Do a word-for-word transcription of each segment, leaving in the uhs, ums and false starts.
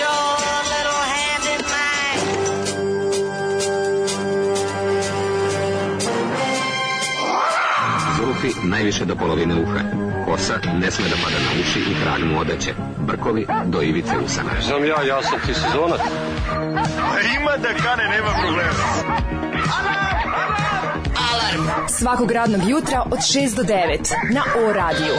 your little hand in mine. Zulufi najviše do polovine uha. Kosa ne sme da pada na uši i trag mu odeće. Brkovi do ivice usana. Znam ja, ja sam ti sezonac. Ima da kane, nema problema. Alarm svakog radnog jutra od šest do devet na O radiju.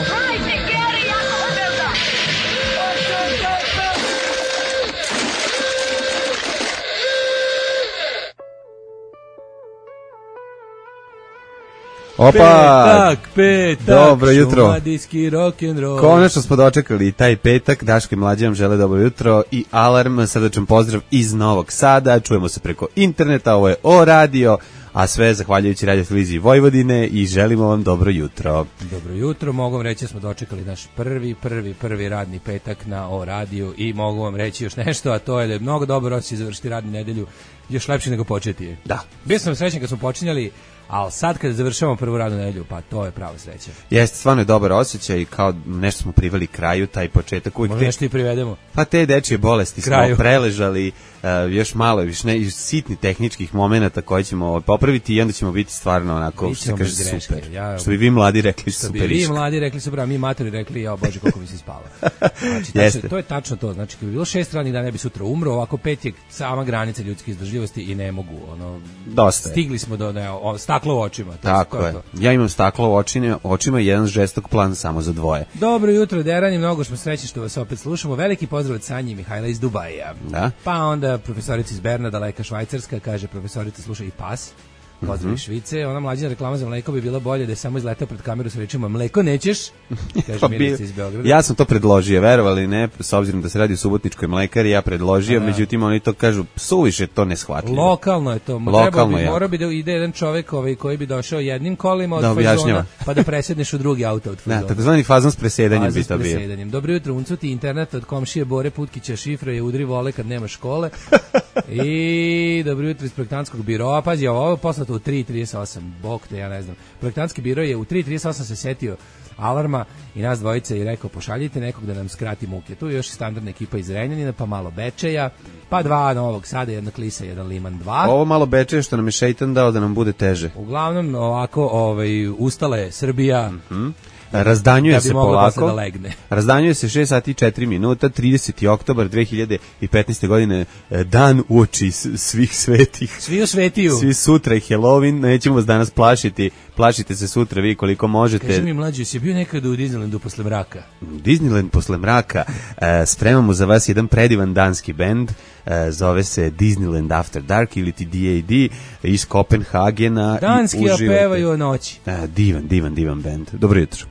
Opa! Petak, petak, dobro jutro. Šumadijski rock'n'roll. Konačno smo dočekali taj petak. Daško i Mlađe vam žele dobro jutro i Alarm, srdačan pozdrav iz Novog Sada. Čujemo se preko interneta, ovo je O radio, a sve zahvaljujući Radio televiziji Vojvodine i želimo vam dobro jutro. Dobro jutro, mogu vam reći da smo dočekali naš prvi, prvi, prvi radni petak na O radiju i mogu vam reći još nešto, a to je da je mnogo dobro osjećaj završiti radnu nedelju, još lepše nego početi je. Da. Bio sam srećan kad smo počinjali, ali sad kada završavamo prvu radnu nedelju, pa to je prava sreća. Jeste, stvarno je dobar osjećaj i kao nešto smo priveli kraju, taj početak. Uvijek možda nešto i privedemo. Pa te dečije bolesti kraju. Smo preležali, uh, još malo, još ne, još sitni tehničkih momenata koje ćemo popraviti i onda ćemo biti stvarno onako, što se kaže, super. Ja, što bi vi mladi rekli što super. Što bi vi mladi rekli super, a mi matori rekli, ja bože koliko mi se spava. Znači, tačno, to je tačno to, znači kad bi bilo šest radnih dana ne bi sutra umro, ovako pet je sama granica ljudske izdržljivosti i ne mogu, ono, dosta stigli smo do ne, o, staklo u očima. Tako je. To. Ja imam staklo u očima, očima i jedan žestok plan samo za dvoje. Dobro jutro, Derani, mnogo smo srećni što vas opet slušamo. Veliki pozdrav od Sanje i Mihajla iz Dubaja. Da. Pa onda profesorica iz Berna, daleka Švajcarska, kaže profesorica sluša i pas. Pozdrav iz Švice, ona mlađina reklama za mleko bi bila bolje da je samo izletao pred kameru sa rečima mleko nećeš, kaže Milica iz Beograda. Ja sam to predložio, verovali ne, s obzirom da se radi o Subotničkoj mlekari, ja predložio, da. Međutim oni to kažu, suviše to neshvatljivo. Lokalno je to, lokalno bi, je. Mora bi da ide jedan čovjek ovaj, koji bi došao jednim kolima od da fazona, pa da presedneš u drugi auto od fazona. Da, takozvani fazon s presedanjem fazon bi to bio. Dobro jutro, uncuti internet od komšije Bore Putkića, šifra je udri vole kad nema škole. I dobro jutro iz projektantskog biroa, pazi, ovo je poslato u tri trideset osam, bok te, ja ne znam. Projektantski biro je u tri trideset osam se setio Alarma i nas dvojice i rekao pošaljite nekog da nam skrati muke. Tu je još standardna ekipa iz Renjanina, pa malo Bečeja, pa dva Novog Sada, jedna Klisa, jedan Liman, dva. Ovo malo Bečeja što nam je šeitan dao da nam bude teže. Uglavnom, ovako, ovaj, ustala je Srbija, mm-hmm. Razdanjuje da se polako. Da legne. Razdanjuje se šest sati i četiri minuta, trideseti oktobar dve hiljade petnaeste. godine, dan uoči svih svetih. Svi u svetiju. Svi sutra je Halloween, nećemo vas danas plašiti. Plašite se sutra vi koliko možete. Kaži mi mlađi, si bio nekada u Disneylandu posle mraka? Disneyland posle mraka. E, spremamo za vas jedan predivan danski bend. E, zove se Disneyland After Dark ili ti D A D iz Kopenhagena. Danski opevaju o noći. E, divan, divan, divan bend. Dobro jutro.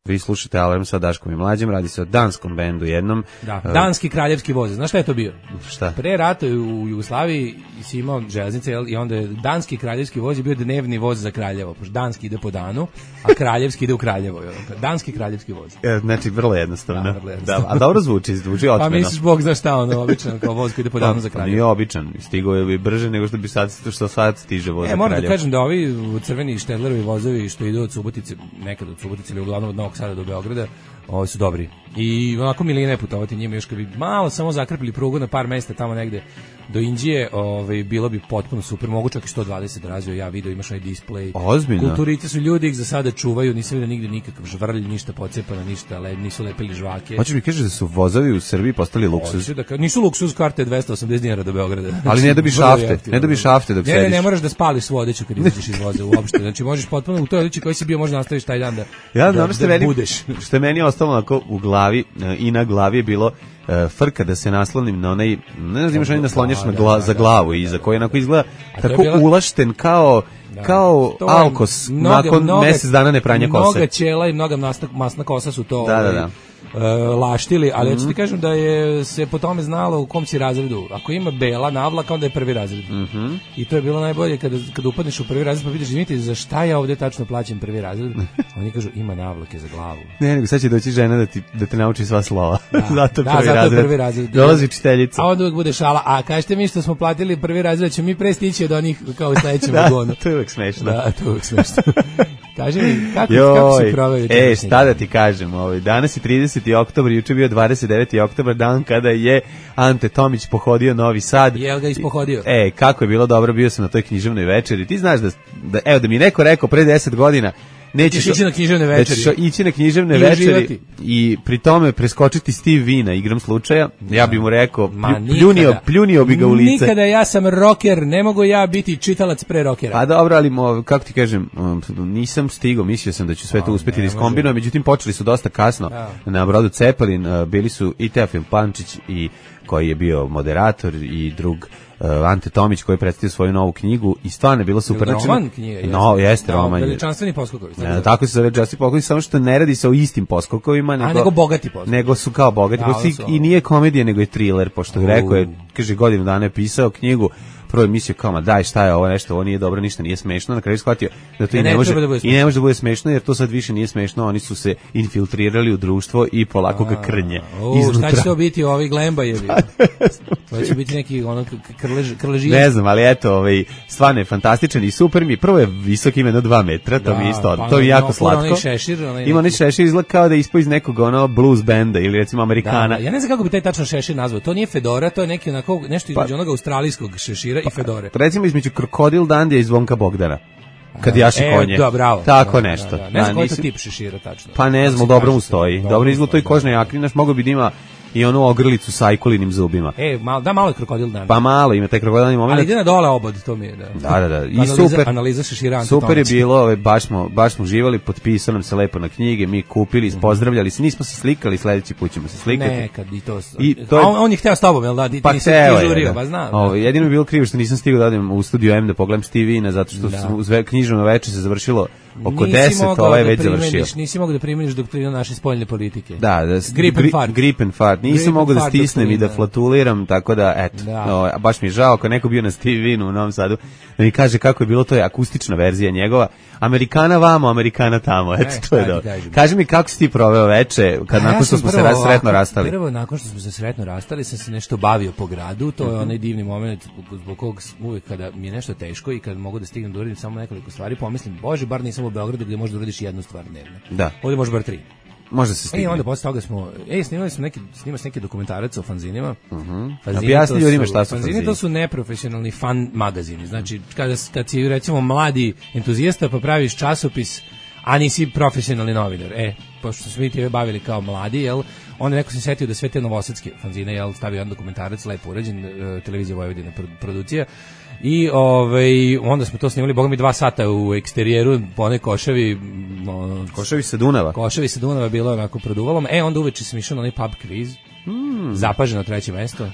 Vi slušate Alarm sa Daškom i Mlađem, radi se o danskom bendu jednom. Da, danski kraljevski voz. Znaš šta je to bio? Šta? Pre rata u Jugoslaviji si imao železnice i onda je danski kraljevski voz je bio dnevni voz za Kraljevo, pošto danski ide po danu, a kraljevski ide u Kraljevo. Danski kraljevski voz. E, znači, vrlo jednostavno. Da, vrlo jednostavno. Da, a dobro zvuči, zvuči otmeno. Pa misliš, Bog zna šta ono, običan kao voz koji ide po danu za Kraljevo. Nije običan, stigo je brže nego što bi sad, što sad stiže voz e, za Kraljevo. E, moram da kažem da ovi crveni Štedlerovi vozovi što idu od Subotice, nekad od Subotice ili uglavnom od Novog Sada do Beograda, ovi su dobri. I onako milina je putovati njima, još kad bi malo samo zakrpili prugu na par mesta tamo negde do Indije, ovaj, bilo bi potpuno super, mogu čak i sto dvadeset razvio, ja video, imaš onaj display. Ozbiljno. Kulturice su ljudi, ih za sada čuvaju, nisam vidio nigde nikakav žvrlj, ništa pocepano, ništa, ale nisu lepili žvake. Hoćeš mi kažeš da su vozovi u Srbiji postali luksuz? Da ka, nisu luksuz, karte dvesta osamdeset dinara do Beograda. Ali ne dobiš šafte, ne dobiš šafte dok ne, sediš. Ne, ne moraš da spališ svu odeću kad izađeš iz voza uopšte. Znači možeš potpuno u toj odeći koji si bio možda nastaviš taj dan da, ja, da, da, da meni, budeš. Što je meni ostalo onako u glavi i na glavi je bilo uh, frka da se naslonim na onaj, ne znam imaš onaj naslonjač na gla, za glavu i za koji onako izgleda tako bila, ulašten kao da, kao alkos mnoga, nakon mnoga, mjesec dana ne pranja kose. Mnoga ćela i mnoga masna, masna kosa su to da, da, da. Uh, laštili, ali mm-hmm. ja ću ti kažem da je se po tome znalo u kom si razredu. Ako ima bela navlaka, onda je prvi razred. Mm-hmm. I to je bilo najbolje kada, kada upadneš u prvi razred pa vidiš, izvinite, za šta ja ovdje tačno plaćam prvi razred? Oni kažu, ima navlake za glavu. Ne, nego sad će doći žena da, ti, da te nauči sva slova. Da, zato da, prvi zato razred. prvi razred. Dolazi učiteljica. A onda uvijek bude šala, a kažete mi što smo platili prvi razred, ćemo mi pre stići od onih kao u sledećem da, vagonu. To je uvijek smešno. Da, to je uvijek smešno. Kaži mi, kako, kako si proveo juče? E, šta da ti kažem, ovaj, danas je trideseti oktobar, juče bio dvadeset deveti oktobar, dan kada je Ante Tomić pohodio Novi Sad. Jel ga ispohodio? E, kako je bilo dobro, bio sam na toj književnoj večeri. Ti znaš da, da evo, da mi neko rekao pre deset godina, nećeš ići na književne večeri. Da ćeš ići na književne I večeri uživati. i pri tome preskočiti Steve Vina igram slučaja. Ja bih mu rekao, Ma, plju- pljunio, pljunio bi ga u lice. Nikada, ja sam rocker, ne mogu ja biti čitalac pre rockera. Pa dobro, ali mo, kako ti kažem, um, nisam stigao, mislio sam da ću sve to uspeti da iskombinujem, međutim počeli su dosta kasno Da. na brodu Cepelin, uh, bili su i Teofil Pančić i koji je bio moderator i drug uh, Ante Tomić koji je predstavio svoju novu knjigu i stvarno je bilo super. Jel roman knjiga? Jeste. No, jeste Da, roman. Veličanstveni poskokovi. Ne, tako se zove Veličanstveni poskokovi, samo što ne radi se o istim poskokovima, nego, nego bogati poskokovi. Nego su kao bogati Da, poskokovi su- i nije komedija, nego je thriller, pošto je rekao je, kaže, godinu dana je pisao knjigu, prvo je mislio kao, ma daj, šta je ovo, nešto, ovo nije dobro, ništa nije smešno, na kraju je shvatio da to Ne, i ne, ne može, treba da bude i ne može da bude smešno, jer to sad više nije smešno, oni su se infiltrirali u društvo i polako ga krnje O, iznutra. šta će to biti ovi Glembajevi? To će biti neki ono krlež, krležija. Ne znam, ali eto, ovaj, stvarno je fantastičan i super mi. Prvo je visok, ima jedno dva metra, to Da, mi je isto, pa to mi je ono, jako fura slatko. onaj šešir, onaj Ima onaj neki- šešir, izgleda kao da je ispao iz nekog ono blues benda ili recimo Amerikana. Da, ja ne znam kako bi taj tačno šešir nazvao. To nije fedora, to je neki onako nešto između Pa- onog australijskog šešira i fedore. Recimo između Krokodil Dandija i Zvonka Bogdana. Kad jaše E, konje. da, bravo. Tako Da, nešto. da, da. Ne znam koji je to nisam- tip šešira tačno. Pa ne Kako znam, se ali dobro kaže mu to? stoji. Dobro izgleda to i stoji, kožne jakne, znaš, mogo bi da ima i onu ogrlicu sa ajkulinim zubima. E, malo, da malo je krokodil dan. Pa malo ima taj krokodilni moment. Ali ide na dole obod, to mi je, da. Da, da, da. I Analiza- super. Analiza šešira Ante Super je Tomića. bilo, ove, baš smo, baš smo živali, potpisao nam se lepo na knjige, mi kupili, pozdravljali se, nismo se slikali, sledeći put ćemo se slikati. Nekad i to. I to je- A on, on je hteo s tobom, jel da? Ti, Pa ti nisi hteo ti je, žurio, da. pa znam. Ovo, jedino mi je bilo krivo što nisam stigao da odem u studio M da pogledam Steve Ina, zato što Da. su uz ve- književno veče se završilo oko Nisi deset, mogao ovaj je da već primeniš- završio. Nisi mogao da primeniš doktrinu naše spoljne politike. Da, da, s- Grip and gri- fart. grip and fart. Nisam Grip and mogao da fart stisnem i da doktrina. flatuliram, tako da, eto, Da. o, baš mi je žao, ako je neko bio na Steve Inu u Novom Sadu, da mi kaže kako je bilo, to je akustična verzija njegova. Amerikana vamo, Amerikana tamo, eto, E, to je šta ti dobro. kažem? Kaži mi kako si ti proveo veče, kad A ja nakon što sam smo se prvo ras- sretno ovako- rastali? Prvo, nakon što smo se sretno rastali, sam se nešto bavio po gradu. To je Mhm. onaj divni moment zbog- zbog kog s- uvijek kada mi je nešto teško i kad mogu da stignem da uradim samo nekoliko stvari, pomislim, bože, bar nisam u Beogradu gdje možeš da uradiš jednu stvar dnevno. Da. Ovdje možeš bar tri. Može se E, stigne. onda posle toga smo, ej, snimali smo neki, snima se neki dokumentarac o fanzinima. Fanzini Objasni to ljudima šta su fanzini. fanzini. To su neprofesionalni fan magazini. Znači, kada, kad si, recimo, mladi entuzijasta pa praviš časopis, a nisi profesionalni novinar. E, pošto smo mi time bavili kao mladi, jel, onda neko se setio da sve te novosadske fanzine, jel, stavio jedan dokumentarac, lepo urađen, e, televizija Vojvodina pro- produkcija, i ovaj, onda smo to snimali, boga mi, dva sata u eksterijeru, po onoj košavi, no, Koševi sa Dunava. Koševi sa Dunava bilo onako produvalom. E, onda uveče sam išao na onaj pub kviz. Zapaženo treće mesto.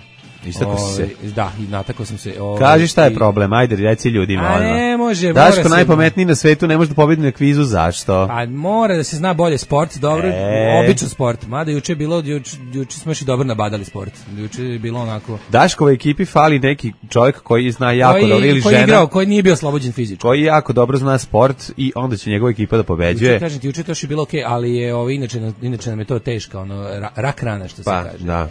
Istakao si se. Ovaj, Da, i natakao sam se. ovaj, Kaži šta je i- problem, ajde, reci ljudima. A odmah. ne može, Daško mora se- najpametniji na svetu, ne može da pobedi na kvizu, zašto? Pa mora da se zna bolje sport, dobro, E. običan sport. Mada juče je bilo, juče, juče smo još i dobro nabadali sport. Juče je bilo onako... Daškovoj ekipi fali neki čovjek koji zna jako koji, dobro ili koji je žena igrao, koji nije bio oslobođen fizički. koji jako dobro zna sport i onda će njegova ekipa da Juče, pobeđuje. kažem ti, juče to još je bilo okej, ali je ovo, inače, nam- inače nam je to teška, ono, ra- rak rana, što se Pa, kaže. da.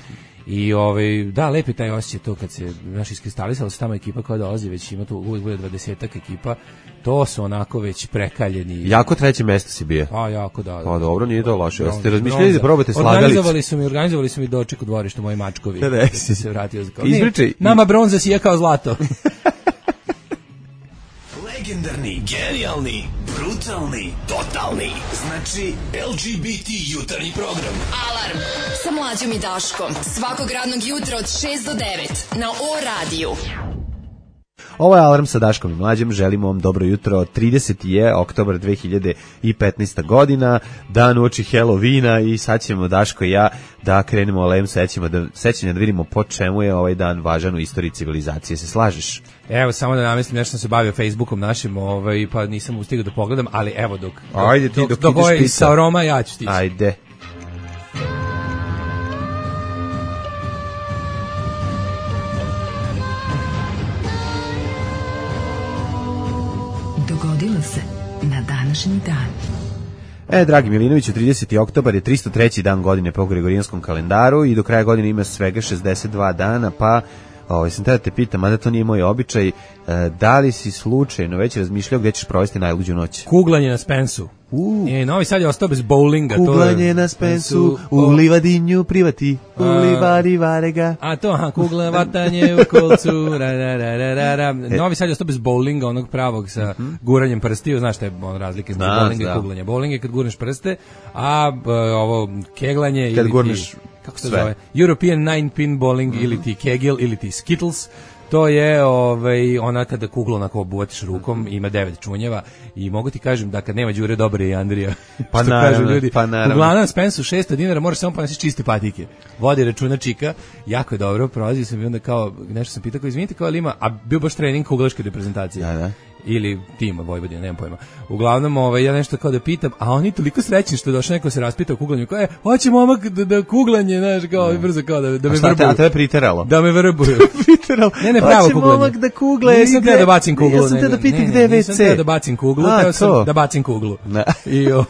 I ovaj, da, lepi taj osjećaj to kad se, znaš, iskristalisala se tamo ekipa koja dolazi, već ima tu uvijek bude dvadesetak ekipa, to su onako već prekaljeni. Jako treće mesto si bio. Pa, jako, da. Pa dobro, nije to loše. Jeste Bronza, razmišljali da bronza. probate slagalicu? Organizovali su mi, organizovali su mi doček u dvorištu moji mačkovi. Da, da, Kad si- sam se vratio za kao. Ispričaj. Ne, nama bronza sija kao zlato. Legendarni, genijalni, brutalni, totalni. Znači, L G B T jutarnji program. Alarm sa mlađom i Daškom. Svakog radnog jutra od šest do devet na O radiju. Ovo je Alarm sa Daškom i Mlađem, želimo vam dobro jutro, trideseti je oktobar dve hiljade petnaesta godina, dan uoči Halloweena i sad ćemo Daško i ja da krenemo o lem sećima, da, sećanja da vidimo po čemu je ovaj dan važan u istoriji civilizacije, se slažeš? Evo, samo da namestim, nešto sam se bavio Facebookom našim, ovaj, pa nisam ustigao da pogledam, ali evo dok, dok, Ajde ti, dok, dok dok ideš ovaj pita. sa Roma, ja ću stići. Ajde. Dogodilo se na današnji dan. E, dragi Milinoviću, trideseti oktobar je tristo treći dan godine po Gregorijanskom kalendaru i do kraja godine ima svega šezdeset dva dana, pa Ovaj sam te pitam, mada to nije moj običaj, da li si slučajno već razmišljao gde ćeš provesti najluđu noć? Kuglanje na Spensu. Uh. E, Novi Sad je ostao bez bowlinga. Kuglanje to je, na Spensu, u livadinju privati, u livadi varega. A to, aha, kugla, vatanje u kolcu, ra, ra, ra, ra, ra, ra. Novi Sad je ostao bez bowlinga, onog pravog sa mm-hmm. guranjem prstiju, znaš šta je on razlike između bowlinga i kuglanja. Bowling je kad gurneš prste, a b, ovo keglanje kad ili gurneš ti, kako se zove, European nine pin bowling mm-hmm. ili ti kegel ili ti skittles. To je ovaj ona kada kuglu onako obuvatiš rukom, ima devet čunjeva i mogu ti kažem da kad nema Đure dobar je i Andrija. Pa naravno, ljudi. Pa naravno. Uglavnom Spensu šesto dinara, možeš samo ponesiš čiste patike. Vodi računa čika, jako je dobro, prolazio sam i onda kao, nešto sam pitao, kao izvinite, kao ali ima, a bio baš trening kuglaške reprezentacije. Da, da. Ili tima Vojvodina, nemam pojma. Uglavnom, ovaj, ja nešto kao da pitam, a oni toliko srećni što je došao neko se raspita o kuglanju, kao je, hoće momak da, da kuglanje, znaš, kao no. brzo, kao da, da me vrbuju. A tebe priteralo? Da me vrbuju. Priteralo. Ne, ne, pravo kuglanje. Hoće momak da kugle. Nisam teo da bacim kuglu. Ja sam teo da pitam gde je ve ce. Nisam teo da bacim kuglu, teo sam da bacim kuglu. I o...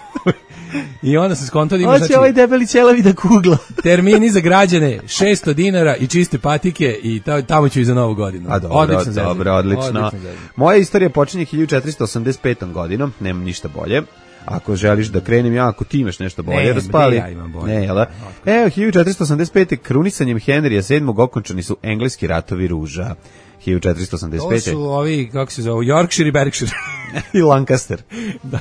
I onda se skonto da ima, hoće znači, ovaj debeli ćelavi da kugla. Termini za građane šesto dinara i čiste patike i tamo ću i za novu godinu. A dobro, odlično, dobro, odlično. Moja istorija počinje hiljadu četiristo osamdeset petom godinom, nemam ništa bolje. Ako želiš da krenem ja, ako ti imaš nešto bolje, ne, raspali. Ja imam bolje. Ne, jel da? Evo, hiljadu četiristo osamdeset pete krunisanjem Henrija sedmog okončani su engleski ratovi ruža. hiljadu četiristo osamdeset pete. To su ovi, kako se zove, Yorkshire i Berkshire. I Lancaster. Da.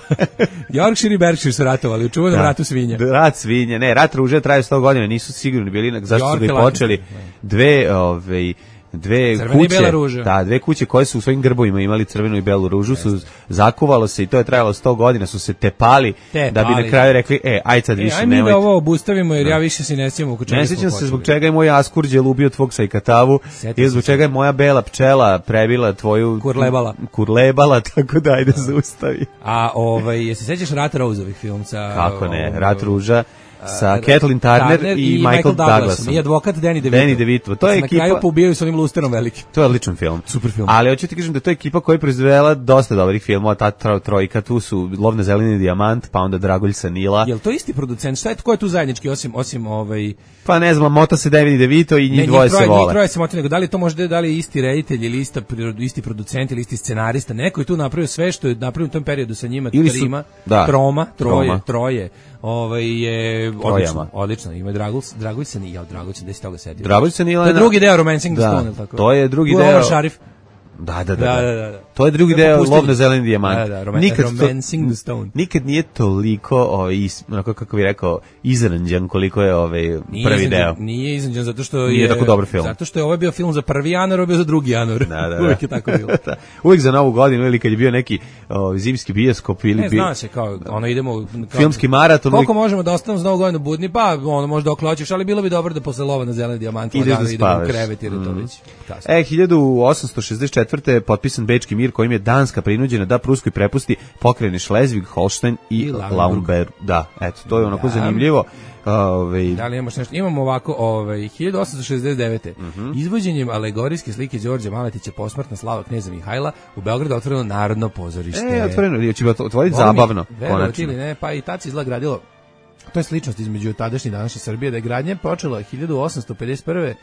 Yorkshire i Berkshire su ratovali, u čuvanom ratu svinja. Rat svinja, ne, rat ruže traje sto godina, nisu sigurni bili, zašto su ga počeli. Dve, ovaj, dve crvena kuće, i bela ruža. Da, dve kuće koje su u svojim grbovima imali crvenu i belu ružu, su zakuvalo se i to je trajalo sto godina, su se tepali, tepali. Da bi na kraju rekli, e, aj sad više e, nemojte. Aj mi da ovo obustavimo jer ja više se ne sjećam oko čega. Ne sjećam se zbog čega je moj askurđel ubio tvog sajkatavu i zbog čega je moja bela pčela prebila tvoju kurlebala. Kurlebala, tako da ajde zaustavi. A ovaj, jesi sećaš Rat Roseovih film sa... Kako ne, Rat ruža. Sa Kathleen Turner, Turner i, i Michael, Michael Douglasom. I advokat Danny DeVito. Danny DeVito. To je na ekipa... kraju poubijaju s onim lusterom veliki. To je odličan film. Super film. Ali hoću ti kažem da to je ekipa koja je proizvela dosta dobrih filmova, ta tro, trojka, tu su Lov na zeleni dijamant, pa onda Dragulj sa Nila. Jel to isti producent? Šta je, ko je tu zajednički, osim, osim ovaj... Pa ne znam, mota se Danny DeVito i njih ne, dvoje troje, se vole. Njih troje se moti, nego da li to možda da li je isti reditelj ili ista, isti producent ili isti scenarista, neko je tu napravio sve što je napravio u tom periodu sa njima, ili trima, su, da, troma, troje, troma. troje. Ovaj je odlično, odlično. Ima Dragulj, Dragulj se nije, Dragulj se desi toga setio. Dragulj se nije. To je drugi deo Romancing the da, Stone, tako. To je drugi tu deo. Omar Sharif. Da, da, da. da, da, da. To je drugi ja deo Lov na zeleni dijamant. Da, da, roman, nikad Romancing to, the Stone. Nikad nije toliko, ovaj, onako kako bih rekao, izranđan koliko je ovaj nije prvi izranđan, deo. Nije izranđan zato što nije je... tako dobar film. Zato što je ovaj bio film za prvi januar, ovaj bio za drugi januar. Da, da, da. Uvijek je tako bilo. da. Uvijek za novu godinu ili kad je bio neki o, zimski bioskop ili... Ne, bi... zna se, kao, ono idemo... Kao, filmski maraton. Koliko uvijek... možemo da ostanemo za novu godinu budni? Pa, ono, možda dok hoćeš, ali bilo bi dobro da posle Lova na zeleni dijamant ideš da spavaš. Krevet jer je to već kasno. E, hiljadu osamsto šezdeset četvrte je potpisan Bečki mir kojim je Danska prinuđena da Pruskoj prepusti pokrajine Šlezvig, Holštajn i, I Lauenburg. Da, eto, to je onako da. zanimljivo. Ove... Da li imaš nešto? Imamo ovako, ovaj hiljadu osamsto šezdeset devete. Uh-huh. Izvođenjem alegorijske slike Đorđa Maletića posmrtna slava kneza Mihajla u Beogradu otvoreno Narodno pozorište. E, otvoreno, će otvoriti zabavno, konačno. Ili ne, pa i tad se izgleda gradilo. To je sličnost između tadašnje i današnje Srbije, da je gradnja počela hiljadu osamsto pedeset prve,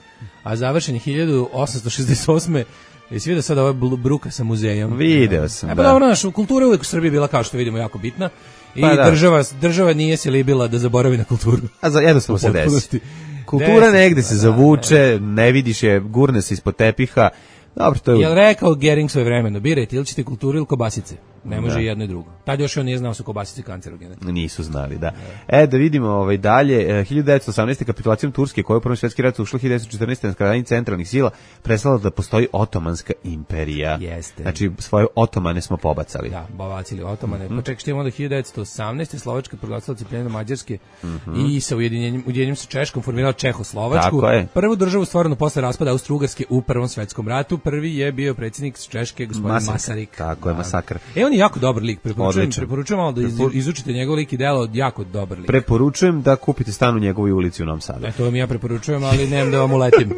a završen je hiljadu osamsto šezdeset osme. Jesi vidio sad ova bruka sa muzejom? Video sam, e, pa da. dobro, naša kultura uvijek u Srbiji bila, kao što vidimo, jako bitna. I pa da. država, država nije se libila da zaboravi na kulturu. A za, jednostavno se desi. Kultura desi, negde se zavuče, ne vidiš je, gurne se ispod tepiha. Dobro, to je... Jel rekao Gering svoje vremeno, birajte ili ćete kulturu ili kobasice. Ne može da. jedno i drugo. Tad još on nije znao su kobasice kancerogene. Nisu znali, da. E, da vidimo ovaj dalje, hiljadu devetsto osamnaeste kapitulacijom Turske, koja je u Prvom svjetski rat ušla hiljadu devetsto četrnaeste na skradanje centralnih sila, prestala da postoji Otomanska imperija. Jeste. Znači, svoje otomane smo pobacali. Da, pobacili otomane. Mm-hmm. Pa čekaj, što imamo onda hiljadu devetsto osamnaeste Slovačka proglasila disciplinu Mađarske mm-hmm. i sa ujedinjenjem, ujedinjenjem sa Češkom formirala Čehoslovačku. Tako je. Prvu državu stvorenu posle raspada Austro-Ugarske u Prvom svjetskom ratu. prvi je bio predsjednik Češke, gospodin Masar. Masaryk. Tako je, Masakr. E, on je jako dobar lik, preporučujem, Odličan. preporučujem malo da iz, izučite njegov lik i delo, jako dobar lik. Preporučujem da kupite stan u njegovoj ulici u Novom Sadu. E, to vam ja preporučujem, ali nemam da vam uletim.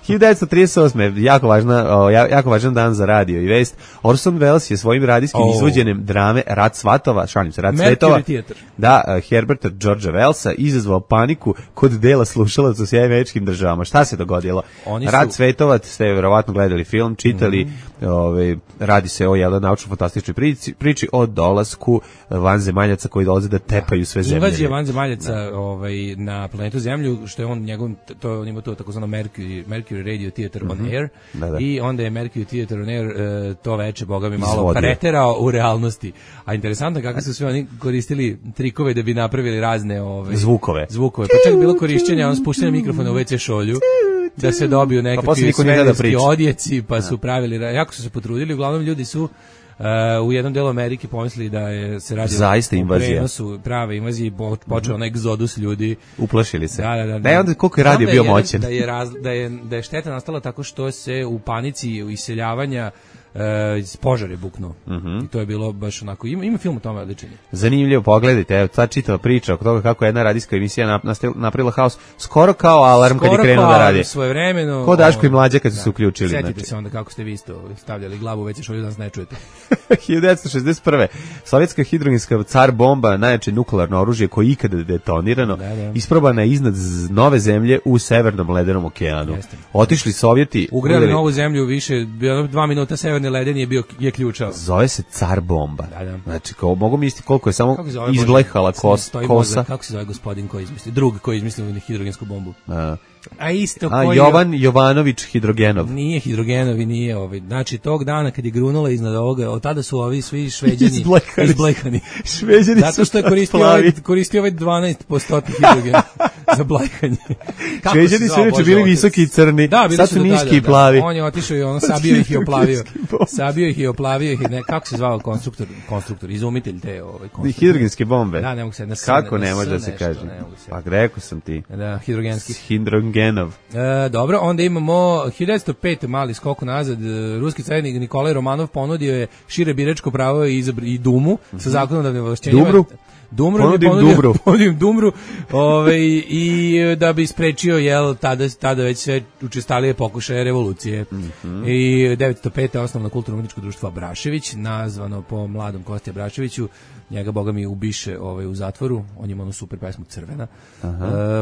hiljadu devetsto trideset osme jako važna, o, ja- jako važan dan za radio i vest. Orson Welles je svojim radijskim Oh. izvođenjem drame Rat svatova, šalim se, Rat Mercury svetova, Theatre. da, uh, Herberta Georgea Wellsa izazvao paniku kod dela slušalaca u Sjedinjenim Američkim Državama. Šta se dogodilo? Oni su- Rat svetova, ste verovatno gledali film, čitali, mm-hmm. ovaj, radi se o jednoj naučno-fantastičnoj priči, priči o dolasku vanzemaljaca koji dolaze da tepaju sve zemlje. Invazija vanzemaljaca ovaj, na planetu Zemlju, što je on njegov, to on ima to takozvano Mercury, Mercury Radio Theater on Air, Da, da. i onda je Mercury Theater on Air e, to veče, boga mi, malo Izvodio. preterao u realnosti. A interesantno kako su sve oni koristili trikove da bi napravili razne ove, Zvukove. zvukove. Pa čak je bilo korišćenja, on spuštanje mikrofona u ve ce šolju, da se dobiju posle nekakvi niko nije da svemirski priča. odjeci, pa su pravili, ra- jako su se potrudili, uglavnom ljudi su Uh, u jednom delu Amerike pomislili da je se radi Zaista o invazija. prenosu prave invazije, po- počeo onaj egzodus ljudi. Uplašili se. Da, da, da. Da je onda koliko je radio Znam bio da je- moćan. Da je, raz, da, je, da je šteta nastala tako što se u panici u iseljavanja e, požar je buknuo. I to je bilo baš onako, ima, ima film o tome odličan je. Zanimljivo, pogledajte, evo, ta čitava priča oko toga kako je jedna radijska emisija nap- nastavila- napravila haos, skoro kao alarm kad je Skoro krenuo da kao radi. svojevremeno. Ko Daško i ovaj, Mlađa kad su se uključili. Setite znači. se onda kako ste vi isto stavljali glavu već što danas ne čujete. hiljadu devetsto šezdeset prve. Sovjetska hidrogenska car bomba, najjače nuklearno oružje koje je ikada detonirano, Da, da. isprobana je iznad z- nove zemlje u Severnom ledenom okeanu. Jeste. Otišli Sovjeti, Ugrali udarili- novu zemlju više, bio dva minuta severni leden je bio je ključao. Zove se car bomba. Da, da. Znači, kao, mogu misliti koliko je samo Kako se zove, izblehala Bože? kos, Stoji kosa. mozak, kako se zove gospodin koji izmisli? Drug koji izmislio hidrogensku bombu. A, A isto a koji Jovan Jovanović Hidrogenov. nije hidrogenovi, nije ovaj. Znači tog dana kad je grunula iznad ovoga, od tada su ovi svi Šveđani Izblekani. izblekani. Šveđani Zato su što je koristio plavi. ovaj, koristio ovaj dvanaest posto hidrogena za blekanje. Kako Šveđani se su zvao, inače Bože, bili otac? visoki i crni, Da, bili sad su su do niski tada, i plavi. Da. On je otišao i on sabio ih i oplavio. Hidrogenski bomb. Sabio ih i oplavio ih. i Ne, kako se zvao konstruktor, konstruktor, izumitelj te ovaj konstruktor. Hidrogenske bombe. Da, ne mogu se na S, Kako na ne S može da se nešto, kaže? ne mogu se. Pa rekao sam ti. Da, hidrogenski. Hidrogenov. E, dobro, onda imamo hiljadu devetsto pete mali skok nazad. e, Ruski carnik Nikolaj Romanov ponudio je šire biračko pravo i, izabr, i Dumu sa zakonodavnim ovlašćenjima. Dumru? Dumru Ponudim je ponudio, Dumru. ponudim Dumru ovaj, i e, da bi sprečio jel, tada, tada već sve učestalije pokušaje revolucije. Mhm. I devetsto pete osnovno kulturno-umetničko društvo Abrašević, nazvano po mladom Kosti Abraševiću. Njega, boga mi, ubiše ovaj, u zatvoru. On ima onu super pesmu Crvena. E,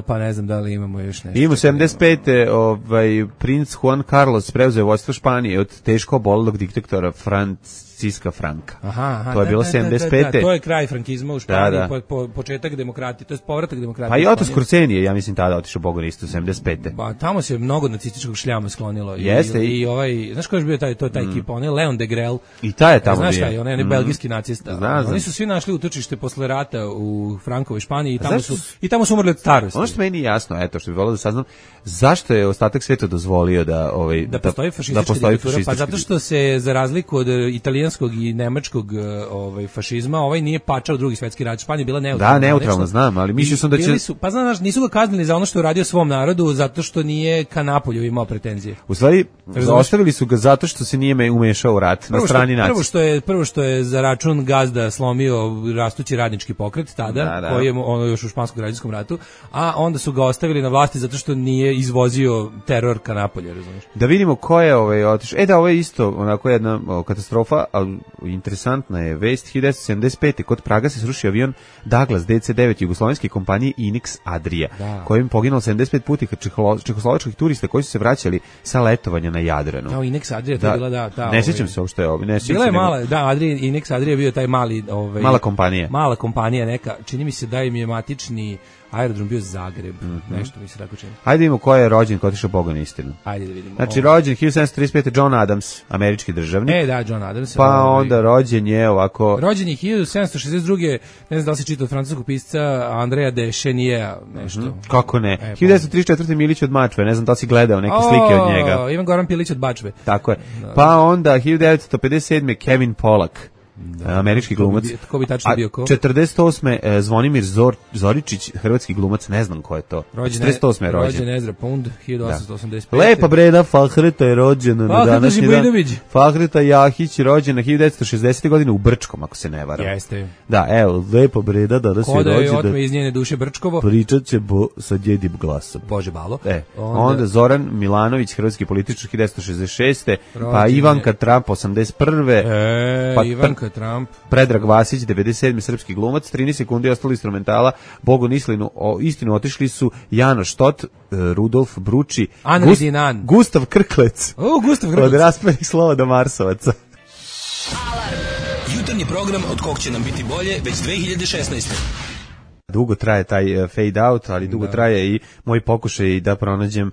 pa ne znam da li imamo još nešto. Imamo sedamdeset pete ovaj, princ Juan Carlos preuzeo vodstvo Španije od teško obolelog diktatora Franciska Franka. Aha, aha, To je da, bilo da, sedamdeset da, da, pete. da, to je kraj frankizma u Španiji, Da, da. Po, po, početak demokratije, to je povratak demokratije. Pa i u Oto Španiju. Scorsese je, ja mislim, tada otišao Bogu na isto, sedamdeset pete. Pa tamo se mnogo nacističkog šljama sklonilo. I, Jeste, i, i- i ovaj, znaš ko je još bio taj, to je taj ekip, on je Leon de Grel. I taj je tamo Znaš bio. šta je, on je onaj Mm. belgijski nacista. Znam, znam. Oni su svi našli utočište posle rata u Frankovoj Španiji i tamo, zašto su, su- i tamo su umrli od starosti. Ono što meni nije jasno, eto, što bih volio da saznam, zašto je ostatak sveta dozvolio da ovaj da postoji fašistička da postoji diktatura, pa fašistička zato što se za razliku od e, italijanskog i nemačkog e, ovaj fašizma, ovaj nije pačao drugi svetski rat. Španija je bila neutralna. Da, neutralno, zvanično. znam, ali mislio sam da će- Bili su, pa znaš, nisu ga kaznili za ono što je uradio svom narodu, zato što nije ka Napolju imao pretenzije. U stvari, Razumeš? ostavili su ga zato što se nije me umešao u rat na Prvo što, strani prvo nacije. što je prvo što je za račun gazda slomio rastući radnički pokret tada, Da, da. koji je ono još u španskom građanskom ratu, a onda su ga ostavili na vlasti zato što nije izvozio teror ka Napolju, razumiješ? Da vidimo ko je ovaj otišao. E da, ovo je isto onako jedna o, katastrofa, ali interesantna je vest. hiljadu devetsto sedamdeset pete kod Praga se srušio avion Douglas D C devet jugoslovenske kompanije Inex Adria, Da. kojim poginulo sedamdeset pet putnika čeholo- čehoslovačkih turista koji su se vraćali sa letovanja na Jadranu. Kao Inex Adria, to je bila da, ta, ne ovaj, sjećam se uopšte ovo. Ne sjećam Bila se je nego- mala, da, Adria, Inex Adria je bio taj mali, ovaj, Mala kompanija. Mala kompanija neka, čini mi se da im je matični aerodrom bio Zagreb, Mhm. nešto mi se tako čini. Ajde vidimo ko je rođen, ko je otišao Boga na istinu. Ajde da vidimo. Znači, Ovo. rođen hiljadu sedamsto trideset pete John Adams, američki državnik. E, da, John Adams. pa ovaj, onda rođen je ovako... Rođen je hiljadu sedamsto šezdeset druge. Ne znam da li si čitao od francuskog pisca Andreja de Cheniera, nešto. Kako ne? E, hiljadu devetsto trideset četvrte Milić od Mačve, ne znam da li si gledao neke slike od njega. O, Ivan Goran Pilić od Bačve. Tako je. Pa onda hiljadu devetsto pedeset sedme Kevin Pollak, Da, američki glumac. Ko bi tačno bio ko? četrdeset osme E, Zvonimir Zor, Zoričić, hrvatski glumac, ne znam ko je to. četrdeset osme je rođen. Rođen Ezra Pound, hiljadu osamsto osamdeset pete. Lepa Breda Fahreta je rođena na današnji dan. Fahreta Jahić rođena hiljadu devetsto šezdesete godine u Brčkom, ako se ne varam. Jeste. Da, evo, Lepa Breda danas je rođena. Ko da je otme iz njene duše Brčkovo. Pričat će bo sa djedim glasom. Bože balo. E, onda, onda Zoran Milanović, hrvatski političar, hiljadu devetsto šezdeset šeste. Rođene. Pa Ivanka Trump, osamdeset prve. E, pa Ivanka Trump. Predrag Vasić, devedeset sedme srpski glumac, trinaest sekundi ostali instrumentala, Bogu Nislinu, o, istinu otišli su Jano Štot, Rudolf Bruči, Gust, Gustav Krklec, o, Gustav Krklec. Od raspenih slova do Marsovaca. Jutarnji program od kog će nam biti bolje već dve hiljade šesnaeste. Dugo traje taj uh, fade out, ali dugo da. traje i moj pokušaj da pronađem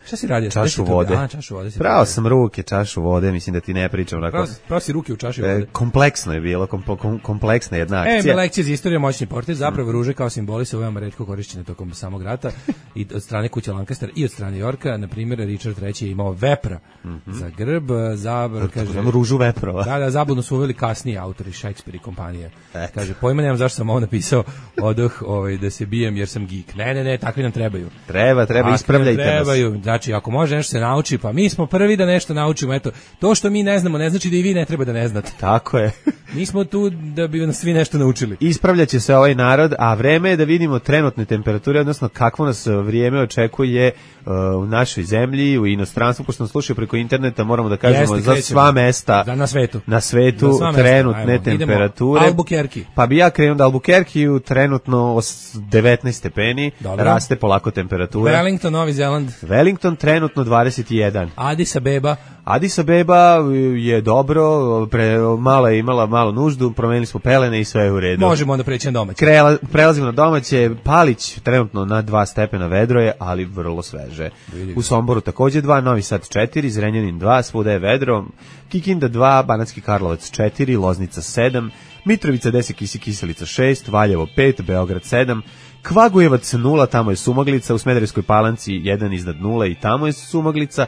čašu vode. A, čašu vode. Pravo sam ruke, čašu vode, mislim da ti ne pričam. Pravo, pravo si ruke u čaši vode. E, kompleksno je bilo, kom, kom, kompleksna jedna akcija. E, lekcije za istoriju, moćni portir, zapravo ruže kao simboli su veoma retko korišćene tokom samog rata i od strane kuće Lancaster i od strane Yorka. Na primjer, Richard treći je imao vepra mm -hmm. za grb, zabr, kaže... Ružu veprova. Da, da, zabudno su uveli kasniji autori, Shakespeare i kompanije. E. Kaže, pojma nemam zašto sam ovo napisao, odoh, ovaj, da se bijem jer sam geek. Ne, ne, ne, takvi nam trebaju. Treba, treba, takvi ispravljajte nas. Trebaju. Znači, ako može nešto se nauči, pa mi smo prvi da nešto naučimo. Eto, to što mi ne znamo ne znači da i vi ne treba da ne znate. Tako je. Mi smo tu da bi nas svi nešto naučili. Ispravljaće se ovaj narod, a vreme je da vidimo trenutne temperature, odnosno kakvo nas vrijeme očekuje uh, u našoj zemlji, u inostranstvu, pošto nas slušaju preko interneta, moramo da kažemo Jeste, za krećemo. sva mesta da, na svetu, na svetu sva trenutne Ajmo, temperature. Albuquerque. Pa bi ja krenuo da Albuquerque trenutno devetnaest stepeni, Dobro. raste polako temperatura. Wellington, Novi Zeland. Wellington trenutno dvadeset jedan. Addis Abeba. Addis Abeba je dobro, pre, malo je imala malo nuždu, promenili smo pelene i sve je u redu. Možemo onda preći na domaće. Krela, prelazimo na domaće, Palić trenutno na dva stepena vedro je, ali vrlo sveže. Vidim. U Somboru takođe dva, Novi Sad četiri, Zrenjanin dva, svuda je vedro, Kikinda dva, Banatski Karlovac četiri, Loznica sedam, Mitrovica deset, Kisi Kiselica šest, Valjevo pet, Beograd sedam, Kvagujevac nula, tamo je sumaglica, u Smederevskoj Palanci jedan iznad nula i tamo je sumaglica.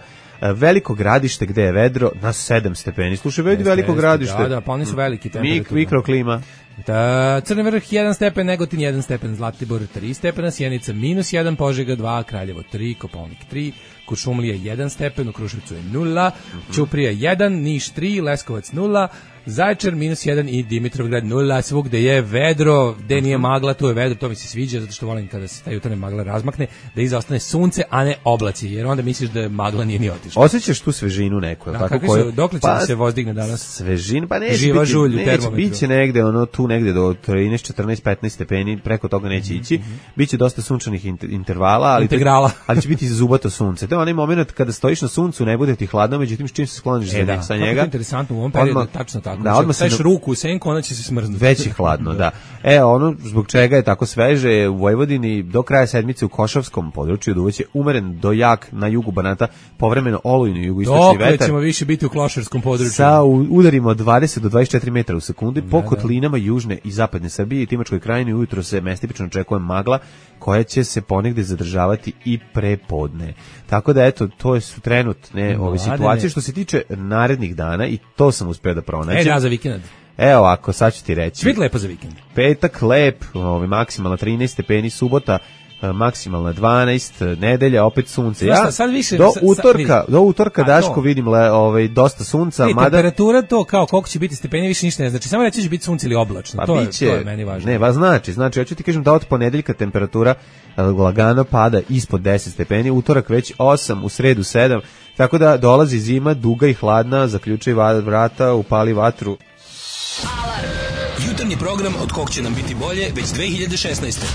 Veliko Gradište gde je vedro na sedam stepeni. Slušaj, vidi Veliko Gradište. Da, da, pa oni su veliki temperaturno. Mik, mikroklima. Da, Crni Vrh jedan stepen, Negotin jedan stepen, Zlatibor tri stepena, Sjenica minus jedan, Požega dva, Kraljevo tri, Kopaonik tri, Kuršumlija jedan stepen, u Kruševcu je nula, mm-hmm. Ćuprija jedan, Niš tri, Leskovac nula, Zaječar minus jedan i Dimitrovgrad nula, svugde je vedro, gde nije magla, tu je vedro, to mi se sviđa, zato što volim kada se ta jutarnja magla razmakne, da iza ostane sunce, a ne oblaci, jer onda misliš da magla nije ni otišla. Osjećaš tu svežinu neku, da, tako koju? Dokle će pa, da se vozdigne danas? Svežin, pa neće Živa biti, žulj u neće, biće negde, ono, tu negde do trinaest, četrnaest, petnaest stepeni, preko toga neće ići, mm-hmm. biće dosta sunčanih intervala, ali, Integrala. ali će biti zubato sunce. To je onaj moment kada stojiš na suncu, ne bude ti hladno, međutim s čim se skloniš e, da, sa njega. Je interesantno u ovom periodu, odmah, tačno tako. Da, odmah staješ ruku u senku, ona će se smrznuti. Već je hladno, da. E, ono zbog čega je tako sveže u Vojvodini do kraja sedmice u Košavskom području duvaće umeren do jak na jugu Banata, povremeno olujni jugoistočni vetar. Dok ćemo više biti u Klošarskom području. Sa udarima od dvadeset do dvadeset četiri metra u sekundi po kotlinama južne i zapadne Srbije i Timočkoj krajini ujutro se mestipično očekuje magla koja će se ponegde zadržavati i prepodne. Tako da eto, to su trenutne ove situacije što se tiče narednih dana i to sam uspeo da pronađem. E, da, za vikend. Evo ovako, sad ću ti reći. Biti lepo za vikend. Petak lep, ovaj, maksimalna trinaest stepeni, subota maksimalna dvanaest, nedelja opet sunce. Ja sad, sad više, do sad, utorka, do utorka Daško vidim le, ovaj dosta sunca, e, mada temperatura to kao koliko će biti stepeni više ništa ne znači. Samo reći će biti sunce ili oblačno. Pa to, biće, je, to je meni važno. Ne, va znači, znači hoću ti kažem da od ponedeljka temperatura lagano pada ispod deset stepeni, utorak već osam, u sredu sedam. Tako da dolazi zima, duga i hladna, zaključaj vrata, upali vatru. Alarm. Jutarnji program od kog će nam biti bolje već dve hiljade šesnaeste.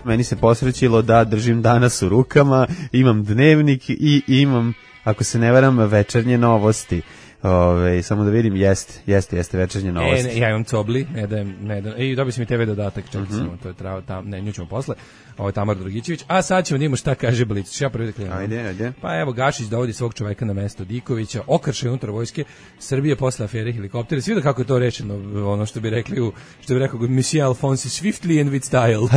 Meni se posrećilo da držim danas u rukama, imam dnevnik i imam, ako se ne varam, večernje novosti. Ove, samo da vidim, jeste, jeste, jeste večernje novosti. E, ne, ja imam Cobli, ne dajem, ne dajem, i dobio sam i te ve dodatak, čekaj mm-hmm. samo, to je trava, tam, ne, nju ćemo posle, ovo je Tamar Dragićević, a sad ćemo da imamo šta kaže Blic, ja prvi da krenem. Ajde, ajde. Pa evo, Gašić dovodi svog čoveka na mesto Dikovića, okršaj unutar vojske Srbije posle afere helikoptera, svi da kako je to rečeno, ono što bi rekli, u, što bi rekao Monsieur Alphonse, swiftly and with style.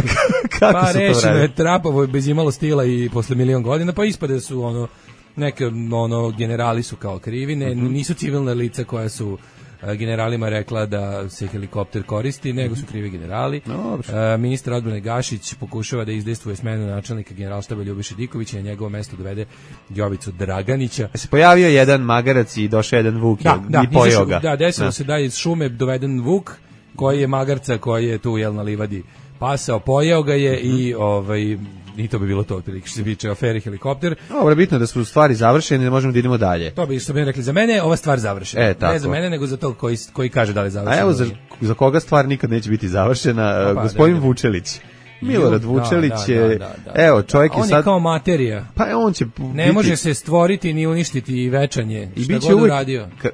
Kako pa su to rečeno je trapovo, bez imalo stila i posle milion godina, pa ispade su ono, neke ono generali su kao krivi, ne, mm-hmm. nisu civilna lica koja su generalima rekla da se helikopter koristi, nego su krivi generali. Dobro. Ministar odbrane Gašić pokušava da izdejstvuje smenu načelnika generalštaba Ljubiše Dikovića i na njegovo mesto dovede Jovicu Draganića. Se pojavio jedan magarac i došao jedan vuk da, da, i pojeo ga. Da, desilo da. se da iz šume doveden vuk koji je magarca, koji je tu jel na livadi pasao, pojeo ga je mm-hmm. i ovaj i to bi bilo to otprilike što se tiče afere helikopter. Dobro, bitno da su stvari završene, da možemo da idemo dalje. To bi što bi rekli, za mene je ova stvar završena. E, ne za mene, nego za to koji, koji kaže da li je završena. A evo za, za koga stvar nikad neće biti završena, pa, gospodin da, da. Vučelić. Milorad Vučelić je, da, da, da, da, evo, čovjek da, je on sad... je kao materija. Pa on će Ne biti... može se stvoriti ni uništiti i večanje, I šta biće god uvijek, uradio. Ka,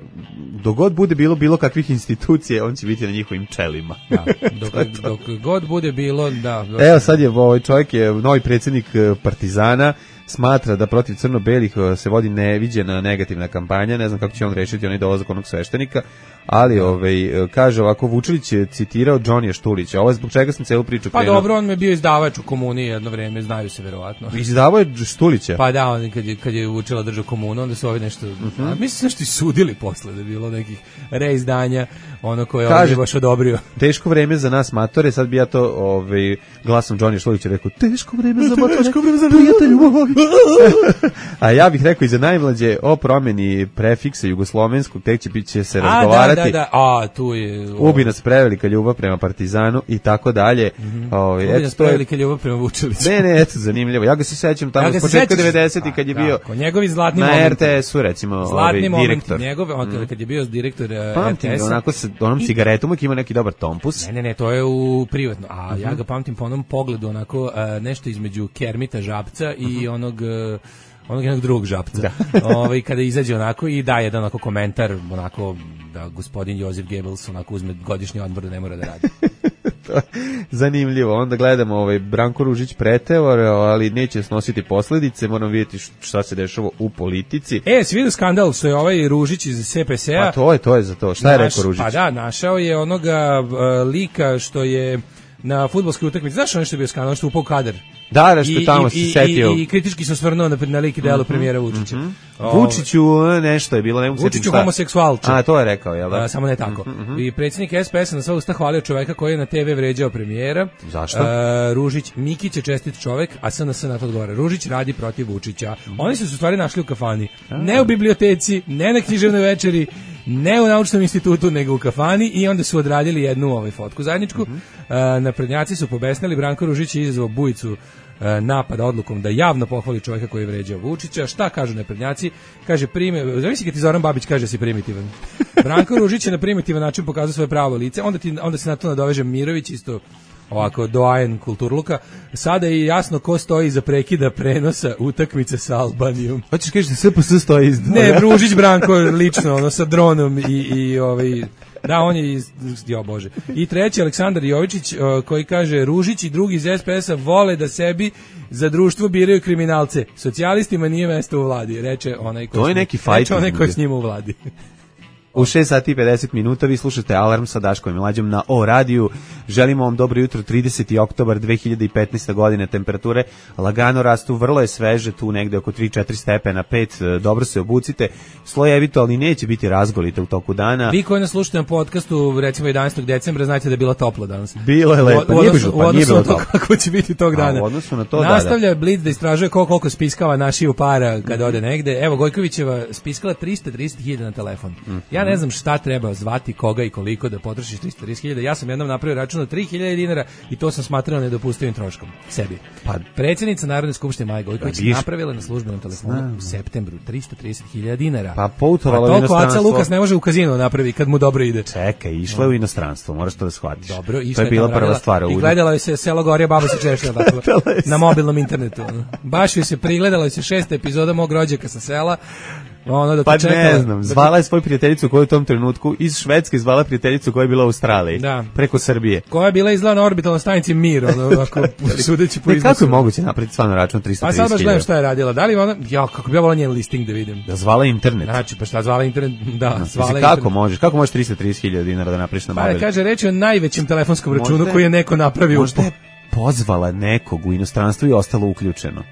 dogod bude bilo bilo kakvih institucija, on će biti na njihovim čelima. Da, dok, dok god bude bilo, da. Evo sad je, ovaj čovjek je novi predsjednik Partizana, smatra da protiv crno-belih se vodi neviđena negativna kampanja, ne znam kako će on rešiti onaj dolazak onog sveštenika, ali ovaj, kaže ovako, Vučelić je citirao Džonija Štulića, ovo je zbog čega sam celu priču Pa krenuo. dobro, on me bio izdavač u komuni jedno vreme, znaju se verovatno. Izdavao je Štulića? Pa da, on kad je, kad je Vučela držao komunu, onda su ovi nešto, uh-huh. a, mislim se nešto i sudili posle, da je bilo nekih reizdanja, ono koje on je baš odobrio. Teško vreme za nas matore, sad bi ja to ovaj, glasom Džonija Štulića rekao, teško vreme za matore, teško vreme za prijatelju moji. A ja bih rekao i za najmlađe o promjeni prefiksa jugoslovenskog, tek će, će se razgovarati. A, da, da, da. A, tu je... Ubi nas prevelika ljubav prema Partizanu i tako dalje. Mm-hmm. Ovaj, Ubi nas prevelika ljubav prema Vučeliću. Ne, ne, eto, zanimljivo. Ja ga se sećam tamo ja s početka devedesetih kad je bio tako, njegovi zlatni na momenti. R T S-u, recimo, zlatni ovaj, direktor. Njegove, on, mm. kad je bio direktor uh, pamtim, R T S-a. onako sa onom cigaretom uvijek ima neki dobar tompus. Ne, ne, ne, to je u privatno. A mm-hmm. ja ga pamtim po onom pogledu, onako, uh, nešto između Kermita Žabca i mm-hmm. onog... Uh, onog jednog drugog Žapca. Da. Ovaj kada izađe onako i da jedan onako komentar, onako da gospodin Josip Goebbels onako uzme godišnji odmor da ne mora da radi. Zanimljivo. Onda gledamo ovaj Branko Ružić pretevor, ali neće snositi posledice. Moramo vidjeti šta se dešava u politici. E, si vidio skandal što je ovaj Ružić iz S P S-a. Pa to je, to je za to. Šta naš, je rekao Ružić? Pa da, našao je onoga uh, lika što je na fudbalskoj utakmici. Znaš ono što je bio skandal, što je upao kadar? Da, nešto tamo se setio. I, i kritički se osvrnuo na, na lik i delo mm-hmm, premijera Vučića. Mm-hmm. Vučiću nešto je bilo, ne mogu Vučiću homoseksualče. A, to je rekao, jel da? A, samo ne tako. Mm-hmm. I predsjednik S P S-a na sva usta hvalio čoveka koji je na te ve vređao premijera. Zašto? A, Ružić, Mikić je čestit čovek, a S N S na to odgovara. Ružić radi protiv Vučića. Mm-hmm. Oni su se u stvari našli u kafani. A. Ne u biblioteci, ne na književnoj večeri, ne u naučnom institutu, nego u kafani i onda su odradili jednu ovaj fotku zajedničku. Mm-hmm. A, naprednjaci su pobesnili, Branko Ružić je izazvao bujicu napada odlukom da javno pohvali čovjeka koji je vređao Vučića. Šta kažu naprednjaci? Kaže prime, zamisli kad ti Zoran Babić kaže da si primitivan. Branko Ružić je na primitivan način pokazao svoje pravo lice, onda ti onda se na to nadoveže Mirović isto ovako doajen kulturluka. Sada je jasno ko stoji iza prekida prenosa utakmice sa Albanijom. Hoćeš kažeš da S P S stoji iza? Ne, Ružić Branko lično, ono sa dronom i i ovaj da, on je iz, jo bože. I treći, Aleksandar Jovičić, uh, koji kaže, Ružić i drugi iz S P S-a vole da sebi za društvo biraju kriminalce. Socijalistima nije mesto u vladi, reče onaj ko, to je neki fight, reče onaj ko je s njima u vladi. U šest sati i pedeset minuta vi slušate Alarm sa Daškom i Mlađom na O radiju. Želimo vam dobro jutro, trideseti oktobar dve hiljade petnaeste. godine, temperature lagano rastu, vrlo je sveže, tu negde oko tri do četiri stepena, pet, dobro se obucite, slojevito, ali neće biti razgolite u toku dana. Vi koji nas slušate na podcastu, recimo jedanaestog decembra, znate da je bilo toplo danas. Bilo je lepo, u, nije bilo, pa nije bilo toplo. Kako će biti tog dana. A, u odnosu na to, nastavlja da, da. Blitz da istražuje koliko, koliko spiskava našiju para kad ode negde. Evo, Gojkovićeva spiskala trista trideset hiljada na telefon. Mm. Ja ne znam šta treba zvati, koga i koliko da potrošiš trista trideset hiljada. Ja sam jednom napravio račun od tri hiljade dinara i to sam smatrao nedopustivim troškom sebi. Pa predsjednica Narodne skupštine Maja Gojković pa, napravila na službenom telefonu Znam. u septembru trista trideset hiljada dinara. Pa poutovala u inostranstvo. Aca Lukas ne može u kazino napravi kad mu dobro ide. Čekaj, išla je u inostranstvo, moraš to da shvatiš. Dobro, to je bila prva stvar. I gledala joj se Selo Gorija, baba se češlja tako, na mobilnom internetu. Baš joj se prigledala joj se šesta epizoda Mog rođaka sa sela. Ono da pa čekala, ne znam, zvala je svoju prijateljicu koja je u tom trenutku iz Švedske zvala prijateljicu koja je bila u Australiji, da. preko Srbije. Koja je bila izgleda na orbitalnoj stanici Mir, ono, ako sudeći po iznosu. Kako je moguće napraviti stvarno račun trista trideset hiljada? Pa sad baš gledam šta je radila. Da li ona, ja, kako bi ja volao njen listing da vidim. Da zvala internet. Znači, pa šta zvala internet, da, no, zvala internet. Kako možeš, kako možeš trista trideset hiljada dinara da napraviš na mobil? Pa kaže, reći o najvećem telefonskom računu možda, koji je neko napravio. Možda je pozvala nekog u inostranstvu i ostalo uključeno.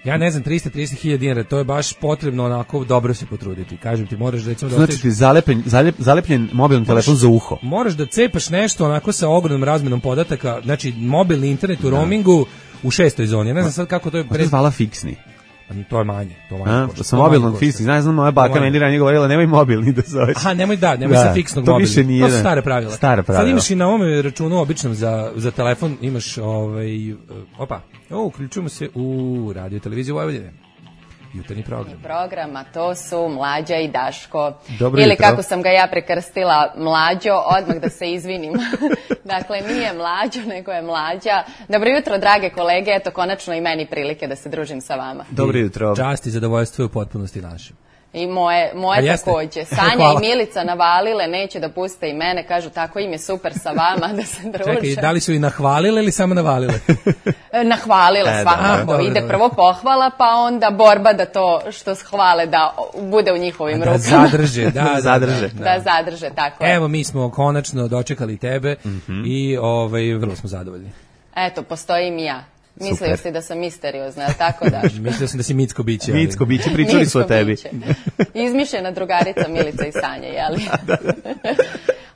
Ja ne znam, trista trideset hiljada dinara, to je baš potrebno onako dobro se potruditi. Kažem ti, moraš recimo da... Znači ti zalepljen, zalep, zalepljen mobilni telefon za uho. Moraš da cepaš nešto onako sa ogromnom razmenom podataka, znači mobilni internet u roamingu u šestoj zoni. Ja ne znam sad kako to je... Pred... zvala fiksni. To je manje, to manje. A, sa mobilnom fiksni, znaš, znam, moja baka meni ranije govorila, nemoj mobilni da zoveš. Aha, nemoj da, nemoj da, sa fiksnog mobilni. To više nije. To su stare pravila. Stare pravila. Sad imaš i na ovome računu običnom za, za telefon, imaš ovaj, opa, o, uključujemo se u radio televiziju Vojvodine. Jutarnji program. Programa, to su Mlađa i Daško. Dobro Ili jutro. kako sam ga ja prekrstila, Mlađo, odmah da se izvinim. Dakle, nije Mlađo, nego je Mlađa. Dobro jutro, drage kolege, eto konačno i meni prilike da se družim sa vama. Dobro jutro. Čast i zadovoljstvo u potpunosti naše. I moje, moje takođe. Sanja i Milica navalile, neće da puste i mene, kažu tako im je super sa vama da se druže. Čekaj, da li su i nahvalile ili samo navalile? Nahvalile e, svakako. Da, ide prvo pohvala, pa onda borba da to što hvale da bude u njihovim da rukama. Zadrže, da, da, zadrže. Da, da zadrže, tako je. Evo, mi smo konačno dočekali tebe mm-hmm. i ovaj, vrlo smo zadovoljni. Eto, postojim i ja. Mislio si da sam misteriozna, je li tako, Daško? Mislio sam da si Micko biće. Ali... Micko biće, pričali Micko su o tebi. Izmišljena drugarica Milica i Sanja, jeli?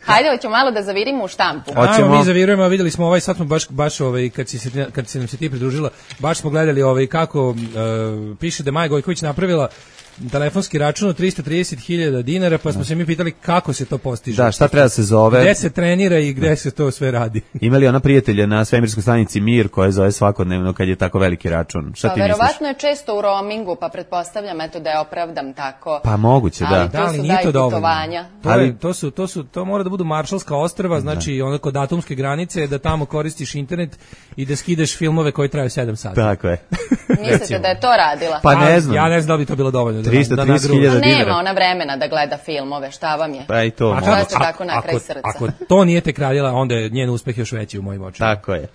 Hajde, hoćemo malo da zavirimo u štampu. Ajmo, mi zavirujemo, a videli smo ovaj, sad smo baš, baš ovaj, kad si se, kad si nam se ti pridružila, baš smo gledali ovaj, kako uh, piše da Maja Gojković napravila telefonski račun od trista trideset hiljada dinara, pa smo se mi pitali kako se to postiže. Da, šta treba da se zove? Gde se trenira i gde se to sve radi. Imali ona prijatelja na svemirskoj stanici Mir koja zove svakodnevno kad je tako veliki račun. Šta pa, ti misliš? Verovatno je često u roamingu, pa pretpostavljam eto da je opravdam tako. Pa moguće, da. Ali to da, su nije to dovoljno. To, ali, to, su, to, su, to mora da budu Maršalska ostrva, znači ono kod atomske granice, da tamo koristiš internet i da skidaš filmove koji traju sedam sati. Tako je. Mislite da je to radila? Pa ne znam. Ja ne znam da bi to bilo dovoljno. trista trideset hiljada dinara. Nema ona vremena da gleda filmove, šta vam je? Pa i to. A kako ste tako na kraj srca? Ako to nije tek radila, onda je njen uspeh još veći u mojim očima. Tako je.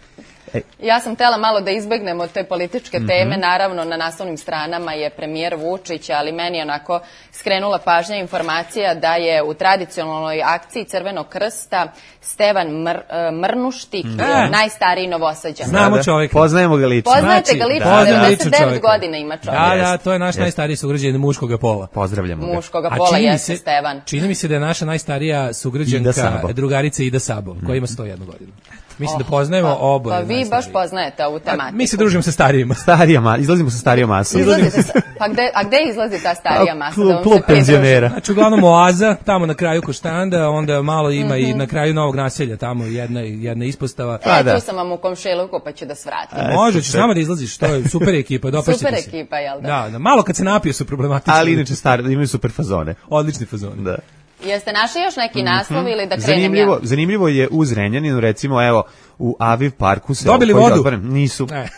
E. Ja sam htela malo da izbegnemo te političke teme, mm-hmm. naravno na naslovnim stranama je premijer Vučić, ali meni je onako skrenula pažnja informacija da je u tradicionalnoj akciji Crvenog krsta Stevan Mr, Mrnuštik, mm. najstariji Novosađan. Znamo čovjeka. Poznajemo ga lično. Poznajete znači, ga lično, devedeset devet godina ima čovjek. Da, da, to je naš yes. najstariji sugrađanin muškoga pola. Pozdravljamo ga. Muškoga pola jeste Stevan. Čini mi se da je naša najstarija sugrađanka, drugarica Ida Sabo, koja ima sto jednu godinu. Mislim oh, da poznajemo pa, oboje. Pa vi baš poznajete ovu tematiku. Mi se družimo sa starijima. Starija ma, izlazimo sa starijom masom. Sa, pa gde, a gde izlazi ta starija masa? Klub, klub penzionera. Znači uglavnom oaza, tamo na kraju Koštanda, onda malo ima mm-hmm. i na kraju Novog naselja, tamo jedna, jedna ispostava. E, pa, da. Tu sam vam u komšiluku, pa ću da svratim. A, može, ćeš nama da izlaziš, to je super ekipa, dopašćete super se. Super ekipa, jel da? Da, da, malo kad se napiju su problematični. Ali inače stari, imaju super fazone. Odlični fazone. Da. Jeste našli još neki mm-hmm. naslov ili da krenem zanimljivo, ja? Zanimljivo je u Zrenjaninu, recimo, evo, u Aviv parku se... Dobili vodu? Otvoren, nisu. Ne.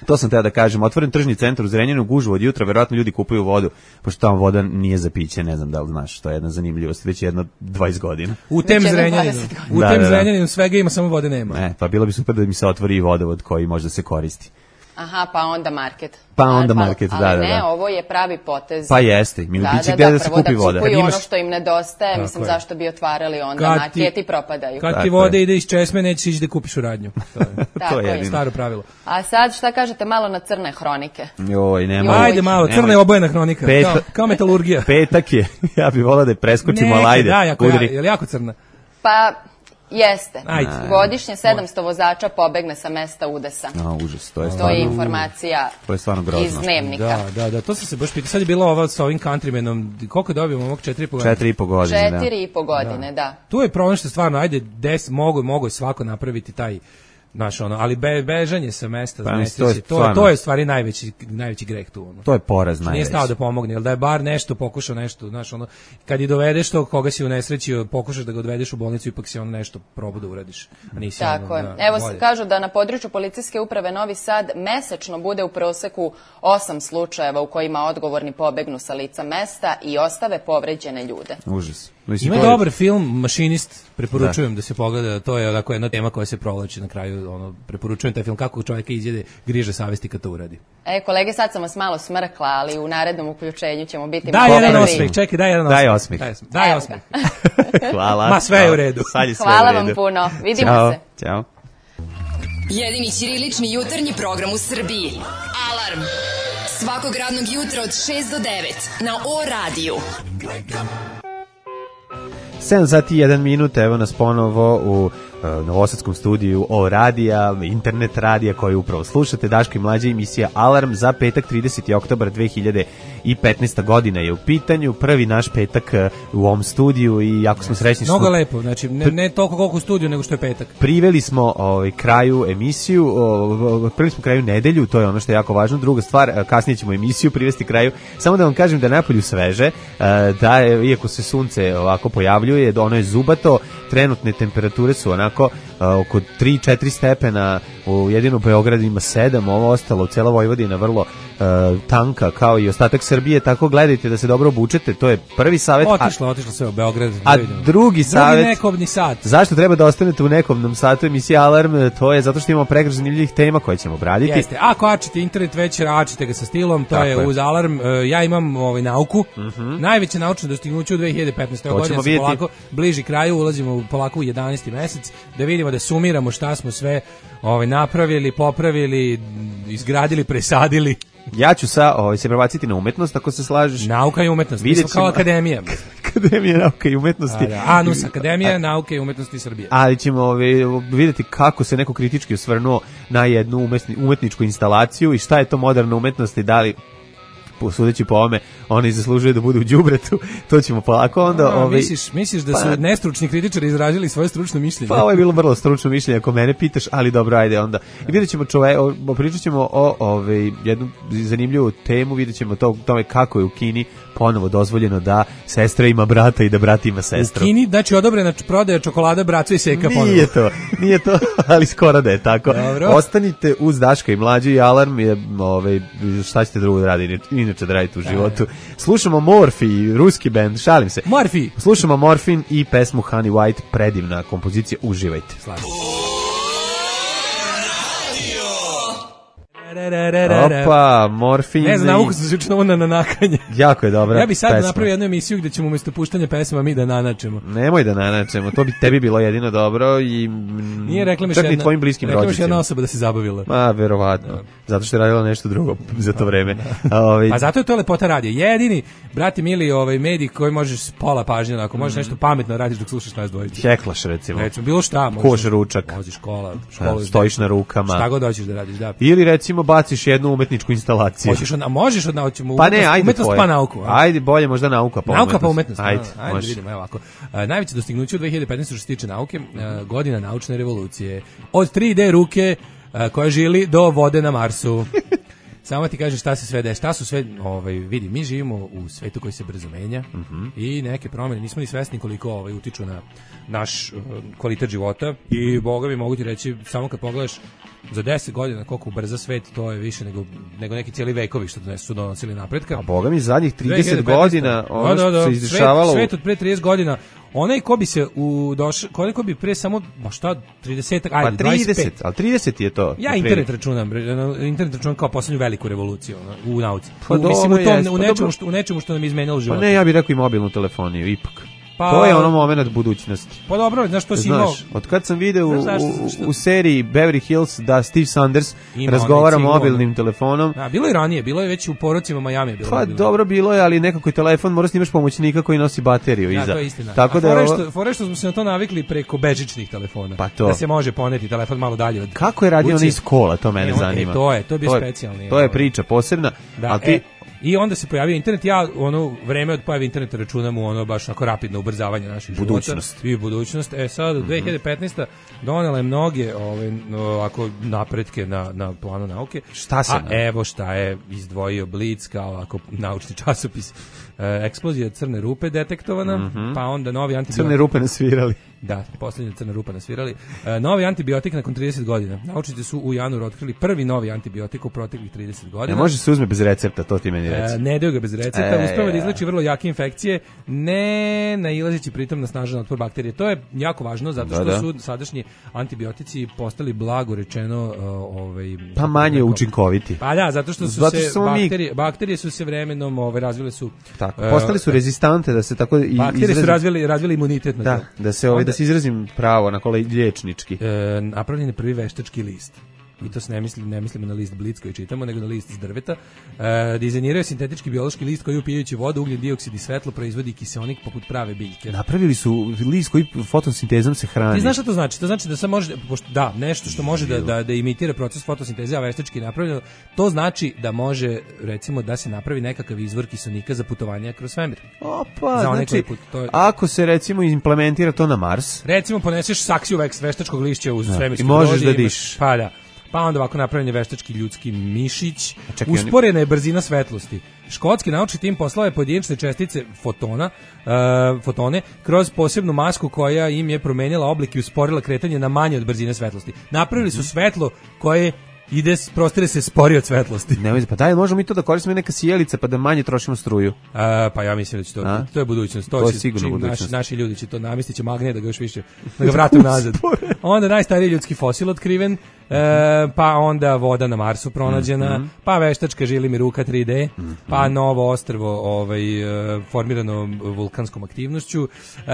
To sam teo da kažem, otvoren tržni centar u Zrenjaninu, gužvu od jutra, verovatno ljudi kupuju vodu, pošto tamo voda nije za piće, ne znam da li znaš, to je jedna zanimljivost, već jedno dvadeset godina. U tem Zrenjaninu, u da, tem da, da. Zrenjaninu svega ima, samo vode nema. E, pa bilo bi super da mi se otvori i vodovod koji može da se koristi. Aha, pa onda market. Pa onda market, ali da, da, da. Ali ne, ovo je pravi potez. Pa jeste, mi da, biće da, gdje da, da se kupi voda. Prvo da kupuju imaš... ono što im nedostaje, tako mislim je. Zašto bi otvarali onda, kad marketi propadaju. Kad ti vode ide iz česme, nećeš ići da kupiš u radnju. To je, to je staro pravilo. A sad šta kažete malo na crne hronike? Joj, nema. Ajde malo, crna je obojena hronika, Peta... kao, kao metalurgija. Petak je, ja bih volao da je preskočimo, ali ajde. Da, jako, ja, je li jako crna? Pa... Jeste. Ajde. Godišnje sedamsto vozača pobegne sa mesta udesa. A, užas, to je stvarno. To je informacija to je stvarno grozno. Iz dnevnika. Da, da, da, to sam se baš pitao. Sad je bila ova sa ovim countrymanom. Koliko dobijemo ovog četiri i po godine? Četiri i po godine, da. Četiri i po godine, da. da. Tu je problem što stvarno, ajde, des, mogu, mogu svako napraviti taj naš ono, ali be, bežanje sa mesta, pa, znači, to, je to, to je stvari najveći najveći greh tu ono. To je poraz najveći. Nije stao da pomogne, jel da je bar nešto pokušao nešto, znaš ono, kad i dovedeš to koga si unesrećio, pokušaš da ga odvedeš u bolnicu, ipak si on nešto probao da uradiš, a nisi. Tako ono, je. Da, evo bolje. Kažu da na području policijske uprave Novi Sad mesečno bude u proseku osam slučajeva u kojima odgovorni pobegnu sa lica mesta i ostave povređene ljude. Užas. Ima je dobar film Mašinist, preporučujem da. da se pogleda, to je onako jedna tema koja se provlači na kraju, ono, preporučujem taj film kako čovjeka izjede griže savesti kad to uradi. E, kolege, sad sam vas malo smrkla, ali u narednom uključenju ćemo biti daj malo jedan osmih, čekaj, daj jedan osmih. Daj osmih. Daj, daj osmih. Hvala. Ma sve je u redu. Sad je sve Hvala u redu. vam puno, vidimo Ćao. se. Ćao. Jedini ćirilični jutarnji program u Srbiji. Alarm Svakog radnog jutra od šest do devet na O radiju. sedam sati i jedan minut, evo nas ponovo u uh, novosadskom studiju O radija, internet radija koji upravo slušate. Daško i mlađa emisija Alarm za petak trideseti oktobar dve hiljade petnaesta godina je u pitanju. Prvi naš petak uh, u ovom studiju i jako smo srećni. Mnogo smo... lepo, znači ne, ne toliko koliko u studiju, nego što je petak. Priveli smo ovaj, kraju emisiju, ovaj, priveli smo kraju nedelju, to je ono što je jako važno. Druga stvar, kasnije ćemo emisiju privesti kraju. Samo da vam kažem da je napolju sveže, da je, iako se sunce ovako pojavljuje, ono je zubato, trenutne temperature su onako oko tri četiri stepena, u jedino Beogradu ima sedam, ovo ostalo u cela Vojvodina vrlo uh, tanka kao i ostatak Srbije, tako gledajte da se dobro obučete, to je prvi savjet. Otišlo, otišlo sve u Beograd. A drugi savjet, drugi nekobni sat. Zašto treba da ostanete u nekobnom satu emisije Alarm, to je zato što imamo pregršt zanimljivih tema koje ćemo obraditi. Jeste, ako ačite internet već, ačite ga sa stilom, to tako je, je uz Alarm. Ja imam ovaj, nauku, uh-huh. najveće naučno dostignuće u dve hiljade petnaestoj godini, se polako bliži kraju, ulazimo polako u jedanaesti mesec, da vidimo, da sumiramo šta smo sve ovaj, napravili, popravili, izgradili, presadili. Ja ću sa, ovaj, se prebaciti na umetnost, ako se slažeš. Nauka i umetnost, mi smo kao akademija. Akademija nauke i umetnosti. A, da. Anus, Akademija nauke i umetnosti Srbije. Ali ćemo ovaj, vidjeti kako se neko kritički osvrnuo na jednu umetni, umetničku instalaciju i šta je to moderna umetnost i da li, sudeći po ome, oni zaslužuju da budu u đubretu, to ćemo polako onda... A, ovaj, misliš, misliš da su pa, nestručni kritičari izražili svoje stručno mišljenje? Pa ovo je bilo vrlo stručno mišljenje, ako mene pitaš, ali dobro, ajde onda. I vidjet ćemo čove, o, pričat ćemo o ovaj, jednu zanimljivu temu, vidjet ćemo to, tome kako je u Kini ponovo dozvoljeno da sestra ima brata i da brat ima sestru. U Kini, znači odobrena prodaja čokolada, bracu i seka ponovo. Nije to, nije to, ali skoro da je tako. Dobro. Ostanite uz Daška i mlađu i Alarm, je, ovaj, šta ćete drugo da raditi, inače da radite u životu. Slušamo Morfi, ruski bend, šalim se. Morfi. Slušamo Morfin i pesmu Honey White, predivna kompozicija, uživajte. Slažem. Opa, Morfin. Ne znam, nauku sam se učinila na nanakanje. Jako je dobra. Ja bi sad pesma. napravio jednu emisiju gde ćemo umjesto puštanja pesma mi da nanačemo. Nemoj da nanačemo, to bi tebi bilo jedino dobro i nije rekla mi čak jedna, ni tvojim bliskim rekla rođicima. Rekla mi jedna osoba da se zabavila. Ma, verovatno. Da. Zato što je radila nešto drugo za to vreme. Ove... Pa zato je to lepota radija. Jedini, brati mili, ovaj medij koji možeš s pola pažnje, ako možeš mm. nešto pametno radiš dok slušaš nas dvojicu. Heklaš recimo. Recimo, bilo šta. Koš ručak. Voziš škola, školu. Stojiš na rukama. Šta god hoćeš da radiš, da. Ili recimo baciš jednu umetničku instalaciju. Hoćeš od, a možeš od naučimo pa ne, ajde umetnost tvoje. Pa nauku. A? Ajde, bolje možda nauka pa nauka umetnost. pa umetnost. Ajde, ajde, ajde vidimo, evo ovako. A, najveće dostignuće u dve hiljade petnaestoj što se tiče nauke, a, godina naučne revolucije. Od tri D ruke a, koja žili do vode na Marsu. Samo ti kažeš šta se sve dešava, šta su sve, ovaj, vidi, mi živimo u svetu koji se brzo menja uh-huh. i neke promjene, nismo ni svesni koliko ovaj, utiču na naš uh, kvalitet života i boga mi mogu ti reći, samo kad pogledaš za deset godina koliko brza svet, to je više nego, nego neki cijeli vekovi što su donosili napretka. A boga mi zadnjih trideset godina, ono da, da, da, što se izdešavalo... Svet, svet od pre trideset godina, onaj ko bi se u doš, onaj ko bi pre samo, ba šta, trideset, ajde, pa trideset, ali trideset je to. Ja internet računam, internet računam kao poslednju veliku revoluciju u nauci. Pa u, mislim, u, tom, jest, u, pa nečemu što, u nečemu što nam je izmenjalo život. Pa ne, ja bih rekao i mobilnu telefoniju, ipak. Pa, to je ono moment budućnosti. Pa dobro, znaš što si imao... Znaš, od kad sam video u, u, u seriji Beverly Hills da Steve Sanders ima razgovara mobilnim telefonom. Da, bilo je ranije, bilo je već u porocima Miami. Bilo pa bilo. dobro bilo je, ali nekako je telefon, mora snimaš pomoćnika koji nosi bateriju da, iza. To je istina. Tako da fore ovo... što, fore što smo se na to navikli preko bežičnih telefona. Pa to. Da se može poneti telefon malo dalje od... Kako je radio on iz kola, to mene e, on, zanima. E, to je, to je bio specijalni. To je priča posebna, da, ali ti... E, i onda se pojavio internet, ja ono vreme od pojave interneta računam u ono baš onako rapidno ubrzavanje naših budućnost. života i budućnost. E sad, mm-hmm. dve hiljade petnaesta donela je mnoge ove, ovako napretke na, na planu nauke. Šta se? A ne? Evo šta je izdvojio Blic kao ovako naučni časopis. E, eksplozija crne rupe detektovana, mm-hmm. pa onda novi antibiotik. Crne rupe nasvirali. Da, poslednja crna rupa nasvirali. E, novi antibiotik nakon trideset godina. Naučnici su u januaru otkrili prvi novi antibiotik u proteklih trideset godina. Ne može se uzme bez recepta, to ti meni reci. E, ne daju ga bez recepta, e, uspeva da izleči vrlo jake infekcije, ne nailazeći pritom na snažan otpor bakterije. To je jako važno, zato što da, da. su sadašnji antibiotici postali blago rečeno uh, ovaj, pa manje učinkoviti. Pa da, zato što su zato se što bakterije, mi... bakterije su se vremenom ovaj, razvile su... Tako, postali su rezistante da se tako... I, bakterije izrazi... su razvili, razvili imunitet na da, to. Da se ovaj, da se izrazim pravo na kole liječnički. E, napravljen je prvi veštački list. i to se ne mislim, ne mislimo na list Blitz koji čitamo, nego na list iz drveta. E, dizajniraju sintetički biološki list koji upijajući vodu, ugljen dioksid i svetlo proizvodi kiseonik poput prave biljke. Napravili su list koji fotosintezom se hrani. Ti znaš šta to znači? To znači da sad može, pošto, da, nešto što može da, da, da imitira proces fotosinteze, a veštački napravljeno, to znači da može, recimo, da se napravi nekakav izvor kiseonika za putovanje kroz svemir. Opa, za znači, put, to je... ako se, recimo, implementira to na Mars... Recimo, poneseš saksiju veštačkog lišća uz svemirski i možeš brod da diš. Pa da. Pa onda ovako napravljen je veštački ljudski mišić. Čekaj, usporena je brzina svetlosti. Škotski naučni tim poslao je pojedinačne čestice fotona, uh, fotone kroz posebnu masku koja im je promenila oblik i usporila kretanje na manje od brzine svetlosti. Napravili su svetlo koje ide, prostire se spori od svetlosti. Nemoj, pa daj, možemo mi to da koristimo neka sjelica pa da manje trošimo struju. A, pa ja mislim da će to, A? to je budućnost. To, To je će, sigurno čim budućnost. Naši, naši ljudi će to namestit će magnet da ga još više, da ga vrate nazad. Onda najstariji ljudski fosil otkriven, e, pa onda voda na Marsu pronađena, Mm-hmm. pa veštačka žili ruka tri D, mm-hmm. pa novo ostrvo ovaj, e, formirano vulkanskom aktivnošću, e,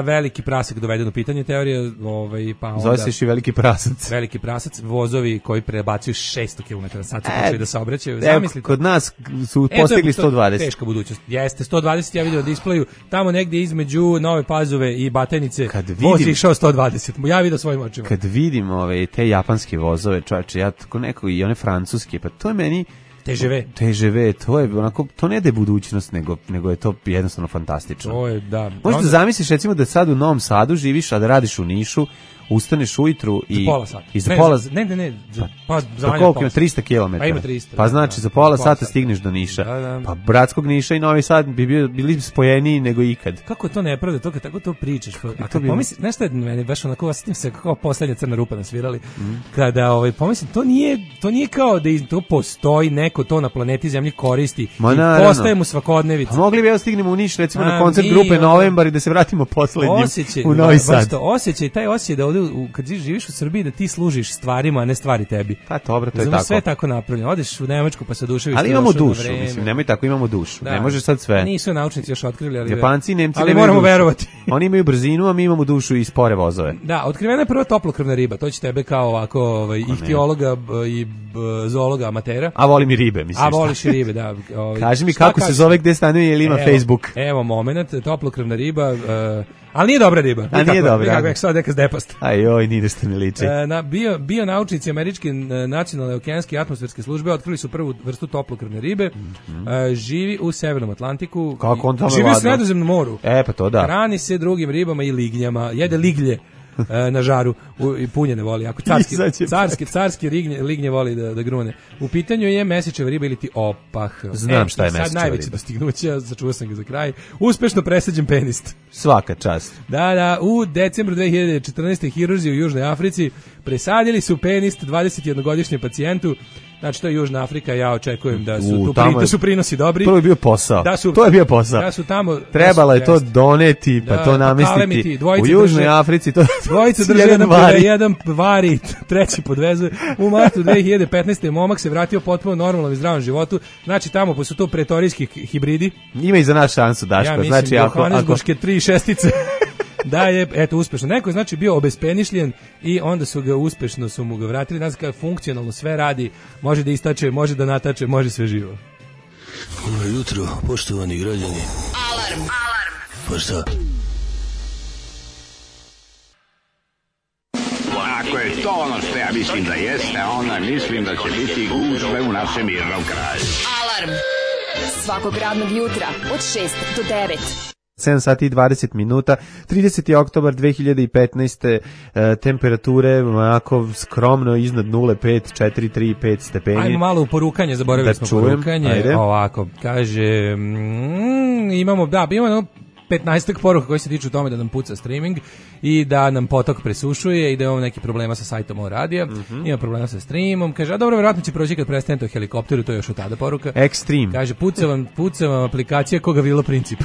veliki prasak doveden u pitanje teorije, ovaj, pa onda... Zove se još i veliki prasac. Veliki prasac, vozovi koji prebacuju šesto kilometara na sat su E, počeli da se obraćaju. Evo, Zamislite. kod nas su E, to je- postigli to je sto dvadeset. Teška budućnost. Jeste, sto dvadeset ja vidio na displeju, tamo negdje između Nove Pazove i Batajnice, Kad voz vidim- je išao sto dvadeset. Ja vidio svojim očima. Kad vidim ove, te japanske vozove, čovječe, ja tako neko i one francuske, pa to je meni... T G V. T G V, to je onako, to ne da je budućnost, nego, nego je to jednostavno fantastično. To je, da. Možeš da Onda- zamisliš recimo da sad u Novom Sadu živiš, a da radiš u Nišu, ustaneš ujutru i... Za pola sata. I za Ne, pola... za- ne, ne, ne, za- pa za Pa manje od koliko pola ima? sata. trista kilometara. Pa ima trista, Pa da, znači da, za pola pola sata sata. stigneš do Niša. Da, da. Pa Bratskog Niša i Novi Sad bi bio, bili spojeniji nego ikad. Kako je to nepravda, to kad tako to pričaš. Pa, a to kad bi- pomisli, znaš šta je meni baš onako, osjetim se kao poslednja crna rupa nasvirali, Mhm. kada ovaj, pomislim, to nije, to nije kao da iz, to postoji, neko to na planeti Zemlji koristi Ma i naravno. postaje mu svakodnevica. Pa mogli bi ja stignemo u Niš recimo A, na koncert mi, grupe ono- Novembar i da se vratimo poslednjim Osjećaj, u Novi baš Sad. to, osjećaj, taj osjećaj da ovdje, u, kad živiš u Srbiji, da ti služiš stvarima, a ne stvari tebi. Pa dobro, to je Razumeš, tako. sve je tako napravljeno. Odeš u Nemačku pa se duševiš. Ali što imamo došao na dušu, vreme. mislim, nemoj tako, imamo dušu. Da. Ne možeš sad sve. Nisu naučnici još otkrili, ali... Japanci i Nemci ali nemaju moramo dušu. verovati. Oni imaju brzinu, a mi imamo dušu i spore vozove. Da, otkrivena je prva toplokrvna riba. To će tebe kao ovako ovaj, ihtiologa b- i b- zoologa amatera. A volim i ribe, mislim. A šta. voliš i ribe, da. Ovaj, Kaži mi šta kako se kažeš? zove, gde stanuje, ili ima Evo, Facebook. Evo moment, toplokrvna riba, uh, ali nije dobra riba. A nije dobra, Nikako, ajde. jak sad neka zdepast. Aj, oj, ni nešto mi liči. E, na bio bio naučnici američke e, nacionalne okeanske i atmosferske službe otkrili su prvu vrstu toplokrvne ribe. E, živi u severnom Atlantiku. Kako on tamo živi u ladno? Sredozemnom moru. E, pa to da. Hrani se drugim ribama i lignjama. Jede liglje e, na žaru u, i punjene voli. Ako carski, Izađe carski, carski lignje, lignje voli da, da grune. U pitanju je mesečeva riba ili ti opah. Znam E, šta je i sad mesečeva najveće riba. dostignuća, začuo sam ga za kraj. Uspešno presađen penist. Svaka čast. Da, da, u decembru dve hiljade četrnaeste. hirurzi u Južnoj Africi presadili su penist dvadesetjednogodišnjem pacijentu. Znači, to je Južna Afrika, ja očekujem da su, U, tu tamo pri, je- da su prinosi dobri. To je bio posao. Da su, to je bio posao. Da su tamo... Trebalo je da to su- doneti, pa Da, to pa namestiti. kalemiti, dvojica U Južnoj drže- Africi to Dvojica drže jedan jedan, vari. jedan vari, treći podvezuje. U martu dve hiljade petnaeste. momak se vratio potpuno normalnom i zdravom životu. Znači, tamo po su to pretorijski hibridi. Ima i za nas šansu, Daško. Ja mislim, znači, ako, ako, Johannesburške tri šestice. Da je, eto, uspešno. Neko je, znači, bio obespenišljen i onda su ga uspešno su mu ga vratili. Znači, kada funkcionalno sve radi, može da istače, može da natače, može sve živo. Dobro jutro, poštovani građani. Alarm. Alarm. Pa šta? Ako je to ono što ja mislim da jeste, onda mislim da će biti gužve u našem mirnom kraju. Alarm. Svakog radnog jutra od šest do devet. sedam sati i dvadeset minuta, trideseti oktobar dve hiljade petnaeste. E, temperature onako skromno iznad nule, pet, četiri, tri, pet stepeni. Ajmo malo u porukanje, zaboravili Da smo čujem, porukanje. ajde. Ovako, kaže, mm, imamo, da, imamo petnaestak poruka koji se tiču tome da nam puca streaming i da nam potok presušuje i da imamo neki problema sa sajtom o radija, Mhm. ima problema sa streamom, kaže, a dobro, vjerojatno će proći kad prestanete o helikopteru, to je još od tada poruka. Extreme. Kaže, puca vam, puca vam aplikacija koga Vilo Princip.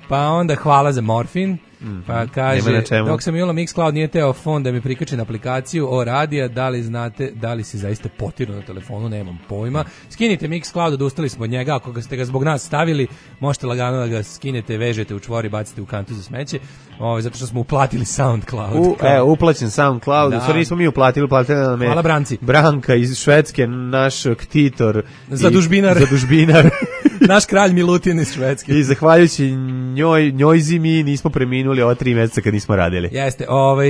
Pa onda hvala za morfin. Mm-hmm. Pa kaže, dok sam imala Mixcloud nije teo fon da mi prikače na aplikaciju o radija, da li znate, da li se zaista potiru na telefonu, nemam pojma. Skinite Mixcloud, odustali smo od njega, ako ga ste ga zbog nas stavili, možete lagano da ga skinete, vežete u čvor i bacite u kantu za smeće, o, zato što smo uplatili SoundCloud. U, e, uplaćen SoundCloud, da. Sorry, nismo mi uplatili, uplatili nam je... Hvala Branci. Branka iz Švedske, naš ktitor. Zadužbinar. Zadužbinar. Naš kralj Milutin iz Švedske. I zahvaljujući njoj, njoj zimi nismo preminuli ova tri meseca kad nismo radili. Jeste, ovaj,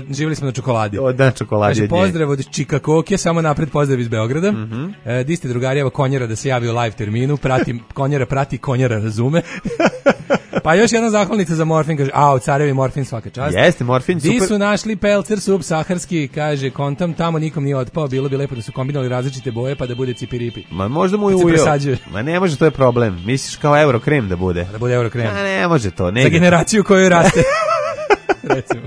živjeli smo na čokoladi. O, da, čokoladi. Kaže, pozdrav od Čikakoke, samo napred pozdrav iz Beograda. Mm-hmm. E, di ste drugari, evo Konjera da se javi u live terminu, prati, Konjera prati, Konjera razume. Pa još jedna zahvalnica za morfin, kaže, a, carevi morfin svaka čast. Jeste, morfin, super. Di su našli pelcer sup saharski, kaže, kontam, tamo nikom nije otpao, bilo bi lepo da su kombinovali različite boje pa da bude cipiripi. Ma možda mu je ujeo. Ma ne može, to je problem. Misliš kao Eurokrem da bude? Da bude Eurokrem. A ne može to. Ne za generaciju koju raste. Recimo.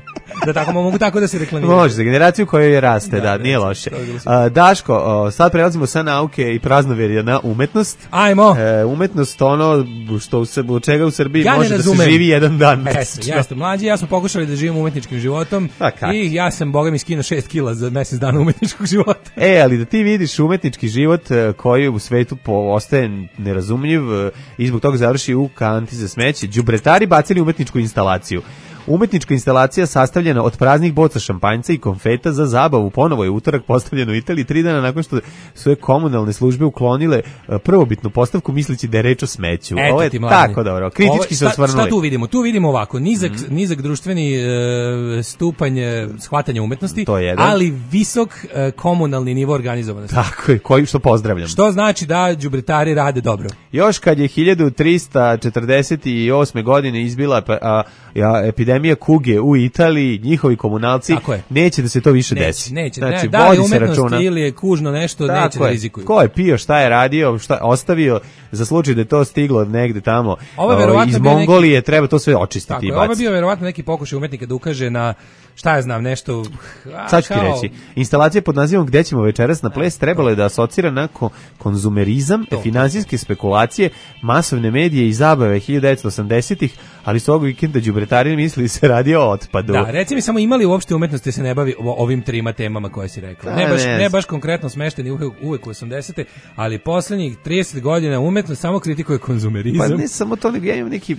Da tako mogu tako da se reklamira. Može, za generaciju koju raste, da, da nije loše. A, Daško, o, sad prelazimo sa nauke i praznoverja na umetnost. Ajmo. E, umetnost, ono što u, u čega u Srbiji ja može da se živi jedan dan mesečno. Jeste, mlađi, ja smo pokušali da živimo umetničkim životom i ja sam, boga mi, skinuo šest kila za mesec dana umetničkog života. E, ali da ti vidiš umetnički život koji u svetu po, ostaje nerazumljiv i zbog toga završi u kanti za smeće, đubretari bacili umetničku instalaciju. Umetnička instalacija sastavljena od praznih boca šampanjca i konfeta za zabavu ponovo je utorak postavljena u Italiji tri dana nakon što su je komunalne službe uklonile prvobitnu postavku misleći da je reč o smeću. Eto ovo je tako dobro. Kritički ovo, se osvrnuli. Šta tu vidimo? Tu vidimo ovako, nizak, mm-hmm. nizak društveni e, stupanj shvatanja umetnosti, ali visok e, komunalni nivo organizovanosti. Tako je, koji što pozdravljam. Što znači da đubretari rade dobro. Još kad je hiljadu trista četrdeset osme godine izbila a, a, epidemija kuge u Italiji, njihovi komunalci neće da se to više neće, desi. Neće, znači, ne, da li umetnost ili je kužno nešto, tako neće da rizikuju. Ko je pio, šta je radio, šta ostavio, za slučaj da je to stiglo negde tamo o, iz Mongolije, neki... treba to sve očistiti. Tako je, ovo je bio verovatno neki pokušaj umetnika da ukaže na, šta ja znam, nešto... A, sad ću ti reći, instalacija pod nazivom Gde ćemo večeras na ples trebalo je da asocira na ko- konzumerizam, to. finansijske spekulacije, masovne medije i zabave hiljadu devetsto osamdesetih, ali s ovog vikenda đubretari mislili se radi o otpadu. Da, reci mi samo imali uopšte umetnosti se ne bavi ovim trima temama koje si rekla. Ne baš, ne baš konkretno smešteni uvek, uvek u osamdesete, ali poslednjih trideset godina umetnost samo kritikuje konzumerizam. Pa ne samo to, nego ja imam neki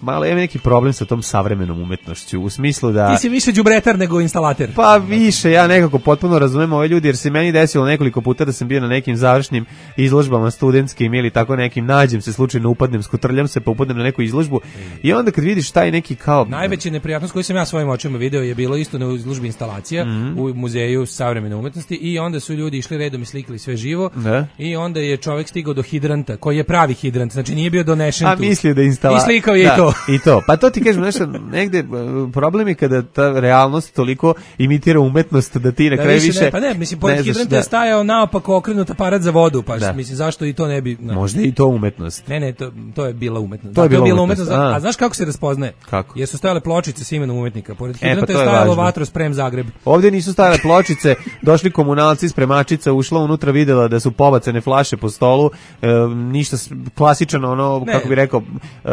malo ima neki problem sa tom savremenom umetnošću u smislu da ti si više đubretar nego instalater. Pa više, ja nekako potpuno razumem ove ljudi jer se meni desilo nekoliko puta da sam bio na nekim završnim izložbama studentskim ili tako nekim, nađem se slučajno, upadnem, skutrljam se pa upadnem na neku izložbu i onda kad vidiš taj neki kao najveća neprijatnost koju sam ja svojim očima video je bilo isto na izložbi instalacija mm-hmm. u muzeju savremene umetnosti i onda su ljudi išli redom i slikali sve živo ne? I onda je čovjek stigao do hidranta koji je pravi hidrant, znači nije bio donešen tu. A mislio da instala... I slikao je da. I to. I to. Pa to ti kažem, nešto, negde problem je kada ta realnost toliko imitira umetnost da ti na kraju više... Ne, pa ne, mislim, pored hidranta da. Je stajao naopako okrenut aparat za vodu, pa da. Mislim, zašto i to ne bi... No. Možda i to umetnost. Ne, ne, to, to je bila umetnost. To je, da, bila to je bila umetnost. umetnost. A. A znaš kako se raspoznaje? Kako? Jer su stajale pločice s imenom umetnika. Pored hidranta e, pa je stajalo Vatrosprem Zagreb. Ovdje nisu stajale pločice, došli komunalci, spremačica, ušla unutra, videla da su pobacane flaše po stolu, e, ništa klasičan, ono, ne. Kako bi rekao, e,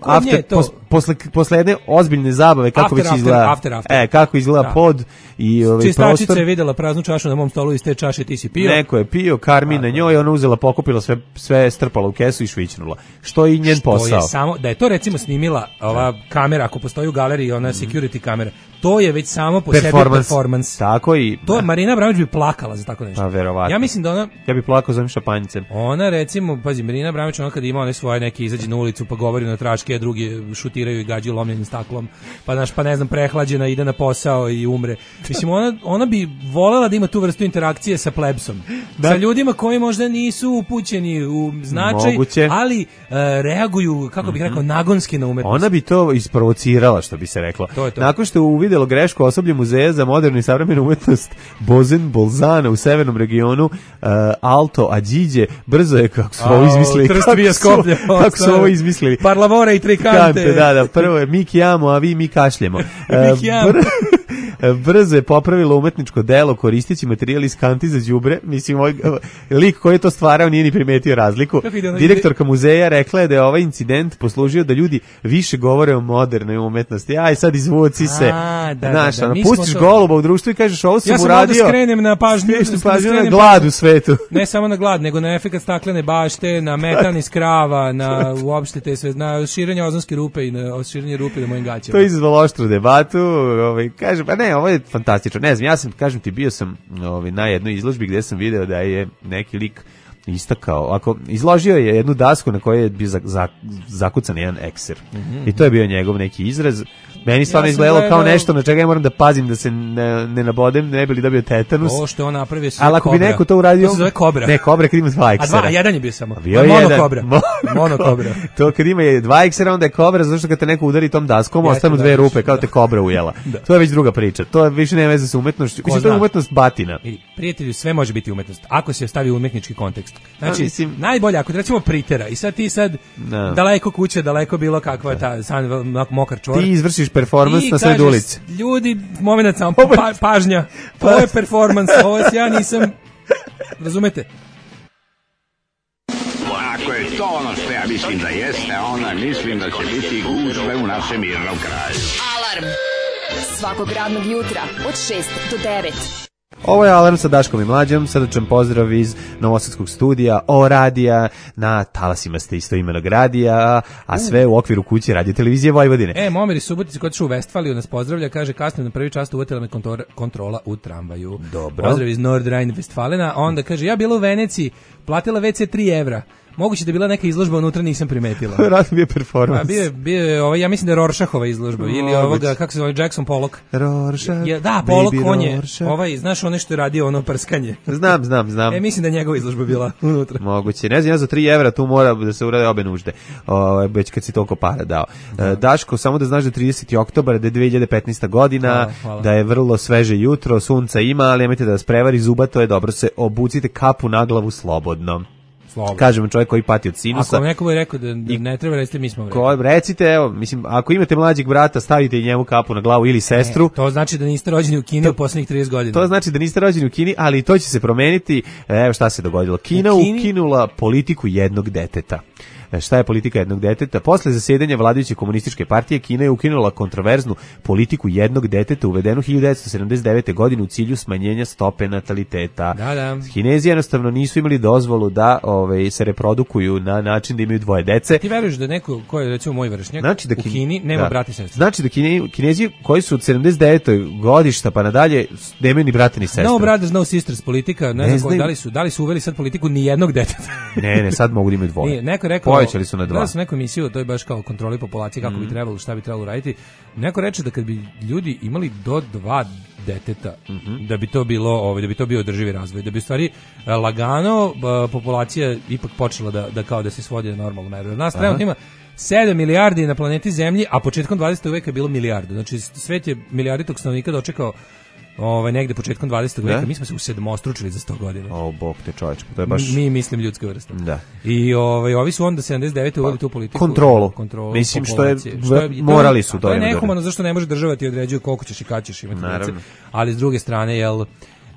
after, pos, posle, posle jedne ozbiljne zabave, kako after, već izgleda, after, after. E, kako izgleda da. Pod i ovaj čistačica prostor. Je videla praznu čašu na mom stolu, iz te čaše ti si pio. Neko je pio, Karmi na njoj, ona uzela, pokupila sve, sve strpala u kesu i švićnula. Što je i njen što posao. Je samo, da je to recimo snimila ova kamera, ako postoji u galeriji, ona security kamera, to je već samo po performance. sebi performance. Tako i... To Marina Abramović bi plakala za tako nešto. Pa verovatno. Ja mislim da ona... Ja bi plakao za ovim šapanjicem. Ona recimo, pazi, Marina Abramović, ona kad ima one svoje neke izađe na ulicu pa govori na tračke, a drugi šutiraju i gađaju lomljenim staklom, pa naš, pa ne znam, prehlađena, ide na posao i umre. Mislim, ona, ona bi volela da ima tu vrstu interakcije sa plebsom. Da. Sa ljudima koji možda nisu upućeni u značaj, moguće. Ali uh, reaguju, kako bih rekao, nagonski na umetnost. Ona bi to isprovocirala, što bi se reklo. To je to. Nakon što je uvidelo grešku osoblje Muzeja za modernu i savremenu umetnost Bozen Bolzana u severnom regionu, uh, Alto Adige, brzo je, kako su ovo izmislili. Trstvija Skoplje. Kako su ovo izmislili. Parlavore i trikante. Da, da, prvo je mi kijamo, a vi mi kašljemo. Mi kijamo. brzo je popravilo umetničko delo koristeći materijal iz kanti za đubre. Mislim, ovaj lik koji je to stvarao nije ni primetio razliku. Direktorka muzeja rekla je da je ovaj incident poslužio da ljudi više govore o modernoj umetnosti. Aj, sad izvuci se. A, da, Znaš, da, da. pustiš to... goluba u društvu i kažeš ovo sam ja sam uradio. Ja sam skrenem na pažnju, da pažnju na glad u svetu. Ne samo na glad, nego na efekat staklene bašte, na metan iz krava, na uopšte te sve, na širenje ozonske rupe i na širenje rupe na mojim gaćama. To je izazvalo oštru debatu, ovaj, kažem, pa ne, ovo je fantastično, ne znam, ja sam, kažem ti, bio sam ovaj, na jednoj izložbi gde sam video da je neki lik istakao, ako izložio je jednu dasku na kojoj je bio za, za, zakucan jedan ekser. Mm-hmm. I to je bio njegov neki izraz. Meni stvarno ja izgledalo gledao... kao nešto na čega ja moram da pazim da se ne, ne nabodem, ne bi li dobio tetanus. Ovo što on napravio sve ali ako kobra. bi neko to uradio... To se zove kobra. Ne, kobra kad ima dva eksera. A dva, a jedan je bio samo. Bio je mono jedan. Kobra. Mono kobra. To kad ima je dva eksera, onda je kobra, zato što kad te neko udari tom daskom, ja ostanu dve rupe, kao te kobra ujela. Da. To je već druga priča. To više nema veze sa umetnošću. Mislim, to je umetnost batina. I, prijatelju, sve može biti umetnost. Ako se stavi u umetnički kontekst. Znači, ja, mislim... najbolje, ako recimo pritera i sad ti sad no. daleko kuće, daleko bilo kakva ta san, mokar čvor. Ti izvršiš performans na sred ulici. Ljudi, moment samo, pa, pažnja, ovo je performans, ovo je, ja nisam, razumete? Ako je to ono što ja mislim da jeste, onda mislim da će biti gužve u našem mirnom kraju. Alarm svakog radnog jutra od šest do devet. Ovo je Alarm sa Daškom i Mlađom, srdačan pozdrav iz Novosadskog studija O radija, na talasima ste isto imenog radija, a sve u okviru kuće Radio Televizije Vojvodine. E, Momir iz Subotice koji je u Vestfaliju nas pozdravlja, kaže kasno na prvi čas uvatila me kontor, kontrola u tramvaju. Dobro. Pozdrav iz Nordrhein-Westfalena, onda kaže ja bila u Veneciji, platila ve ce tri evra. Moguće da je bila neka izložba unutra, nisam primetila. Rad bio performans. A bio je, bio je ovaj, ja mislim da je Rorschachova izložba, ili Moguće. Ovoga, kako se zove, Jackson Pollock. Rorschach, je, da, Pollock, on je, ovaj, znaš ono što je radio, ono prskanje. Znam, znam, znam. E, mislim da je njegova izložba bila unutra. Moguće, ne znam, ja za tri evra tu mora da se urade obe nužde, o, već kad si toliko para dao. Da. Daško, samo da znaš da je trideseti oktobar, da je dve hiljade petnaesta godina, hvala, hvala. Da je vrlo sveže jutro, sunca ima, ali nemojte da vas prevari, zuba, to je dobro, se obucite kapu na glavu slobodno. Slobodno. Kažemo čovjek koji pati od sinusa. Ako neko bi rekao da, da ne treba, recite mi smo ko, recite, evo, mislim, ako imate mlađeg brata, stavite i njemu kapu na glavu ili sestru. Ne, to znači da niste rođeni u Kini to, u posljednjih trideset godina. To znači da niste rođeni u Kini, ali to će se promeniti. Evo šta se dogodilo. Kina Kini... ukinula politiku jednog deteta. Šta je politika jednog deteta? Posle zasedanja vladajuće komunističke partije Kina je ukinula kontroverznu politiku jednog deteta uvedenu hiljadu devetsto sedamdeset devete. godine u cilju smanjenja stope nataliteta. Da, da. Kinezi jednostavno nisu imali dozvolu da ove, se reprodukuju na način da imaju dvoje dece. Ti veruješ da neko ko je recimo moj vršnjak znači da u Kini nema da. brata i sestre? Znači da Kine, Kinezi koji su od sedamdeset devetog godišta pa nadalje nemaju ni brata ni sestre. No brothers, no sisters politika, ne, ne znam koji, da li su, da li su uveli sad politiku ni jednog deteta. ne, ne, sad mogu da imaju dvoje. Nije, neko rekao, povećali su na dva. Da sam neku emisiju, to je baš kao kontroli populacije, kako mm. bi trebalo, šta bi trebalo raditi. Neko reče da kad bi ljudi imali do dva deteta, mm-hmm. da bi to bilo, ovaj, da bi to bio održivi razvoj, da bi u stvari lagano populacija ipak počela da, da kao da se svodi na normalnu meru. Nas trenutno ima sedam milijardi na planeti Zemlji, a početkom dvadesetog veka je bilo milijardu. Znači svet je milijarditog stanovnika dočekao ovaj negde početkom dvadesetog veka, mi smo se usedmostručili za sto godina. O, bog te čoveče, to je baš mi mislim ljudska vrsta. Da. I ovaj ovi su onda sedamdeset devete uveli tu politiku kontrolu. kontrolu mislim što je, što je morali su to. To je nehumano, zašto ne može država ti određuje koliko ćeš i kad ćeš imati dece. Ali s druge strane, jel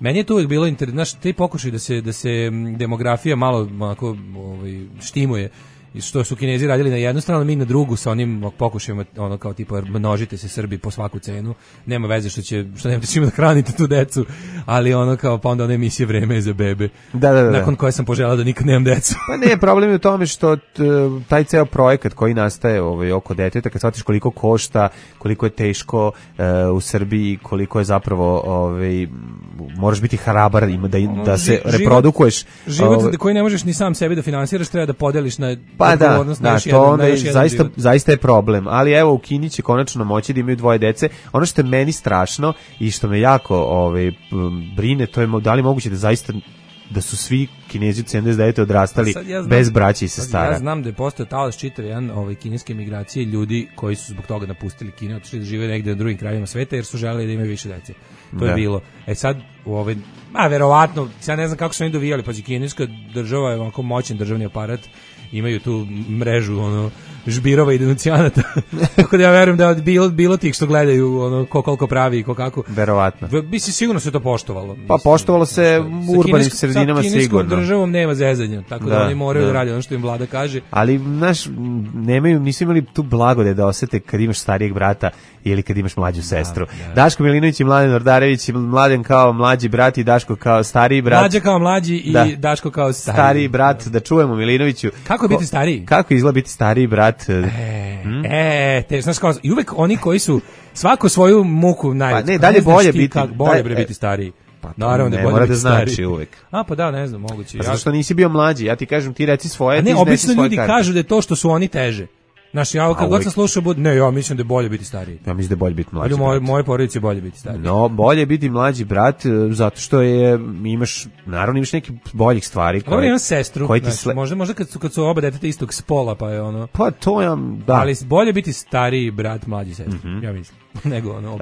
meni je to uvijek bilo interesantno, znaš, te pokušaj da se da se demografija malo onako ovaj štimuje. I što su Kinezi radili na jednu stranu, mi na drugu sa onim pokušajima, ono kao tipa množite se Srbi po svaku cenu, nema veze što će, što nemate čime da hranite tu decu, ali ono kao pa onda one emisije Vreme za bebe, da, da, da. nakon koje sam poželao da nikad nemam decu. Pa ne, problem je u tome što t, taj ceo projekat koji nastaje ovaj, oko deteta, kad shvatiš koliko košta, koliko je teško uh, u Srbiji, koliko je zapravo ovaj, moraš biti hrabar da, da se život, reprodukuješ. Život ovaj, koji ne možeš ni sam sebi da finansiraš, treba da podeliš na pa da, da, to onda je zaista, zaista je problem, ali evo u Kini će konačno moći da imaju dvoje dece. Ono što je meni strašno i što me jako ovaj, brine, to je da li moguće da zaista da su svi Kinezi od sedamdeset devete odrastali ja znam, bez braće i sestara. Ja znam da je postao talas čitav jedan ovaj, kineske migracije, ljudi koji su zbog toga napustili Kinu, otišli da žive negde na drugim krajevima sveta jer su želeli da imaju više dece. To da. je bilo. E sad, u ovaj, a verovatno, ja ne znam kako su oni dovijali, pa kineska država je onako moćan državni aparat, imaju tu mrežu ono žbirova i denuncijanata. Tako da ja verujem da je bilo, bilo tih što gledaju ono ko koliko pravi i ko kako. Verovatno. Bi se sigurno se to poštovalo. Mislim, pa poštovalo se u urbanim sredinama sigurno. Sa kineskom državom nema zezanja, tako da, da oni moraju da raditi ono što im vlada kaže. Ali naš nemaju, nisu imali tu blagodet da osete kad imaš starijeg brata ili kad imaš mlađu sestru. Da, da. Daško Milinović i Mladen Ordarević, Mladen kao mlađi brat i Daško kao stariji brat. Mlađa kao mlađi i da. Daško kao stariji. Stariji brat, da čujemo Milinoviću. Kako je biti stariji? Kako izgleda biti stariji brat? E, hmm? e te, znaš kao, i uvek oni koji su svako svoju muku najveću. Pa ne, dalje bolje biti. Kak, bolje bre biti stariji. Pa naravno ne, da mora da znači stariji. Uvek. A pa da, ne znam, moguće. Pa zato što nisi bio mlađi, ja ti kažem ti reci svoje, a ti ne, obično ljudi karte. kažu da je to što su oni teže. Znaš, ja kad god sam slušao, bud... ne, ja mislim da je bolje biti stariji. Ja mislim da je bolje biti mlađi. Ali moje, moje porodice je bolje biti stariji. No, bolje je biti mlađi brat, zato što je, imaš, naravno imaš nekih boljih stvari. Koje, Dobro, imam sestru, koje znači, sle... možda, možda kad su, kad su oba deteta istog spola, pa je ono... Pa to ja, da. Ali bolje biti stariji brat, mlađi sestru, mm-hmm. ja mislim. Nego ono, uh,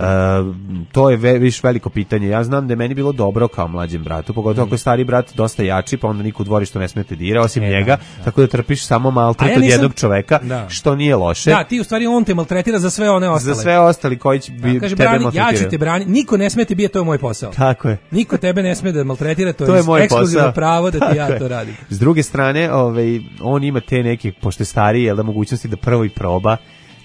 to je ve, viš veliko pitanje. Ja znam da je meni bilo dobro kao mlađem bratu, pogotovo mm. ako je stari brat dosta jači, pa onda niko u dvorištu ne smete dira, osim e, njega, da, da. Tako da trpiš samo maltret ja od nisam... jednog čoveka, da. Što nije loše. Da, ti u stvari on te maltretira za sve one ostale. Za sve ostali koji će bi, kaže, tebe brani, maltretirati. Ja ću te braniti, niko ne smete biti, to je moj posao. Tako je. Niko tebe ne sme da maltretira, to, to je, je ekskluzivno pravo da ti ja je. To radim. S druge strane, ovaj, on ima te neke, pošto je stariji, jel da mogućnosti da prvo i proba.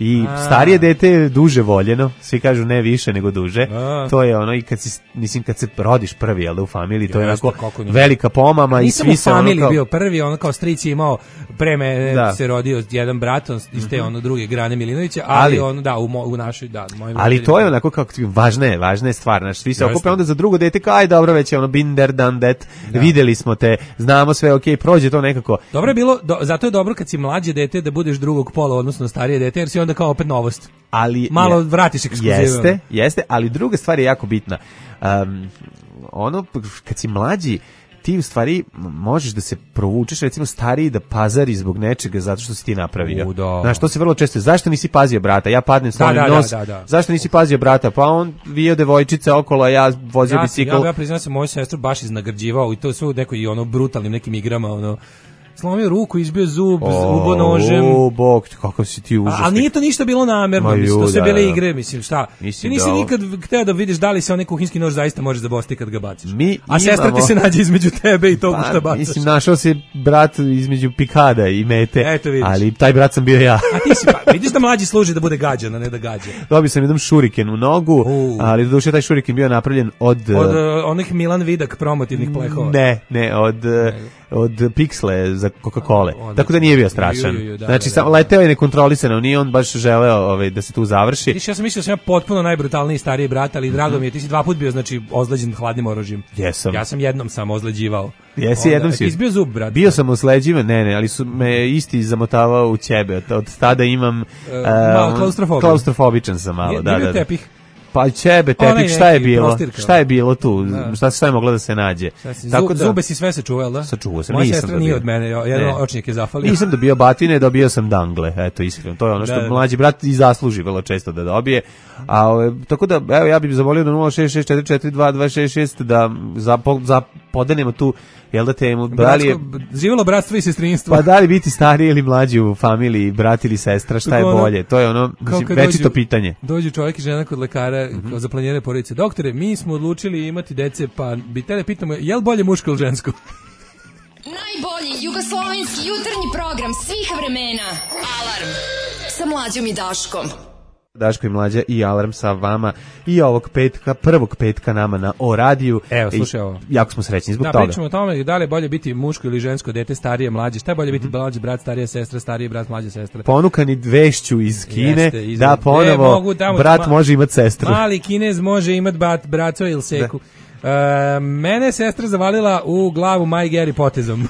I a. starije dete je duže voljeno, svi kažu ne više nego duže. A. To je ono i kad si mislim kad se rodiš prvi jel da u familiji, to je onako velika pomama i svi se ono. Nisam u familiji bio prvi, ono kao stric je imao pre me da. Se rodio jedan brat iz te mm-hmm. ono druge grane Milinovića, ali, ali on da u, mo, u našoj da, mojim ali to je onako kako važna je, važna je stvar, znači svi se okupe onda za drugo dete, kao aj dobro već je ono been there done that, da. Videli smo te, znamo sve, okej, okay, prođe to nekako. Dobro je bilo, do, zato je dobro kad si mlađe dete da budeš drugog pola odnosno starije dete, jer si onda kao opet novost. Ali malo je, vratiš ekskluzivu. Jeste, jeste, ali druga stvar je jako bitna. Um, ono, kad si mlađi, ti u stvari možeš da se provučeš, recimo stariji da pazari zbog nečega zato što si ti napravio. U, da. Znaš, to se vrlo često, zašto nisi pazio brata? Ja padnem slomim da, da, nos, da, da, da. Zašto nisi pazio brata? Pa on vio devojčice okolo, a ja vozio ja, bicikl. Ja, ja priznam se, moju sestru baš iznagrđivao i to sve u nekoj ono brutalnim nekim igrama, ono, slomio ruku, izbio zub, ubo nožem. O, bog, kakav si ti užasni. Ali nije to ništa bilo namerno, mislim, to sve bile igre, mislim, šta? Ti nisi nikad hteo da vidiš da li se onaj kuhinjski nož zaista može zabosti kad ga baciš. Mi A imamo... sestra ti se nađe između tebe i tog pa, što bacaš. Mislim, našao se brat između pikada i mete, eto, ali taj brat sam bio ja. A ti si, pa, vidiš da mlađi služi da bude gađan, a ne da gađa. Dobio sam jedan šuriken u nogu, uh. ali do duše taj šuriken bio napravljen od... Od uh, onih Milan Vidak promotivnih plehova. Ne, ne, od... Uh, od piksle za Coca-Cola. Tako da nije bio strašan. Ju, ju, ju, da, znači, da, da, da. leteo je nekontrolisano, nije on baš želeo ovaj, da se tu završi. Viš, ja sam mislio da sam ja potpuno najbrutalniji stariji brat, ali drago mm-hmm. mi je, ti si dva put bio, znači, ozleđen hladnim oružjem. Jesam. Ja sam jednom sam ozleđivao. Jesi Onda, jednom si. Izbio zub, brat. Bio sam ozleđivan, ne, ne, ali su me isti zamotavao u ćebe. Od, od tada imam... Uh, uh, klaustrofobiju. Klaustrofobičan sam malo, nije, da, nije da, da. tepih. Pa ćebe, tepik, šta je bilo? Prostirka. Šta je bilo tu? Da. Šta, šta je moglo da se nađe? Tako da, zube si sve sačuvao, da? Sačuvao sam, moja nisam sestra dobio. Nije od mene, jedan očnik je zafalio. Nisam dobio batine, dobio sam dangle, eto, iskreno. To je ono što da, da. mlađi brat i zasluži vrlo često da dobije. A, tako da, evo, ja bih zamolio da nula šest šest četiri četiri dva dva šest šest da za, za podenemo tu, jel da temu, da li je... Živjelo bratstvo i sestrinstvo. Pa da li biti stariji ili mlađi u familiji, brat ili sestra, šta je bolje? To je ono, mislim, večito pitanje. Dođu čovjek i žena kod lekara, mm-hmm. za planiranje porodice. Doktore, mi smo odlučili imati dece, pa bi tele pitamo, je li bolje muško ili žensko? Najbolji jugoslovenski jutarnji program svih vremena. Alarm sa Mlađom i Daškom. Daško i Mlađa i Alarm sa vama i ovog petka, prvog petka nama na O radiju. Evo, slušaj ovo. Jako smo srećni zbog da, toga. Da, pričamo o tome da li je bolje biti muško ili žensko dete, starije, mlađe. Šta je bolje biti mm-hmm. mlađi brat, starija sestra, stariji brat, mlađa sestra. Ponukani vešću iz Kine, Jeste, iz... da ponovo e, mogu, da, brat ma... može imati sestru. Mali Kinez može imati brat, braco ili seku. E, mene je sestra zavalila u glavu Maj Geri potezom.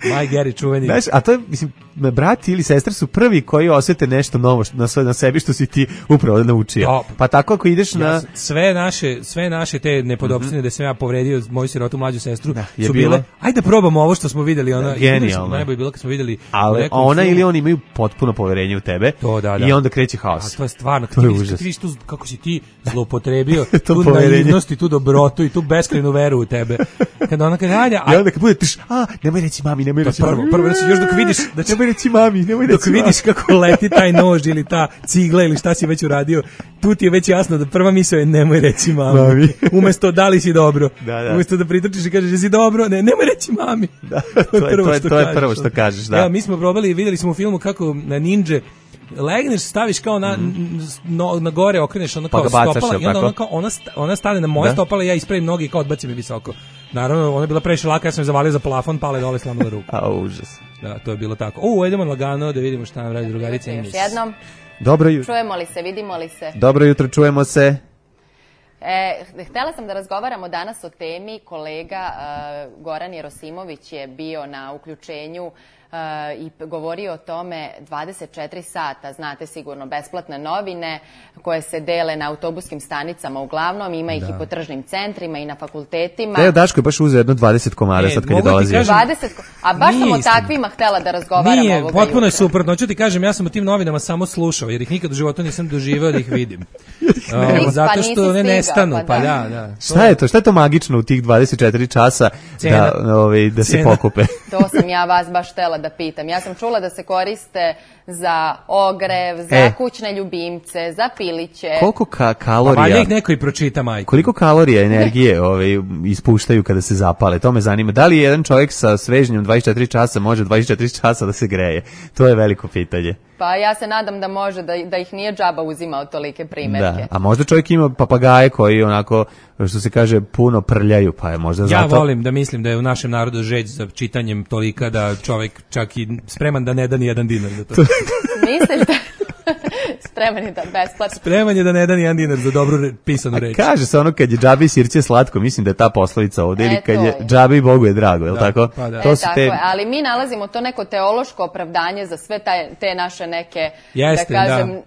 Maj Geri čuveni. Znaš, a to je, mislim, brat ili sestra su prvi koji osete nešto novo na, na sebi što si ti upravo naučio. Da. Pa tako ako ideš na... Ja, sve naše, sve naše te nepodopštine mm-hmm. da sam ja povredio moju sirotu mlađu sestru da, su bilo... bile, ajde probamo ovo što smo videli. Ona, genijalno. Najbolje bilo kad smo videli... Ali ona filmu. Ili on imaju potpuno poverenje u tebe to, da, da. I onda kreće haos. A to je stvarno, to je vidiš, užas. Ti vidiš tu, kako si ti zloupotrebio tu naivnost i tu dobrotu i tu beskrajnu veru u tebe. Kada ona kaže, ajde... I onda kad bude tiš, a, nemoj reći mami, nemoj reći prvo, mami. Prvo, još dok vidiš... Da će, nemoj reći mami, nemoj reći dok mami. vidiš kako leti taj nož ili ta cigla ili šta si već uradio, tu ti je već jasno da prva misao je nemoj reći mami. mami. Umesto da li si dobro. Da, da. Umesto da pritrčiš i kažeš jesi dobro, ne, nemoj reći mami. Da, to, je, to, je, to je prvo što kažeš, da. Evo, mi smo probali i videli smo u filmu kako na ninja legneš, staviš kao na, mm. no, na gore, okreneš ono kao pa stopala bacaš, i onda ona, kao, ona, sta, ona stane na moje da? stopala i ja ispravim noge i kao odbacim je visoko. Naravno, ona je bila previše laka, ja sam je zavalio za plafon, pale dole, slamala ruku. A, užas. Da, to je bilo tako. U, idemo lagano da vidimo šta nam radi drugarica. Još jednom. Dobro jutro. Čujemo li se, vidimo li se? Dobro jutro, čujemo se. E, htjela sam da razgovaramo danas o temi. Kolega uh, Goran Jerosimović je bio na uključenju uh, i govorio o tome dvadeset četiri sata, znate sigurno, besplatne novine koje se dele na autobuskim stanicama uglavnom, ima ih da. i po tržnim centrima i na fakultetima. Evo, Daško je baš uzeo jedno dvadeset komada e, sad kad je dolazio. dvadeset, a baš sam o takvima htjela da razgovaram Nije, ovoga potpuno je jutra. suprotno. Hoću ti kažem, ja sam o tim novinama samo slušao, jer ih nikad u životu nisam doživeo da ih vidim. Ne, o, zato pa što ne nestanu, pa, pa da, da. Šta je to? Šta je to magično u tih dvadeset četiri časa da, ovaj, da se pokupe? To sam ja vas baš htjela da pitam. Ja sam čula da se koriste za ogrev, za e. kućne ljubimce, za piliće. Koliko ka kalorija... Pa ih neko i pročita, majko. Koliko kalorija energije ovaj, ispuštaju kada se zapale? To me zanima. Da li jedan čovjek sa svežnjom dvadeset četiri časa može dvadeset četiri časa da se greje? To je veliko pitanje. Pa ja se nadam da može, da, da ih nije džaba uzimao tolike primjerke. Da, a možda čovjek ima papagaje koji onako, što se kaže, puno prljaju, pa je možda ja zato... Ja volim da mislim da je u našem narodu žeđ za čitanjem tolika da čovjek čak i spreman da ne da ni jedan dinar za to. Misliš da... Spreman je da besplatno. Spreman je da ne da ni jedan dinar za dobru re, pisanu reč. Kaže se ono kad je džabi sirće slatko, mislim da je ta poslovica ovdje, ili kad je džabi Bogu je drago, je li da, tako? Pa da. To e, su tako te... je, ali mi nalazimo to neko teološko opravdanje za sve taj, te naše neke, Jeste, da kažem, da.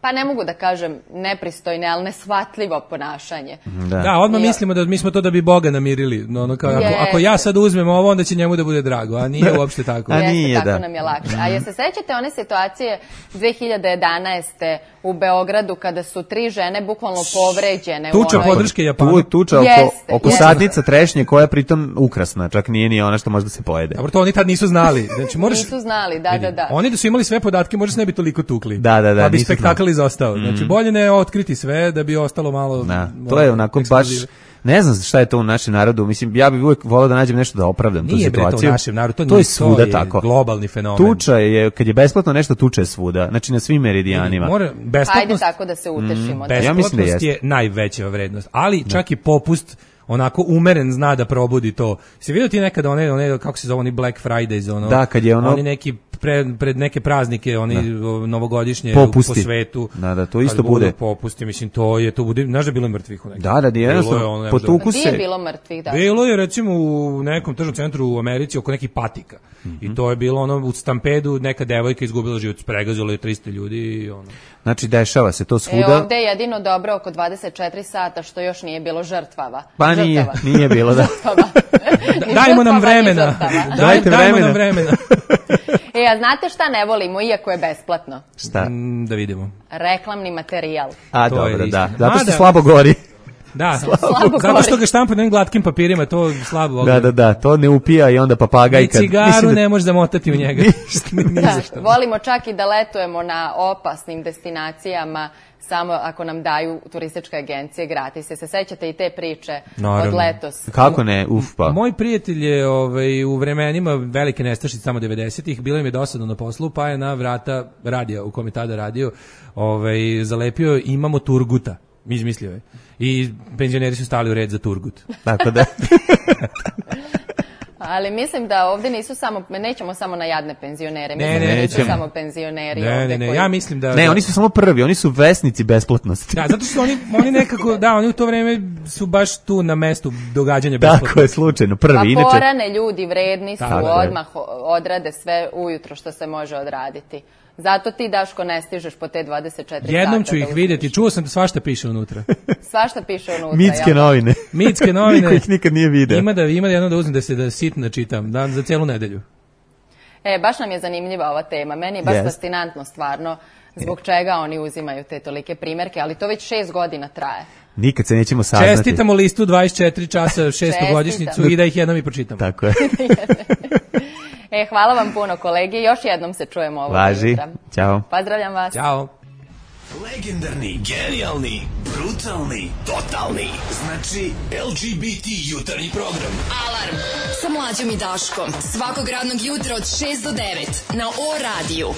pa ne mogu da kažem nepristojne, ali nesvatljivo ponašanje. Da, da odmah I... mislimo da mi smo to da bi Boga namirili. No, ono kao, ako, ako ja sad uzmem ovo, onda će njemu da bude drago, a nije uopšte tako. A nije, Jeste, tako da. nam je lakše. A jeste sećate one situacije dve hiljade jedanaeste u Beogradu kada su tri žene bukvalno povređene? Tuča onoj... podrške Japanu. Tu, tuča oko, jeste, oko jeste. sadnica trešnje koja je pritom ukrasna, čak nije ni ona što može da se pojede. Dobro, to oni tad nisu znali. Znači, moraš... Nisu znali, da, da, da. Oni da su imali sve podatke, možda se ne bi toliko tukli. Da, da, da. Pa bi spektakl izostao. Mm. Znači, bolje ne otkriti sve da bi ostalo malo... Da, to je onako baš... Ne znam šta je to u našem narodu, mislim, ja bih uvijek volao da nađem nešto da opravdam nije tu situaciju. Nije bre to u našem narodu, to, to nije, je svuda to je tako. Globalni fenomen. Tuča je, kad je besplatno nešto, tuča je svuda, znači na svim meridijanima. Mora, Ajde tako da se utešimo. Mm, besplatnost ja mislim da jest. je najveća vrednost, ali čak i popust onako umeren zna da probudi to. Si vidio ti nekada one, one kako se zove, oni Black Fridays, ono, da, kad je ono... oni neki pred, pred neke praznike, oni da. novogodišnje popusti. Po svetu. Da, da, to isto bude. Popusti, mislim, to je, to bude, znaš da je bilo mrtvih u nekim. Da, da, da, jednostavno, potuku se. Gdje je bilo mrtvih, da? Bilo je, recimo, u nekom tržnom centru u Americi oko nekih patika. Mm-hmm. I to je bilo, ono, u stampedu neka devojka izgubila život, pregazilo je tristo ljudi i ono. Znači, dešava se to svuda. E, ovdje je jedino dobro oko dvadeset četiri sata što još nije bilo žrtvava. Pa nije, nije bilo, da. Dajmo nam vremena. Dajte Dajmo nam vremena. E, a znate šta ne volimo, iako je besplatno? Šta? Mm, da vidimo. Reklamni materijal. A, to dobro, je da. Zato što slabo gori. Da, slabo zato što ga štampa na glatkim papirima, to slabo ogledam. Da, da, da, to ne upija i onda papagaj kad... I cigaru da... ne možeš zamotati u njega. Da, volimo čak i da letujemo na opasnim destinacijama, samo ako nam daju turističke agencije gratis. Se sećate i te priče Naravno. Od letos? Kako ne, uf pa. Moj prijatelj je ovaj, u vremenima velike nestašice, tamo devedesetih, bilo im je dosadno na poslu, pa je na vrata radija, u kome tada radio, ovaj, zalepio imamo Turguta. Izmislio je. I penzioneri su stali u red za Turgut. Tako da. Ali mislim da ovdje nisu samo, nećemo samo na jadne penzionere, mislim Ne, ne, da nisu nećemo. samo penzioneri Ne, ovdje ne, ne, koji... ja mislim da... Ne, oni su samo prvi, oni su vesnici besplatnosti. Da, zato što oni, oni nekako, da, oni u to vreme su baš tu na mestu događanja Tako besplatno. je, slučajno, prvi. Pa Inače, porane ljudi vredni su, Tako je. odmah odrade sve ujutro što se može odraditi. Zato ti, Daško, ne stižeš po te dvadeset četiri Jednom sata ću da ih uspiješ. vidjeti, čuo sam da svašta piše unutra. Svašta piše unutra. mitske jel? novine. Mitske novine. Niko ih nikad nije video. Ima da, ima da jednom da uzmem da se da sitno čitam, da, za cijelu nedelju. E, baš nam je zanimljiva ova tema. Meni je baš Jest. fascinantno stvarno zbog čega oni uzimaju te tolike primjerke, ali to već šest godina traje. Nikad se nećemo saznati. Čestitamo listu dvadeset četiri časa šestogodišnjicu Čestitam. i da ih jednom i pročitam. Tako je. E, hvala vam puno, kolege. Još jednom se čujemo ovog Važi. jutra. Ćao. Pozdravljam vas. Ćao. Legendarni, genijalni, brutalni, totalni. Znači, L G B T jutarnji program. Alarm sa mlađom i Daškom. Svakog radnog jutra od šest do devet na O radiju.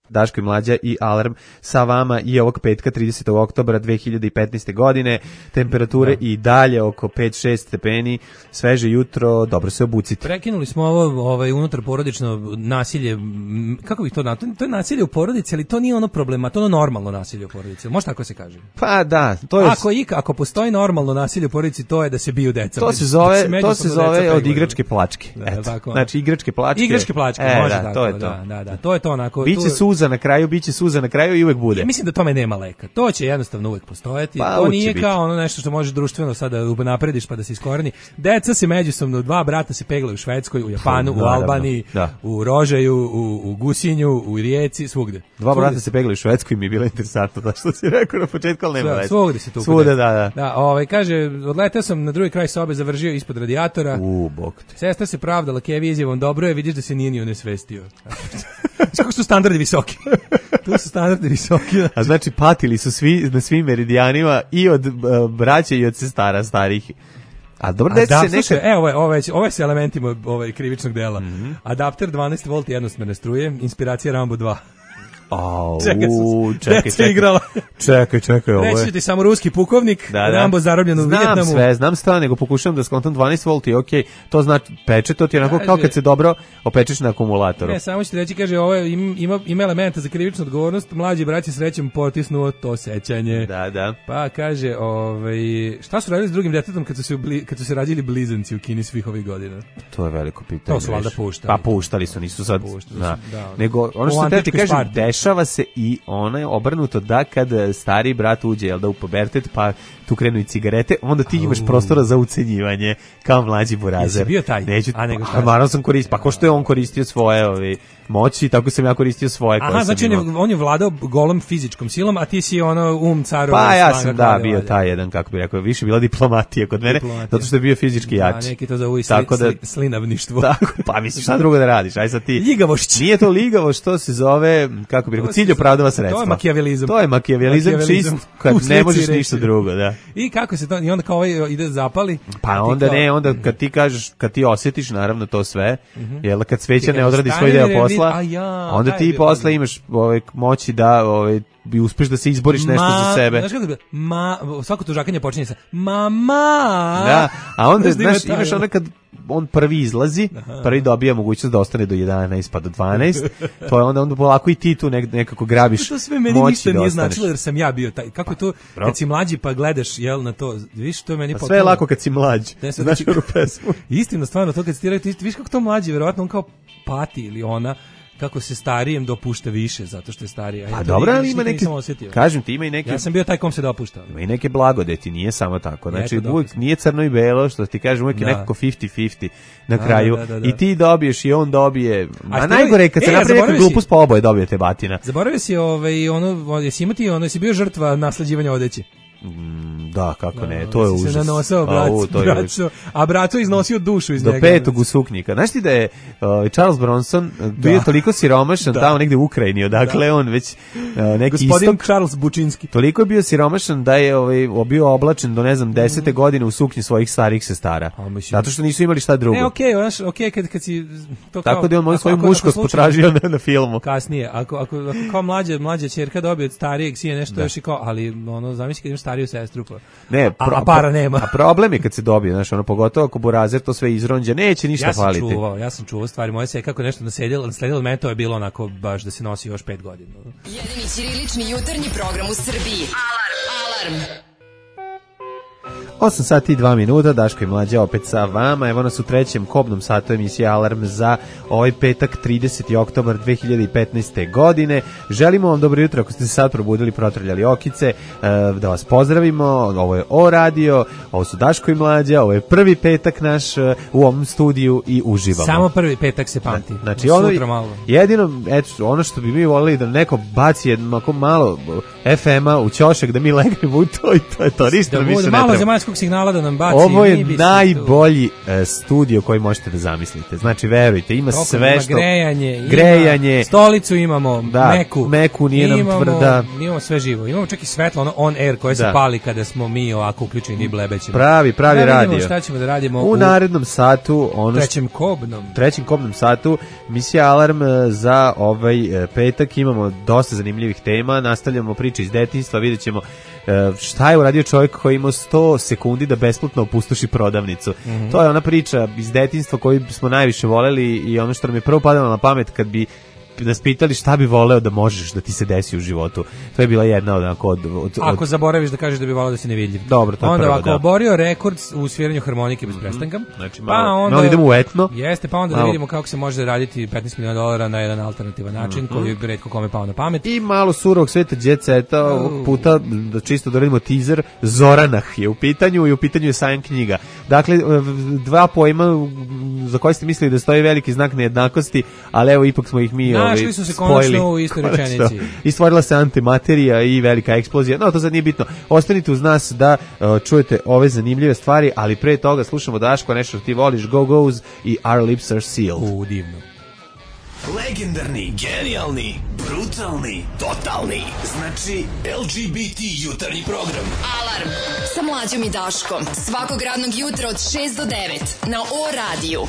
Daško i Mlađa i Alarm sa vama i ovog petka tridesetog oktobra dve hiljade petnaeste. godine. Temperature i dalje oko pet šest stepeni, sveže jutro, dobro se obucite. Prekinuli smo ovo ovaj, unutar porodično nasilje, m, kako bih to na to, to je nasilje u porodici, ali to nije ono problema, to je ono normalno nasilje u porodici. Može tako se kaže? Pa da, to je... Ako, ik, ako postoji normalno nasilje u porodici, to je da se biju deca. To se Da zove, to međusobno se deca zove od peglaju. igračke plačke. Da, Eto. tako. Znači igračke plačke. Igračke plačke, e, može da, tako. to je to. Da, da, da, to je to onako. Biće tu- suza na kraju, biće suza na kraju i uvek bude. Ja mislim da tome nema leka. To će jednostavno uvek postojati. Pa, to uvek nije će kao ono nešto što možeš društveno sada naprediš pa da se iskoreni. Deca se međusobno, dva brata se peglaju u Švedskoj, u Japanu, u Naravno, Albaniji, da. u Rožaju, u, u Gusinju, u Rijeci, svugde. Dva Svugde brata se peglaju u Švedskoj i mi je bilo interesantno da što si rekao na početku, ali nema Sve- veze. Svugde se tu. Svuda, da, da. Da, ovaj, kaže, odletao sam na drugi kraj sobe, završio ispod radijatora. U, bok te. Sestra se pravdala Kevi izjavom, dobro je, vidiš da se nije ni onesvestio. Znaš kako su standardi visoki. Tu su standardi visoki. A znači patili su svi na svim meridijanima i od uh, braća i od sestara starih. A dobro, A deci da, se slušaj, nekad... evo, ovo je, ovo je, ovo je sa elementima ovaj, krivičnog dela. Mhm. Adapter dvanaest volti jednosmerne struje, inspiracija Rambo dva. Au, Čekaj, su- čekaj, deca čekaj. igrala. Čekaj, čekaj, ovo Reći je... ću ti samo ruski pukovnik, Da, da. Rambo zarobljen u znam Vijetnamu. sve, znam sve, nego pokušavam da skontam dvanaest volti, okej, to znači peče, to ti je onako kao Kaže- kad se dobro opečeš na akumulatoru. Ne, samo ću ti reći, kaže, ovo je, im- ima, ima elementa za krivičnu odgovornost, mlađi brat je srećem potisnuo to sećanje. Da, da. Pa kaže, ovaj, šta su radili s drugim detetom kad su se, ubli, kad su se rađili blizanci u Kini svih ovih godina? To je veliko pitanje. To su valjda viš. puštali. Pa puštali su, nisu sad. Puštali Da. su, da. Nego, ono U što te ti antičkoj kažem, Sparti. dešava se i ono je obrnuto da kad stari brat uđe, jel da, u pubertet, pa tu krenu i cigarete, onda ti imaš prostora za ucenjivanje kao mlađi burazer. Jesi bio taj? Neću, A, nego šta? pa, naravno sam koristio, pa ko što je on koristio svoje ovi, moći, tako sam ja koristio svoje. koje Aha, sam znači on je, imao. on je vladao golom fizičkom silom, a ti si ono um carova. Pa ja slanga sam, da, kralja, bio valjda. taj jedan, kako bi rekao, više bila diplomatija kod mene, Diplomatija. zato što je bio fizički Da, jači. neki to zovu i sli, Tako da- sli, slinavništvo. Tako, pa misliš šta drugo da radiš, aj sad ti. Ljigavošć. Nije to ligavo, što se zove, kako bi rekao, To cilj se- opravdava sredstva. to je makijavelizam. To je makijavelizam, Makijavelizam. čist, kad U ne slici možeš reči. ništa drugo, da. I kako se to, i onda kao ovaj ide zapali. a Pa ti onda kao- ne, onda kad ti kažeš, kad ti osjetiš naravno to sve, jel kad sveća Ti ne kažeš, odradi svoj stani, deo ne, posla, a ja, onda taj ti je bio posle problem. imaš ovaj, moći da ovaj, bi uspeš da se izboriš nešto Ma- za sebe. Znaš kako bi, ma, svako tužakanje počinje sa mama. Da, a onda, Znaš da ima znaš, taj, imaš ono- ono kad on prvi izlazi, prvi dobija mogućnost da ostane do jedanaest pa do dvanaest, to je onda, onda polako i ti tu nek, nekako grabiš To sve meni moći ništa da nije ostaneš. značilo jer sam ja bio taj. Kako je to, bro. kad si mlađi pa gledaš, jel, na to, viš, to je meni Pa sve je lako kad si mlađ, Ne, sad znaš znači- onu pesmu. Istina, stvarno, to kad si ti rekao, ti viš kako to mlađi, verovatno on kao pati ili ona, kako se starijem dopušta više, zato što je starija. Pa Ja to dobro, nikad ali ima nisam neke, osjetio. kažem ti, ima i neke, Ja sam bio taj kom se dopušta. ima i neke blagodeti, nije samo tako. Znači, Eto, uvijek dokaz. nije crno i belo, što ti kažem, uvijek je Da. nekako fifty fifty na Da, kraju. da, da, da. I ti dobiješ i on dobije. A, što najgore je kad je- se e, napravi neka zaboravio si- glupost, pa oboje dobijete batina. Zaboravio si ovaj, ono, jesi imati ono, jesi bio žrtva nasleđivanja odeće? Da, kako ne, to je Jesi užas. se nanosao, brat, Au, to je užas. braco, a braco iznosio dušu iz Do njega. petog u suknjika. Znaš ti da je uh, Charles Bronson uh, bio toliko siromašan tamo negde u Ukrajini, odakle on već uh, neki Gospodin istok. Charles Bučinski. Toliko je bio siromašan da je ovaj, bio oblačen do ne znam desete godine u suknji svojih starih sestara. A, mislim- Zato što nisu imali šta drugo. Ne, okej, znaš, okej, kad, kad si... To kao, Tako da je on moju ako- svoju ako- muškost ako slučajno- potražio na, na filmu. Kasnije, ako, ako, ako kao mlađa, mlađa ćerka dobije od starijeg sije nešto još i kao, ali ono, zamisli kad imaš stariju sestru, pa. Ne, pro, a, a para nema. A problem je kad se dobije, znaš, ono, pogotovo ako burazer to sve izronđe, neće ništa ja sam faliti. Čuvao, ja sam čuvao stvari, moje se kako nešto nasledilo, nasledilo od mene, to je bilo onako baš da se nosi još pet godina. Jedini ćirilični jutarnji program u Srbiji. Alarm! Alarm! osam sati i dva minuta, Daško i Mlađa opet sa vama. Evo nas u trećem kobnom satu emisije Alarm za ovaj petak trideseti oktobar dve hiljade petnaeste. godine. Želimo vam dobro jutro ako ste se sad probudili, protrljali okice, da vas pozdravimo. Ovo je O Radio, ovo su Daško i Mlađa, ovo je prvi petak naš u ovom studiju i uživamo. Samo prvi petak se pamti. Znači, ono, malo. jedino, eto, ono što bi mi volili da neko baci jedno malo ef ema u ćošak da mi legnemo u to i to je to. Ništa da više ne malo treba. Zemaljskog signala da nam baci. Ovo je najbolji uh, studio koji možete da zamislite. Znači, verujte, ima Toko, sve ima što... grejanje, grejanje. Ima stolicu imamo, da, meku. Meku nije nam imamo, tvrda. Imamo sve živo. Imamo čak i svetlo, ono on air koje se da. pali kada smo mi ovako uključeni i blebećemo. Pravi, pravi da radio. Šta ćemo da radimo u, u narednom satu. Ono trećem kobnom. Trećem kobnom satu. Misija Alarm za ovaj petak. Imamo dosta zanimljivih tema. Nastavljamo priče iz detinjstva. Vidjet ćemo šta je uradio čovjek koji ima sto sekundi da besplatno opustoši prodavnicu. Mm-hmm. To je ona priča iz detinjstva koju smo najviše voleli i ono što nam je prvo padalo na pamet kad bi nas pitali šta bi voleo da možeš da ti se desi u životu. To je bila jedna od... od, od ako zaboraviš da kažeš da bi voleo da si nevidljiv. Dobro, to je onda prvo, ako da. oborio rekord u sviranju harmonike bez prestanka, mm-hmm. znači, malo, pa onda, malo idemo u etno. Jeste, pa onda malo. Da vidimo kako se može raditi petnaest miliona dolara na jedan alternativan način, mm-hmm. koji bi retko kome pao na pamet. I malo surovog sveta jet seta, ovog puta, da čisto doradimo teaser, Zoranah je u pitanju i u pitanju je sajam knjiga. Dakle, dva pojma za koje ste mislili da stoji veliki znak nejednakosti, ali evo ipak smo ih mi našli ovaj, su se konačno u istoj rečenici. I stvorila se antimaterija i velika eksplozija. No, to sad nije bitno. Ostanite uz nas da uh, čujete ove zanimljive stvari, ali pre toga slušamo Daško, nešto što ti voliš, Go Go's i Our Lips Are Sealed. U, divno. Legendarni, genijalni, brutalni, totalni. Znači, el ge be te jutarnji program. Alarm sa Mlađom i Daškom. Svakog radnog jutra od šest do devet na O radiju.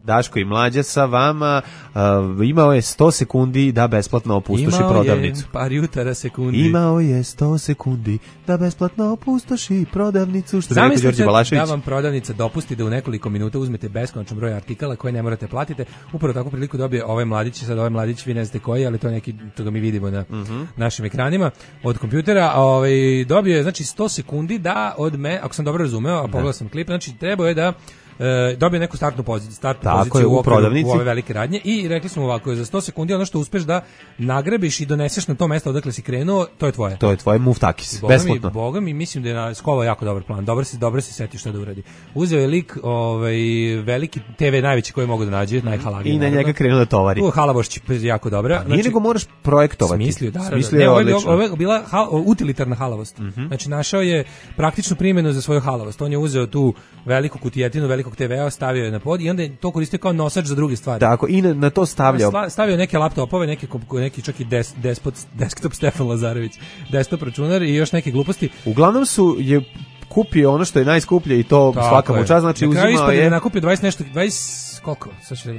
Daško i Mlađa sa vama, uh, imao je sto sekundi da besplatno opustoši imao prodavnicu. Imao je par jutara sekundi. Imao je sto sekundi da besplatno opustoši prodavnicu. Što bi rekao Đorđe Balašević. Da vam prodavnica dopusti da u nekoliko minuta uzmete beskonačan broj artikala koje ne morate platiti. Upravo takvu priliku dobije ovaj mladić, sad ovaj mladić vi ne znate koji, ali to je neki, to ga mi vidimo na mm-hmm. našim ekranima od kompjutera. Ovaj, dobio je znači sto sekundi da od me, ako sam dobro razumeo, a pogledao sam klip, znači trebao je da E, dobio neku startnu poziciju, startnu tako poziciju je, u, u prodavnici u ove velike radnje i rekli smo ovako, za sto sekundi ono što uspeš da nagrabiš i doneseš na to mesto odakle si krenuo, to je tvoje. To je tvoje muftakis, Boga besplatno. Mi, Boga mi, mislim da je na Skova jako dobar plan, dobro se, dobro se seti šta da uradi. Uzeo je lik ovaj, veliki te ve najveći koji mogu da nađe, najhalagiji. I na njega krenuo da tovari. U Halabošć jako dobra. Pa nije znači, nego moraš projektovati. Smislio, da, Smislio da, je ne, odlično. Ovo je bila hal, utilitarna halavost. Mm-hmm. Znači našao je praktičnu primjenu za svoju halavost. On je uzeo tu veliku kutijetinu, velikog te vea, stavio na pod i onda je to koristio kao nosač za druge stvari. Tako, i na, na to stavljao. Stavio neke laptopove, neke, neki čak i des, despot, desktop Stefan Lazarević, desktop računar i još neke gluposti. Uglavnom su je kupio ono što je najskuplje i to tako svaka mu čast, znači uzimao je... je nakupio dvadeset nešto, dvadeset koliko?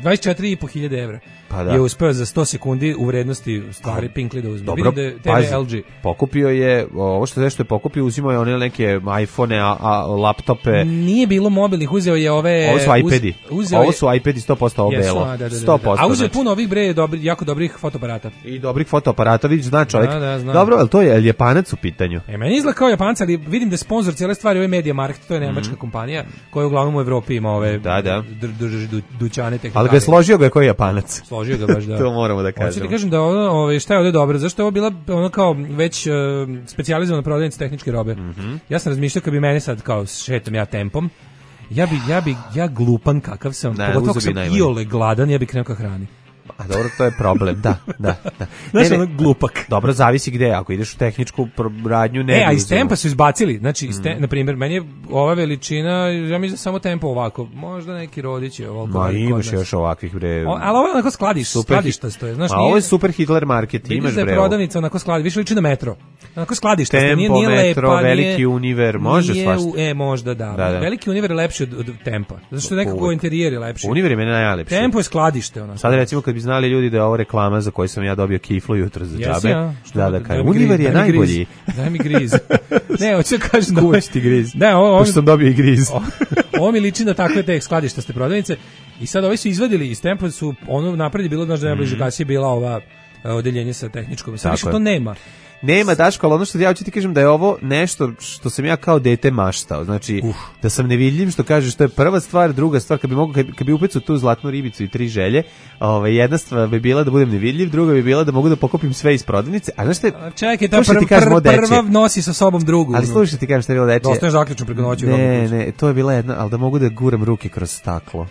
dvadeset četiri i po hiljade evra. Pa da. Je uspeo za sto sekundi u vrednosti stvari Pinkly da uzme. Dobro, da je te ve el ge. Pokupio je, ovo što je što je pokupio, uzimao je one neke iPhone, a, a laptope. Nije bilo mobilnih, uzeo je ove... Ovo su iPadi. Uz, ovo su iPadi sto posto ovo belo. Da, da, da, sto posto. A uzeo je puno ovih bre, dobri, jako dobrih fotoaparata. I dobrih fotoaparata, vidiš, zna čovjek. Da, da, dobro, ali to je, je Japanac u pitanju. E, meni izgleda kao Japanac, ali vidim da je sponsor cijele stvari ovaj MediaMarkt, to je nemačka mm-hmm. kompanija koja uglavnom u Evropi ima ove da, da. drži du, dućane tehnikalije. Ali ga je složio ga kao Japanac. Složio ga baš, da. To moramo da kažemo. Hoću ti kažem da ono, ovaj, šta je ovdje dobro, zašto je ovo bila ono kao već uh, specijalizovana prodavnica tehničke robe. Mm-hmm. Ja sam razmišljao kad bi mene sad kao šetam ja tempom, ja bi, ja bi, ja glupan kakav sam, ne, pogotovo ako sam iole gladan, ja bi krenuo ka hrani. A dobro, to je problem, da, da, da. Znaš, ono glupak. Dobro, zavisi gde, ako ideš u tehničku radnju, ne. E, a iz tempa su izbacili, znači, iz te, mm. na primjer, meni je ova veličina, ja mislim da samo tempo ovako, možda neki rodić je ovako. Ma imaš još ovakvih, bre. O, ali ovo je onako skladiš, skladišta stoje, znaš, nije. A ovo je super Hitler market, imaš, bre. Vidiš da je prodavnica onako skladiš, više liči na metro. Onako skladišta, tempo, nije, nije metro, lepa, veliki nije, univer, može nije, svašta. E, možda, da. da, da. Veliki univer je lepši od, od tempa, zato što nekako interijer je lepši. Univer je meni najlepši. Tempo je skladište, ono. Sad recimo kad bi znali ljudi da je ovo reklama za koju sam ja dobio kiflu jutro za džabe. Jesi, ja? Da, da, kažem. Univer je najbolji. Daj mi griz. Ne, hoću da kažem da... Kuć ti griz. Ne, ovo... Pošto sam dobio i griz. Ovo mi liči na takve te skladištaste prodavnice. I sad ovi su izvadili iz tempa, su ono napred bilo, znaš da najbliže mm. kasije bila ova odeljenje sa tehničkom. Sad više to nema. Nema, Daško, ali ono što ja hoću ti kažem da je ovo nešto što sam ja kao dete maštao. Znači, Uf. da sam nevidljiv, što kažeš, to je prva stvar, druga stvar, kad bi mogu, kad, kad bi upecao tu zlatnu ribicu i tri želje, ovaj, jedna stvar bi bila da budem nevidljiv, druga bi bila da mogu da pokupim sve iz prodavnice. A znaš te, čekaj, ta prv, prv, prva nosi sa sobom drugu. Ali slušaj ti kažem što je bilo dečije. Dostaneš zaključno preko noći. Ne, ne, to je bila jedna, ali da mogu da guram ruke kroz staklo.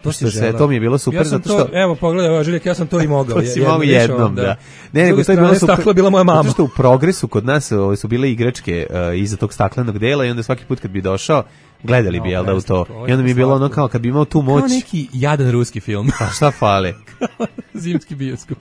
To, što se, to mi je bilo super ja sam zato što to, evo pogledaj, evo Žiljak, ja sam to i mogao. To si mogao jednom, da. da. Ne, nego to je bilo super. Staklo bila moja mama. Zato što u progresu kod nas ove, su bile igračke uh, iza tog staklenog dela i onda svaki put kad bi došao gledali no, bi, jel da, u to. I onda mi je bilo ono kao kad bi imao tu moć. Kao neki jadan ruski film. A šta fali? Zimski bioskop.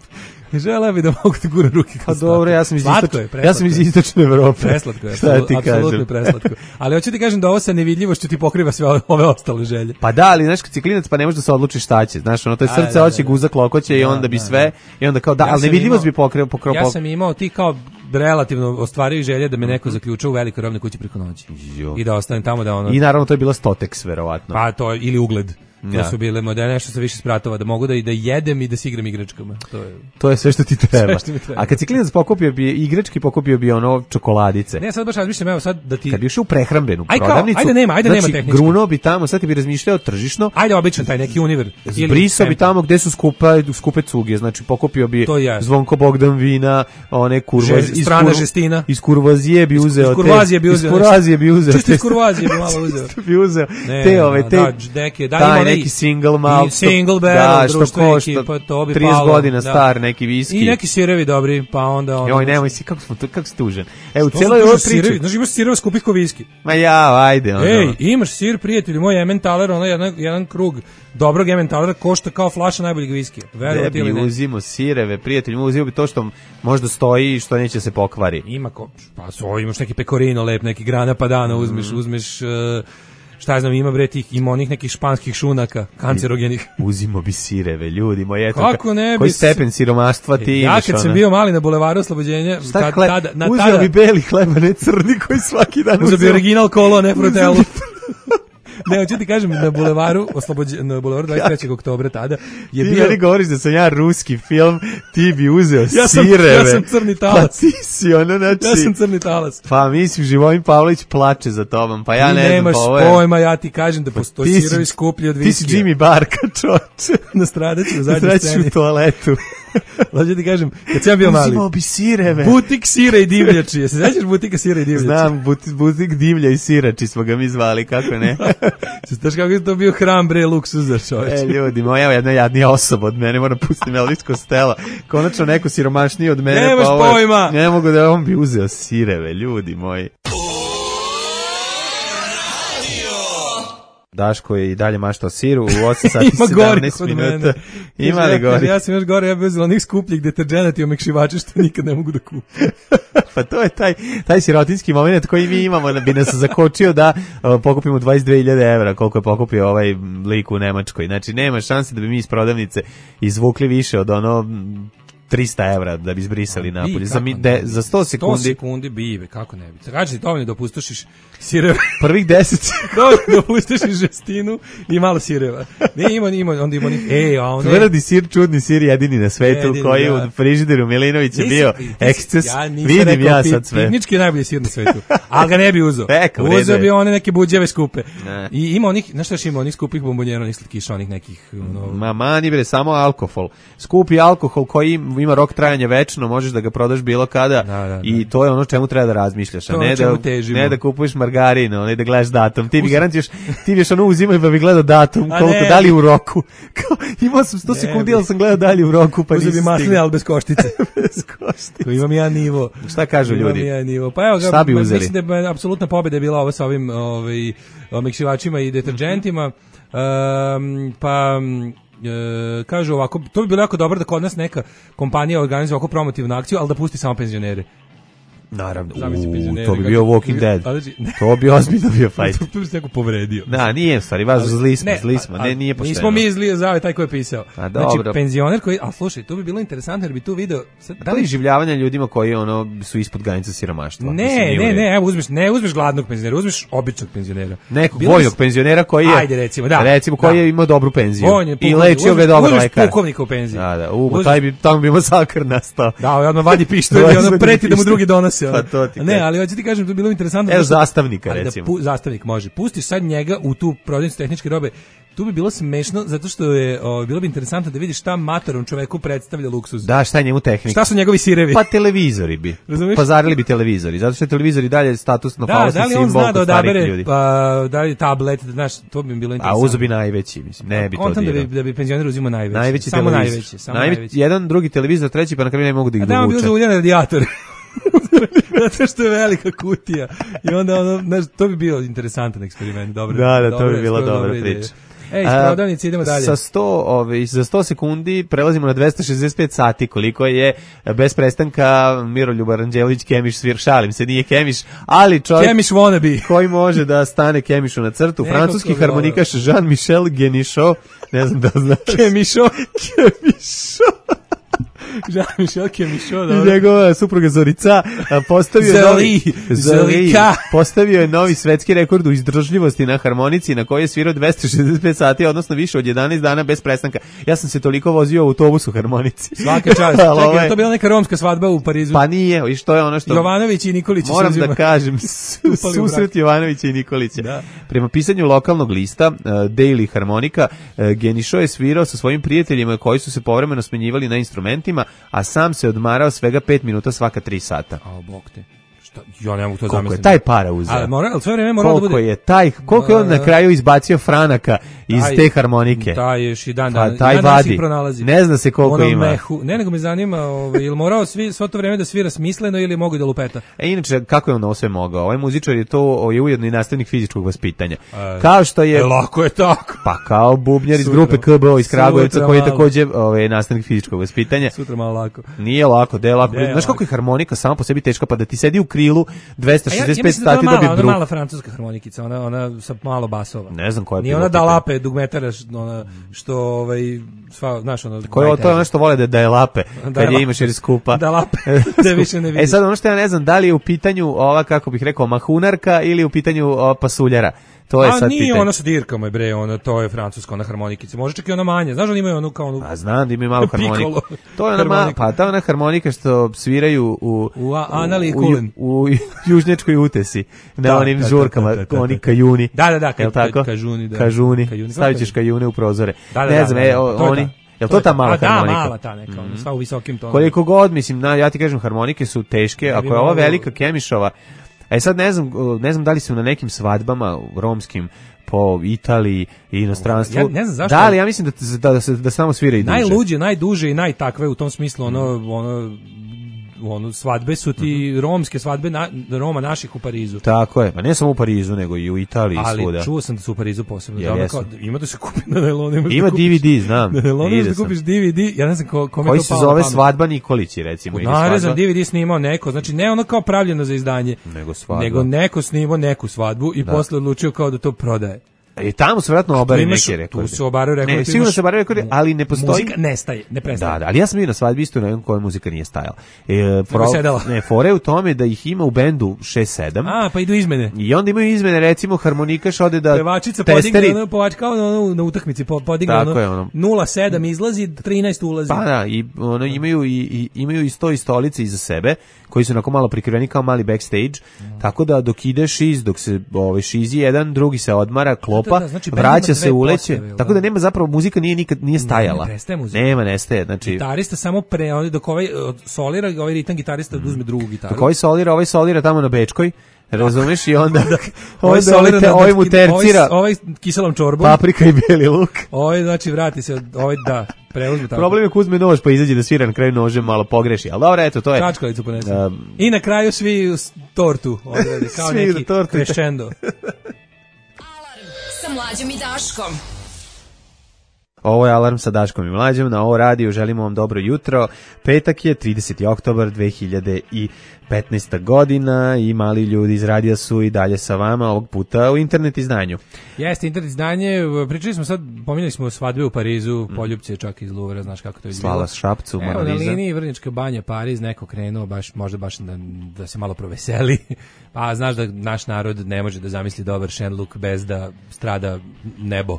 Želeo bi da mogu da gura ruke. Pa dobro, ja sam iz istočne, ja sam iz istočne Evrope. Preslatko je, apsolutno preslatko. Ali hoću ti kažem da ovo sa nevidljivošću ti pokriva sve ove ostale želje. Pa da, ali znaš kad si klinac pa ne možeš da se odlučiš šta će. Znaš, ono to je srce hoće, guza klokoće i onda bi sve i onda kao da, ali nevidljivost bi pokrio pokrio. Ja sam imao ti kao relativno ostvario želje da me neko zaključa u velikoj robnoj kući preko noći. I da ostanem tamo da ono. I naravno to je bila Stotex verovatno. Pa to ili Ugled. To ja. su bile modele, nešto sa više spratova, da mogu da i da jedem i da se igram igračkama. To je, to je sve što ti treba. Što mi treba. A kad si klinac pokupio bi igrački, pokupio bi ono čokoladice. Ne, sad baš razmišljam, evo sad da ti... Kad bi ušao u prehrambenu aj prodavnicu, kao, ajde nema, ajde znači, nema tehnički. Grunuo bi tamo, sad ti bi razmišljao tržišno. Ajde običan taj neki univer. Zbrisao bi tamo gde su skupa, skupe cuge, znači pokupio bi Zvonko Bogdan vina, one kurvaz, iz strana žestina. Iz kurvazije bi uzeo. Iz kurvazije bi uzeo. Iz kurvazije bi uzeo. Čisto iz kurvazije bi malo uzeo. bi uzeo. Te ove, te, taj neki single i single barrel, da, društvo neki, pa to bi trideset palo. godina da. Star, neki viski. I neki sirevi dobri, pa onda... Ono, joj, nemoj si, kako smo tu, kako si tužen. Evo, u cijeloj ovoj priči... Znaš, imaš sireva skupih ko viski. Ma ja, ajde. Ono. Ej, imaš sir, prijatelji, moj Emmentaler, ono, jedan, jedan krug dobrog Emmentalera košta kao flaša najboljeg viskija. Ne bi uzimo sireve, prijatelji, uzimo bi to što možda stoji i što neće se pokvari. Ima ko... Pa so, imaš neki pecorino lep, neki grana padana, uzmeš, mm. uzmeš... Uh, šta ja znam, ima bre tih, ima onih nekih španskih šunaka, kancerogenih. Uzimo bi sireve, ljudi moji, eto, kako ne bi, koji stepen siromaštva ti ja imaš. Ja kad sam bio mali na bulevaru Oslobođenja, šta hleb, tada, na uzeo tada, bi beli hleba, ne crni koji svaki dan uzeo. Uzeo bi original kolo, ne frutelu. Ne, hoću ti kažem, na bulevaru Oslobođenja, na bulevaru dvadeset trećeg oktobra tada je ti bio... Ti meni govoriš da sam ja ruski film, ti bi uzeo ja sam, sireve. Ja sam crni talas. Pa ti si ono, znači... Ja sam crni talas. Pa mislim, Živojin Pavlović plače za tobom, pa ja ti ne znam. Ti nemaš pojma, ja ti kažem da postoji sirovi skuplji od viskija. Ti si Jimmy Barka, čoče. Nastradaću u zadnjoj sceni. Nastradaću u toaletu. Hoću ti kažem, kad sam bio mali. Uzimao bi sireve. Butik sira i divljači. Se sećaš butika sira i divljači? Znam, butik, butik divlja i sirači smo ga mi zvali, kako ne? Znaš kako je to bio hram bre luksuza, čoveče. E, ljudi, moja jedna jadnija osoba od mene, moram pustiti melodijsko stela. Konačno neko siromašniji od mene. Nemaš pa ovo, pojma. Ne mogu da on bi uzeo sireve, ljudi moji. Daško je i dalje maštao siru u osam sati sedamnaest minuta. Ima li gori? Ja sam još gore, ja bih uzela onih skupljih deterđenata i omekšivača što nikad ne mogu da kupim. Pa to je taj, taj sirotinski moment koji mi imamo, bi nas zakočio da uh, pokupimo dvadeset dve hiljade evra, koliko je pokupio ovaj lik u Nemačkoj. Znači, nema šanse da bi mi iz prodavnice izvukli više od ono... trista evra da bi izbrisali napolje. Za, de, za sto sekundi. sto sekundi bive, kako ne bi. Kaži ti dovoljno da opustošiš sireva. Prvih deset. Dovoljno da opustošiš žestinu i malo sireva. Ne, ima, ima, onda ima onih, ej, a on tvrdi sir, čudni sir, jedini na svetu, jedini, koji ja. U frižideru Milinović je bio eksces. Ja vidim rekao, ja sad sve. Tehnički je najbolji sir na svetu, ali ga ne bi uzeo. Eka, uzeo bi one neke buđeve skupe. Ne. I ima onih, znaš šta još ima, onih skupih bombonjera, onih slatkiša, onih nekih... No... Ma mani bre, samo alkohol. Skupi alkohol koji ima rok trajanja večno, možeš da ga prodaš bilo kada da, da, da. I to je ono čemu treba da razmišljaš, a ne da, ne da kupuješ margarin, ne da gledaš datum. Ti bi garantiš, ti biš ono uzimaj pa bi gledao datum, koliko dalje u roku. Imao sam sto sekundi, ali sam gledao dalje u roku, pa uzeo bi masline, ali bez koštice. Bez koštice. Ko imam ja nivo. Šta kažu ljudi? Imam ja nivo. Pa evo ga, šta bi uzeli? Mislim da je apsolutna pobjeda je bila ovo sa ovim ovaj, omekšivačima i deterđentima. Um, pa... E, kažu ovako, to bi bilo jako dobro da kod nas neka kompanija organizuje ovako promotivnu akciju, ali da pusti samo penzionere. Naravno, Zamisli u, penzionere, to bi kako- bio Walking Dead. A, znači, ne. To bi ozbiljno bio fight. Tu, tu bi se neko povredio. Da, nije stvari, vas Ali- zli smo, ne, zli smo, a- ne, nije pošteno. Nismo mi zli, zao je taj ko je pisao. A, Znači, dobro. penzioner koji, a slušaj, to bi bilo interesantno jer bi tu video... Sad, Da li življavanja ljudima koji ono su ispod granica siromaštva? Ne, Mislim, nije u ne, redu. ne, evo uzmeš, ne uzmeš gladnog penzionera, uzmeš običnog penzionera. Nekog Bilo vojnog bi- penzionera koji je, Ajde, recimo, da. recimo koji Da. je imao dobru penziju Vojni i pukovnik, lečio ga je dobar uzmeš lekar. pukovnika u penziji. Da, da, u, Uzmeš- taj bi, tamo bi masakr nastao. Da, ovaj odmah vadi pištolj i ono Vadi preti da mu pištolj. drugi donose. ono. Pa to ti Ne, kažem. ali hoću ti kažem, to bi bilo interesantno. Evo zato što- zastavnika, ali da recimo. pu- zastavnik može. Pustiš sad njega u tu prodavnicu tehničke robe. Tu bi bilo smešno zato što je o, bilo bi interesantno da vidiš šta matorom čoveku predstavlja luksuz. Da, šta je njemu tehnika? Šta su njegovi sirevi? Pa televizori bi. Razumeš? Pazarili bi televizori, zato što je televizor i dalje statusno Da, falosni da li simbol on zna da kod starijih odabere ljudi. pa, da li tablet, da, znaš, to bi mi bilo A interesantno. uzo bi najveći, mislim, ne bi to Kontam da dirao. bi, da bi penzioner uzimao najveći. Najveći samo televizor. najveći, samo Najve- najveći. Jedan, drugi televizor, treći, pa na kraju ne mogu da ih A da on bi dovuče. uzeo uljan radijator. Zato što je velika kutija. I onda ono, znaš, to bi bio interesantan eksperiment. Dobro, Da, da, to dobro, bi bila skoro dobra ideja. priča. Ej, iz A, prodavnice idemo dalje. Sa sto, ove, za sto sekundi prelazimo na dvesta šezdeset pet sati, koliko je bez prestanka Miroljuba Ranđelović Kemiš svir, šalim se, nije Kemiš, ali čovjek Kemiš wannabe. koji može da stane Kemišu na crtu, Neko francuski koga harmonikaš Jean-Michel Genichot, ne znam da znaš. Kemišo. Kemichot. Jean-Michel Kemišo, I dobro. njegova supruga Zorica a, postavio je Zori, novi, Zori, Zorika. postavio je novi svetski rekord u izdržljivosti na harmonici na kojoj je svirao dvesta šezdeset pet sati, odnosno više od jedanaest dana bez prestanka. Ja sam se toliko vozio u autobusu harmonici. Svaka čast. Ali Čekaj, ovaj- je to bila neka romska svadba u Parizu? Pa nije, i što je ono što... Jovanović i Nikolić se Moram uzima. da kažem, su- Upali u brak. susret Jovanovića i Nikolića. Da. Prema pisanju lokalnog lista, uh, Daily Harmonika, uh, Genišo je svirao sa svojim prijateljima koji su se povremeno smenjivali na instrumentima, a sam se odmarao svega pet minuta svaka tri sata. A, bog te. Šta? Ja ne mogu to Koliko zamisliti. je taj para uzeo? Ali mora, ali sve vreme moralo da Koliko bude... je taj, koliko je on na kraju izbacio franaka iz Taj- te harmonike? Taj još i dan, Pa dan, taj dan danas vadi. ih pronalazi. Ne zna se koliko U onom ima. Mehu. Ne, nego me zanima, ovaj, je li morao svi, svo to vreme da svira smisleno ili je mogu da lupeta? E, inače, kako je on ovo sve mogao? Ovaj muzičar je to je ujedno i nastavnik fizičkog vaspitanja. E, Kao što je... E, lako je tako. Pa kao bubnjar iz Sutra. grupe K B O iz Kragujevca Sutra koji je malo. takođe ovaj, nastavnik fizičkog vaspitanja. Sutra malo lako. Nije lako, de je lako. De je Znaš kako lako. je harmonika sama po sebi teška, pa da ti sedi u krilu dvesta A ja, ja šezdeset pet mislim da je sati to da mala, bi ona bruh. mala francuska harmonikica, ona, ona sa malo basova. Ne znam koja je Nije bila ona u pitanju. dalape, dugmetara, š- ona, što, ovaj, sva, znaš, ono... Ko je, to je ono što vole da, da je lape, Da kad je je lape. imaš jer je skupa. Da lape, da više ne E vidiš. sad ono što ja ne znam, da li je u pitanju ova, kako bih rekao, mahunarka ili je u pitanju ova, pasuljara. To je A sad nije pitanje. ona sa dirkama, je bre, ona, to je francuska, ona harmonikica. Može čak i ona manja. Znaš da oni imaju onu kao onu... A znam da imaju malu harmoniku. Piccolo To je ona, ma, harmoniku. pa ta ona harmonika što sviraju u, U a- Anali i u, Kulen. u, u južnjačkoj utesi, na Da, onim da, da, žurkama, da, da, da, oni da. kajuni. Da, da, da, kaj- Jel tako? kažuni, da. Kažuni. Kajuni, Stavit kako ćeš kajune u prozore. Da, da, ne da, znam, da, e, da, o- to je oni... ta. Jel to ta mala A, da, harmonika? mala ta neka, ono, sva u visokim tonima. Koliko god, mislim, na, ja ti kažem, harmonike su teške, Ne bi ako je ova moglo- velika Kemišova, e sad ne znam, ne znam da li su na nekim svadbama romskim po Italiji i inostranstvu. Ja ne znam zašto- Da, ali ja mislim da, da, da, se, da samo svira i duže. Najluđe, najduže i najtakve u tom smislu, ono, ono, ono, svadbe su ti Mhm. romske svadbe na, Roma naših u Parizu. Tako je, pa ne samo u Parizu, nego i u Italiji i Ali svuda. čuo sam da su u Parizu posebno. Jel Da, ono jesu? kao, ima da se kupi na nailonu. možeš Ima da kupiš- D V D, znam. Na nailonu Ide možeš da sam. kupiš D V D, ja ne znam ko, kome Koji to se palo zove na pamet. Svadba Nikolići, recimo. ili Narezan svadba- D V D snimao neko, znači ne ono kao pravljeno za izdanje, Nego svadba. nego neko snimao neku svadbu i Da. posle odlučio kao da to prodaje. I tamo su vjerojatno obari imaš- neke rekordi. tu su obaraju rekordi, Ne, tu sigurno imaš- se obaraju rekordi, ali ne postoji... Muzika nestaje, ne prestaje. Da, da, ali ja sam bio na svadbi isto na jednom kojoj muzika nije stajala. E, pro- sedela. ne, fore u tome da ih ima u bendu šest sedam. A, pa idu izmene. I onda imaju izmene, recimo harmonikaš ode da Pevačica testeri... podigne ono, pevač kao ono, na utakmici po- podigne Tako ono, je, ono. nula sedam izlazi, trinaest ulazi. Pa da, i ono, imaju, i, i, imaju i sto i stolice iza sebe, koji su onako malo prikriveni kao mali backstage, tako da dok ide šiz, dok se ovaj, šizi jedan, drugi se odmara, klopa, Da, da, znači, bend ima vraća se, dve uleće, postave, tako da nema zapravo, muzika nije nikad, nije stajala. ne prestaje muzika. Nema, nestaje, znači... Gitarista samo pre, on, dok ovaj od solira, ovaj ritam gitarista uzme drugu gitaru. Dok ovaj solira, ovaj solira tamo na Bečkoj, razumeš, i onda, Ovaj onda solira ovaj, te, na- ovaj mu tercira Ovaj, ovaj kiselom čorbom. paprika i bijeli luk. Ovaj, znači, vrati se, ovaj, da, preuzme tako. Problem je ko uzme nož pa izađe da svira na kraju nožem malo pogreši, ali dobro, eto, to je... Čačkalicu ponese. Um, I na kraju svi s- tortu odrade, kao Svi neki na tortu. crescendo. Sa Mlađom i Daškom. Ovo je Alarm sa Daškom i Mlađom, na ovo radiju želimo vam dobro jutro. Petak je trideseti oktobar dve hiljade petnaesta godina i mali ljudi iz radija su i dalje sa vama, ovog puta u internet izdanju. Jeste, internet izdanje, pričali smo sad, pominjali smo svadbe u Parizu, mm. Poljupce čak iz Luvra, znaš kako to je izgledalo. Svala Šapcu, Evo, Mona na Lisa. liniji Vrnjačka banja, Pariz, neko krenuo, baš, možda baš da, da se malo proveseli. Pa znaš da naš narod ne može da zamisli dobar šenluk bez da strada nebo.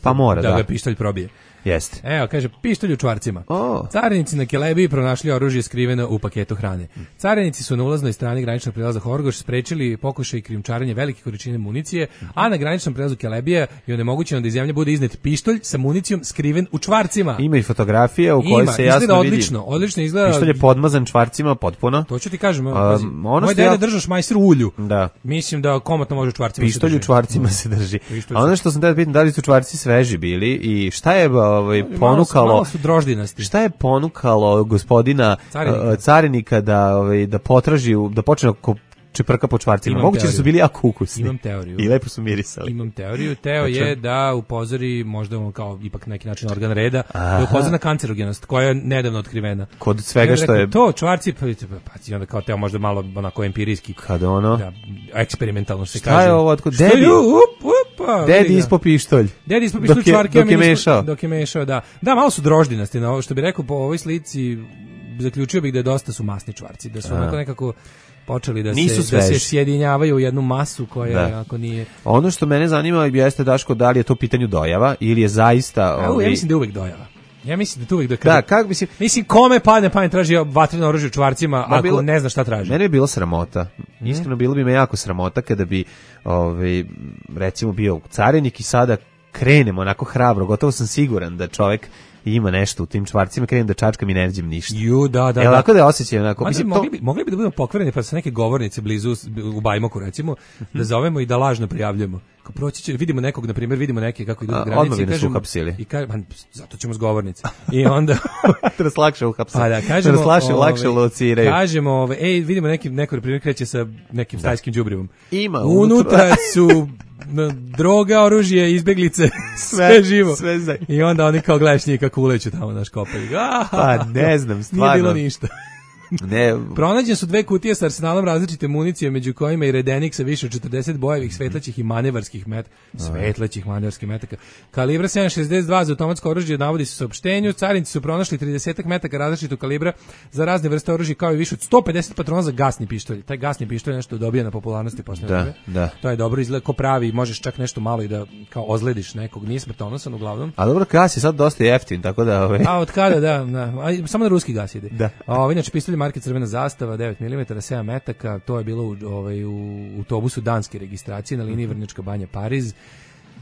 Pa mora, da. Da ga pištolj probije. Jeste. Evo, kaže, pištolj u čvarcima. Oh. Carinici na Kelebiji pronašli oružje skriveno u paketu hrane. Carinici su na ulaznoj strani graničnog prelaza Horgoš sprečili pokušaj krijumčarenja velike količine municije, a na graničnom prelazu Kelebija je onemogućeno da iz zemlje bude iznet pištolj sa municijom skriven u čvarcima. Ima i fotografije u kojoj Ima, se jasno izgleda vidi. odlično, odlično izgleda. Pištolj je podmazan čvarcima potpuno. To ću ti kažem, Um, pazi, ono moj što ja- deda držao šmajser u ulju. Da. Mislim da komotno može u čvarcima Pištolj se u drži. čvarcima se drži. Pištolj A ono što sam da pitam, da li su čvarci sveži bili i šta je ovaj, Malo su- ponukalo... Malo su droždinasti. Šta je ponukalo gospodina Carinika. uh, carinika da ovaj da potraži u- da počne ko čeprka po čvarcima? Imam Moguće da teoriju. su bili jako ukusni. Imam teoriju. I lepo su mirisali. Imam teoriju. Teo Znači? je da upozori možda on kao ipak neki način organ reda, Aha. da upozori na kancerogenost koja je nedavno otkrivena. Kod svega I onda što rekao, je- to čvarci pa pa i onda kao Teo možda malo onako empirijski. Kad ono? Da, eksperimentalno se Šta kaže. je ovo, otkud- Šta je, Dedi? up, upa, vidi Dedi ga. ispo pištolj. Dedi ispo pištolj Dok je- čvarke, a dok mi je nismo- mešao. Dok je mešao, da. Da, malo su droždinasti, na ovo što bi rekao po ovoj slici, zaključio bih da je dosta su masni čvarci, da su A. onako nekako počeli da Nisu se da se sveži. sjedinjavaju u jednu masu koja Da. ako nije. Ono što mene zanima jeste, Daško, da li je to u pitanju dojava ili je zaista... A, ja ovaj, mislim da je uvek dojava. Ja mislim da tu uvek da kada... Da, kako mislim... Mislim, kome padne pamet traži vatreno oružje u čvarcima, Ma, ako bilo- ne zna šta traži. Mene bi bilo sramota. Mhm. Iskreno, bilo bi me jako sramota kada bi, ovaj, recimo, bio carinik i sada krenemo onako hrabro. Gotovo sam siguran da čovek ima nešto u tim čvarcima, krenem da čačkam i ne nađem ništa. Ju, da, da, Jel da. tako da je osjećaj onako? Mada Mislim, mogli, to... bi, mogli bi da budemo pokvareni pa sa neke govornice blizu u Bajmoku recimo, da zovemo i da lažno prijavljujemo. Kao proći će, vidimo nekog, na primjer, vidimo neke kako idu A, na granici odmah bi i nas kažemo... uhapsili. I ka, man, zato ćemo s govornice. I onda... da nas lakše uhapse. Pa da, kažemo... Da nas lakše, lakše ovaj, lociraju. Kažemo, ovaj, ej, vidimo neki, neko, na primjer, kreće sa nekim stajskim đubrivom. Ima Unutra su n- droga, oružje, izbeglice, sve, Sve- živo. sve za- I onda oni kao gledaš njih kako uleću tamo naš kopaju. Pa ne znam, Nije stvarno. bilo ništa. Ne, Pronađene su dve kutije sa arsenalom različite municije, među kojima i redenik sa više od četrdeset bojevih, svetlećih i manevarskih met, svetlećih manevarskih metaka. Kalibra sedam šezdeset dva za automatsko oružje navodi se u saopštenju. Carinci su pronašli trideset metaka različitog kalibra za razne vrste oružja, kao i više od sto pedeset patrona za gasni pištolj. Taj gasni pištolj je nešto dobija na popularnosti posle Da, vreme. da. To je dobro, izgleda ko pravi, možeš čak nešto malo i da kao ozlediš nekog, nije smrtonosan uglavnom. a dobro, gas je sad dosta jeftin, tako da... Ovaj... A od kada, da, da. A, samo na ruski gas ide. Da. A ovo, inače, pištolj marke Crvena zastava, devet milimetara, sedam metaka, to je bilo u, ovaj, u autobusu danske registracije na liniji Vrnjačka banja Pariz.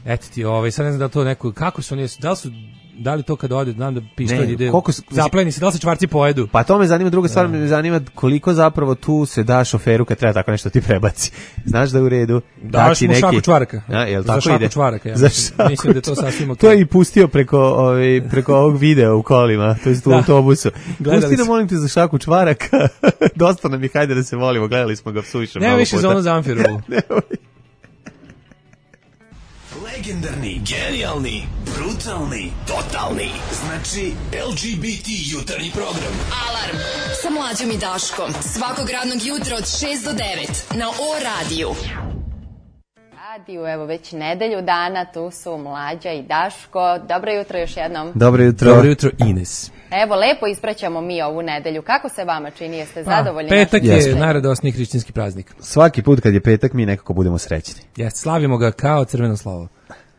Eto ti, ovaj, sad ne znam da li to neko, kako su oni, da li su, da li to kad ode, znam da pištolj Ne, ide, koliko s- zapleni se, da li se čvarci pojedu? Pa to me zanima, druga stvar me zanima koliko zapravo tu se da šoferu kad treba tako nešto ti prebaci. Znaš da je u redu? Daš Dati mu šaku čvaraka. A, jel Za tako šaku ide? čvaraka, ja Za mislim. šaku Mislim da je to čvaraka. sasvim okej. To je i pustio preko, ovaj, preko ovog videa u kolima, to jest u Da. autobusu. Gledali Pusti nam, smo. molim te, za šaku čvaraka. Dosta nam je, hajde da se volimo, gledali smo ga suviše Nema mnogo više puta. za ono Zamfirovu. Legendarni, genijalni, brutalni, totalni. Znači L G B T jutarnji program. Alarm sa Mlađom i Daškom. Svakog radnog jutra od šest do devet na O radiju. Radiju, evo već nedelju dana, tu su Mlađa i Daško. Dobro jutro još jednom. Dobro jutro. Dobro jutro, Ines. Evo, lepo ispraćamo mi ovu nedelju. Kako se vama čini? Jeste Pa, zadovoljni? petak našim je izveštajem? najradosniji hrišćanski praznik. Svaki put kad je petak mi nekako budemo srećni. Jeste, slavimo ga kao crveno slovo.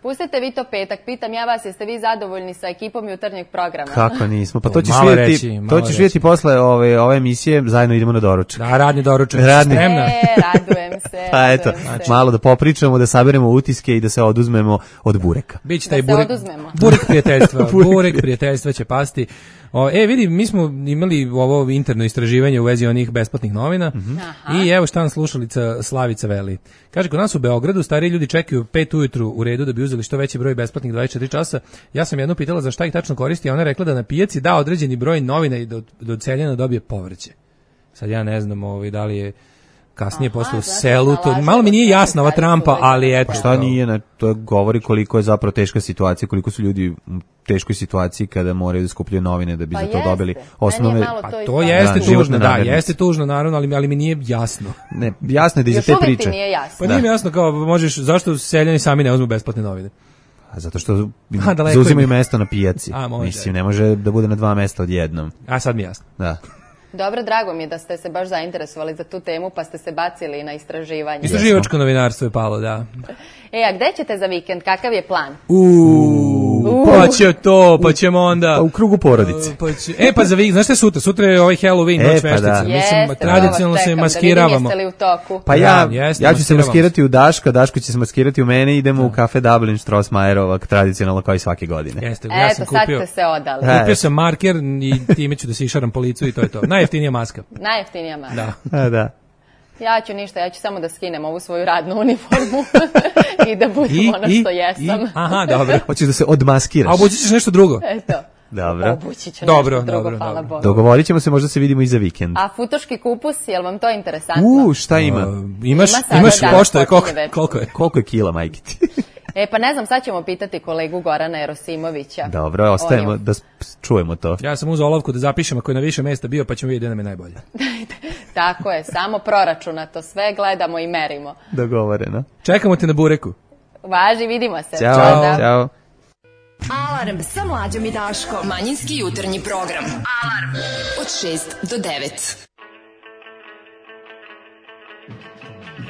Pustite vi to petak. Pitam ja vas, jeste vi zadovoljni sa ekipom jutarnjeg programa? Kako nismo? Pa to ćeš Malo vidjeti, reći, malo to ćeš reći. vidjeti posle ove, ove emisije, zajedno idemo na doručak. Da, radni doručak. Radni. Spremna. E, radujem se. Pa eto, radujem se. malo da popričamo, da saberemo utiske i da se oduzmemo od bureka. Biće Da taj se burek, oduzmemo. burek prijateljstva. Burek burek prijateljstva će pasti. O, e, vidi, mi smo imali ovo interno istraživanje u vezi onih besplatnih novina i evo šta nam slušalica Slavica veli. Kaže, kod nas u Beogradu stariji ljudi čekaju pet ujutru u redu da bi uzeli što veći broj besplatnih dvadeset četiri časa. Ja sam jednu pitala za šta ih tačno koristi, a ona je rekla da na pijaci da određeni broj novina i da od, da od seljana dobije povrće. Sad ja ne znam ovaj, da li je kasnije posle u selu, to malo mi nije jasno ova Trumpa, ali eto. Pa šta nije, na, to govori koliko je zapravo teška situacija, koliko su ljudi u teškoj situaciji kada moraju da skupljaju novine da bi pa za to jeste. dobili osnovne... Pa to jeste da, tužno, da, jeste tužno, naravno, ali, ali mi nije jasno. Ne, jasno je da iza te priče. Još uvijek ti nije jasno. Pa nije mi jasno kao, možeš, zašto seljani sami ne uzmu besplatne novine? A zato što zauzimaju mesto na pijaci. A, može. Mislim, ne može da bude na dva mesta odjednom. A sad mi je jasno. Da. Dobro, drago mi je da ste se baš zainteresovali za tu temu, pa ste se bacili na istraživanje. Istraživačko novinarstvo je palo, da. E, a gde ćete za vikend? Kakav je plan? Uuu, pa će to, pa ćemo onda... Pa u krugu porodice. Pa će, e, pa za vikend, znaš šta je sutra? Sutra je ovaj Halloween, e, noć pa veštica. Da. Mislim, jeste, tradicionalno se maskiravamo. Da vidim, jeste li u toku? Pa ja, ja, jeste, ja ću se maskirati u Daška, Daško će se maskirati u mene, idemo da. u kafe Dublin Strossmayerova, tradicionalno kao i svake godine. Jeste, ja sam Eto, kupio, sad ste se odali. Kupio sam marker i time ću da se išaram po licu i to je to. Najjeftinija maska. Najjeftinija maska. Da. A, da. Ja ću ništa, ja ću samo da skinem ovu svoju radnu uniformu i da budem I, ono i, što jesam. I, aha, dobro. Hoćeš da se odmaskiraš. A obući ćeš nešto drugo? Eto. Dobro. Obući ću dobro, nešto drugo, dobro, hvala dobro. Bogu. Dogovorit ćemo se, možda se vidimo i za vikend. A futoški kupus, je li vam to interesantno? U, šta ima? Uh, imaš, Ima imaš da, pošto je, koliko, koliko je? Koliko je kila, majke ti? E, pa ne znam, sad ćemo pitati kolegu Gorana Jerosimovića. Dobro, ostajemo da čujemo to. Ja sam uzeo olovku da zapišem ako je na više mesta bio, pa ćemo vidjeti da nam je najbolje. Tako je, samo proračunato, sve gledamo i merimo. Dogovoreno. Čekamo te na bureku. Važi, vidimo se. Ćao, Čao. Ćao. Alarm sa Mlađom i Daškom. Manjinski jutarnji program. Alarm od šest do devet.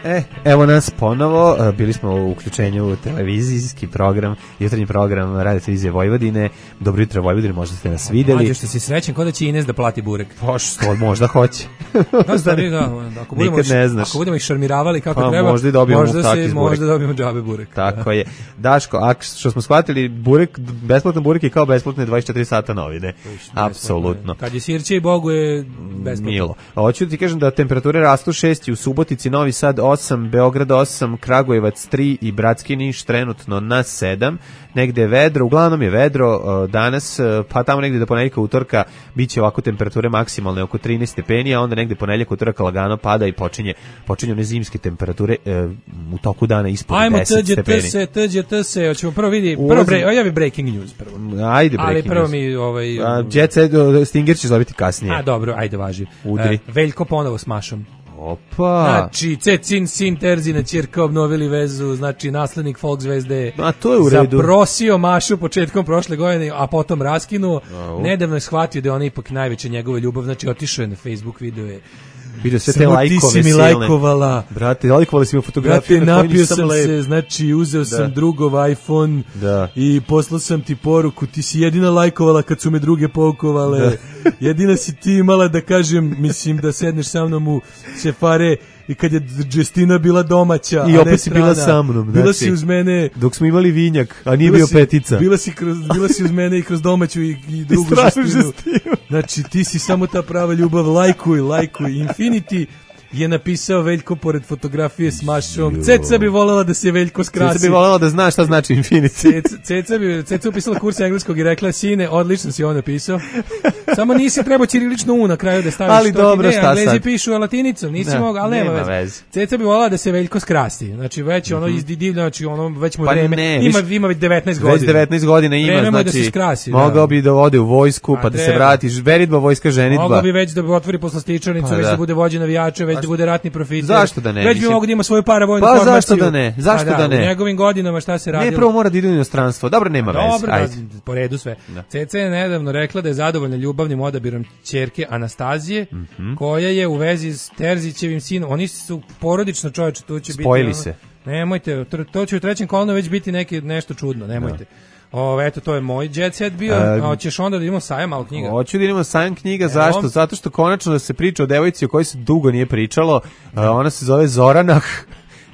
E, evo nas ponovo, bili smo u uključenju u televizijski program, jutarnji program Radio Televizije Vojvodine. Dobro jutro Vojvodine, možda ste nas videli. Mlađe, što si srećen, kod da će Ines da plati burek. Pa što, možda hoće. Da, stvari, da, ako budemo, nikad ne znaš. Ako budemo ih šarmiravali kako pa, treba, možda, dobijemo možda, se, možda dobijemo džabe burek. Tako je. Daško, a što smo shvatili, burek, besplatan burek je kao besplatne dvadeset četiri sata novine. Apsolutno. Kad je sirće i Bogu je besplatno. Milo. Hoću da ti kažem da temperature rastu šest u Subotici, Novi Sad osam, Beograd osam, Kragujevac tri i Bratski Niš trenutno na sedam. Negde je vedro, uglavnom je vedro danas, pa tamo negde do ponedjeljka utorka biće ovako temperature maksimalne oko trinaest stepeni, a onda negde ponedjeljak utorka lagano pada i počinje počinju one zimske temperature e, u toku dana ispod deset stepeni. Ajmo, tđe tse, tđe tse, hoćemo prvo vidi, prvo bre, ojavi breaking news prvo. Ajde breaking ali prvo news. mi ovaj A, Jet Set, Stinger će dobiti kasnije. A dobro, ajde važi. Udri. E, Veljko ponovo s Mašom. Opa. Znači, Cecin sin Terzina ćerka obnovili vezu, znači naslednik folk zvezde. A to je u redu. Zaprosio Mašu početkom prošle godine, a potom raskinuo. Au. Nedavno je shvatio da je ona ipak najveća njegova ljubav, znači otišao je na Facebook, video je. Vidio sve te lajkove silne. Ti si mi lajkovala. Brate, lajkovali si mi fotografije. Brate, napio sam lep. se, znači uzeo da. sam drugov iPhone da. i poslao sam ti poruku, ti si jedina lajkovala kad su me druge poukovale. Da. Jedina si ti imala da kažem, mislim da sedneš sa mnom u sefare i kad je Justina bila domaća, i a opet ne si bila sa mnom. Bila znači, si uz mene. Dok smo imali vinjak, a nije bio si, petica. Bila si, kroz, bila si uz mene i kroz domaću i, i drugu Justinu. Znači ti si samo ta prava ljubav, lajkuj, lajkuj. Infinity je napisao Veljko pored fotografije s Mašom. Ceca bi voljela da se Veljko skrasi. Ceca bi voljela da zna šta znači Infinity. Ceca, Ceca bi Ceca upisala kurs engleskog i rekla, sine, odlično si ovo napisao. Samo nisi trebao ćirilično u na kraju da staviš. Ali to dobro, ne, šta Englezi sad? pišu latinicom, nisi ne, mogao, ali nema, nema veze. veze. Ceca bi voljela da se Veljko skrasti. Znači već ono mm-hmm. izdivlja, znači ono već mu pa vreme. Ne, ima viš, ima već devetnaest godina. Već devetnaest godina ima, vreme znači da se skrasi, mogao da. bi da ode u vojsku, pa da se vratiš, veritba vojska ženitba. Mogao bi već da bi otvori poslastičarnicu, pa već da. da bude vođa navijača, već da bude ratni profiter. Zašto da ne? Već bi mogao da ima svoju paravojnu pa, formaciju. Pa zašto da ne? Zašto da, da ne? U njegovim godinama šta se radilo? Ne, prvo mora da ide u inostranstvo. Dobro, nema veze. Dobro, ajde. Da, po redu sve. Da. Ceca je nedavno rekla da je zadovoljna ljubavnim odabirom ćerke Anastazije, mm-hmm. koja je u vezi s Terzićevim sinom. Oni su porodično, čoveče, tu će Spojili biti... se. Nemojte, to će u trećem kolonu već biti neki, nešto čudno, nemojte. Da. O, eto, to je moj jet set bio. A, hoćeš onda da idemo sajam malo knjiga? Hoću da idemo sajam knjiga, Evo. Zašto? Zato što konačno da se priča o devojci o kojoj se dugo nije pričalo. A, ona se zove Zoranah.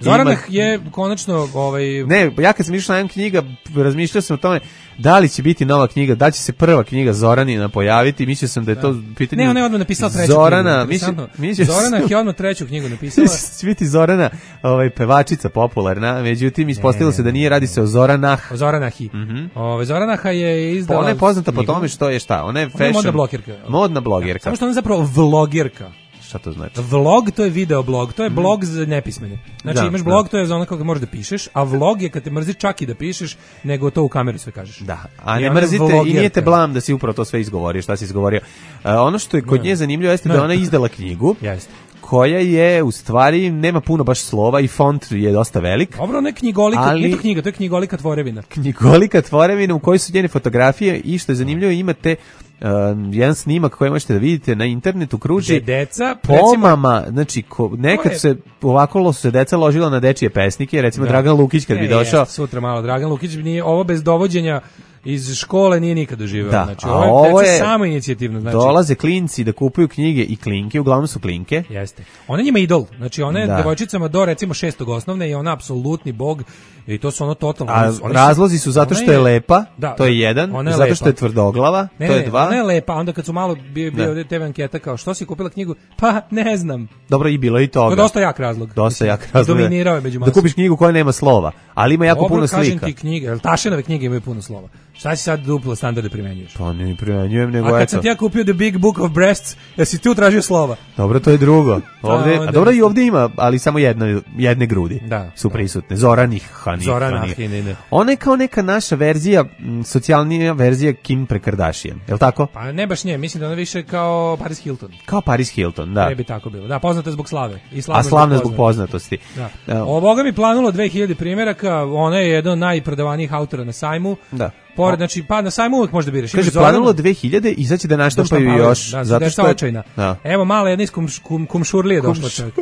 Zoranah je konačno ovaj ne, ja kad sam išao na knjiga, razmišljao sam o tome da li će biti nova knjiga, da li će se prva knjiga Zoranina pojaviti, mislio sam da je to pitanje. Ne, ona je odmah napisala treću Zorana, knjigu. Mislio, mislio Zoranah je odmah treću knjigu napisala. će biti Zorana, ovaj pevačica popularna, međutim ispostavilo se da nije, radi se o Zoranah. O Zoranahi. Mm-hmm. Ove Zoranaha je izdala. Ona je poznata po tome što je šta? Ona je fashion. Ona je modna blogirka. Modna blogirka. Samo što ona je zapravo vlogirka. Šta to znači? Vlog to je video blog, to je blog za nepismene. Znači Da, imaš blog, da. to je za ono kako možeš da pišeš, a vlog je kad te mrzi čak i da pišeš, nego to u kameru sve kažeš. Da, a I ne ona je mrzite i vlogerka. nije te blam da si upravo to sve izgovorio, šta si izgovorio. Uh, ono što je kod Ne. nje zanimljivo jeste da Ne. je ona izdala knjigu. Jeste. Koja je u stvari nema puno baš slova i font je dosta velik. Dobro, ne knjigolika, Ali- nije to knjiga, to je knjigolika tvorevina. Knjigolika tvorevina u kojoj su njene fotografije i što je zanimljivo imate uh, jedan snimak koji možete da vidite na internetu kruži Gde deca, recimo- pomama, znači ko, nekad To je- se ovako lo su se deca ložila na dečije pesnike, recimo Da. Dragan Lukić kad bi E, došao. jeste, sutra malo Dragan Lukić nije ovo bez dovođenja iz škole nije nikad doživeo. Da, Znači, a ovo je, ovo deca je- samo inicijativno. Znači, Dolaze klinci da kupuju knjige i klinke, uglavnom su klinke. Jeste. Ona je njima idol. Znači ona je Da. devojčicama do recimo šestog osnovne i ona apsolutni bog i to su ono totalno. A oni su- oni su- razlozi su zato ona što je lepa, Da, to je jedan, ona je zato lepa. što je tvrdoglava, Ne, to ne, je dva. Ona je lepa, onda kad su malo bio bio Da. ovdje te ve anketa kao što si kupila knjigu? Pa ne znam. Dobro, i bilo je i To toga. je dosta jak razlog. Dosta Mislim, jak razlog. Dominirao je među Da masom. kupiš knjigu koja nema slova, ali ima jako Dobro, puno kažem slika. ti knjige, jel Tašenove knjige imaju puno slova. Šta si sad duplo standarde primenjuješ? Pa ne primenjujem, nego A kad eto. sam ti ja kupio The Big Book of Breasts, jesi tu tražio slova? Dobro, to je drugo. Ovde, onda a dobro i mislim. ovdje ima, ali samo jedne, jedne grudi Da, su da. prisutne. Zoranih, Hanih. Zorana Hanih. Hinine. Ona je kao neka naša verzija, m, socijalnija verzija Kim pre Kardashian. Je li tako? Pa ne baš nje, mislim da ona više kao Paris Hilton. Kao Paris Hilton, da. Ne bi tako bilo. Da, poznata je zbog slave. I A slavna zbog poznatosti. Da. Da. O Boga mi planulo dve hiljade primjeraka, ona je jedan od najprodavanijih autora na sajmu. Da. Pored, znači, pa na sajmu uvek možda biraš. Kaže, Imaš Zoranu- planulo dve hiljade i sad će da naštampaju Doštampavaju, još. Da, zato što je očajna. Da. Evo mala jedna iz kum, kum, kumšurlije došla čovjek.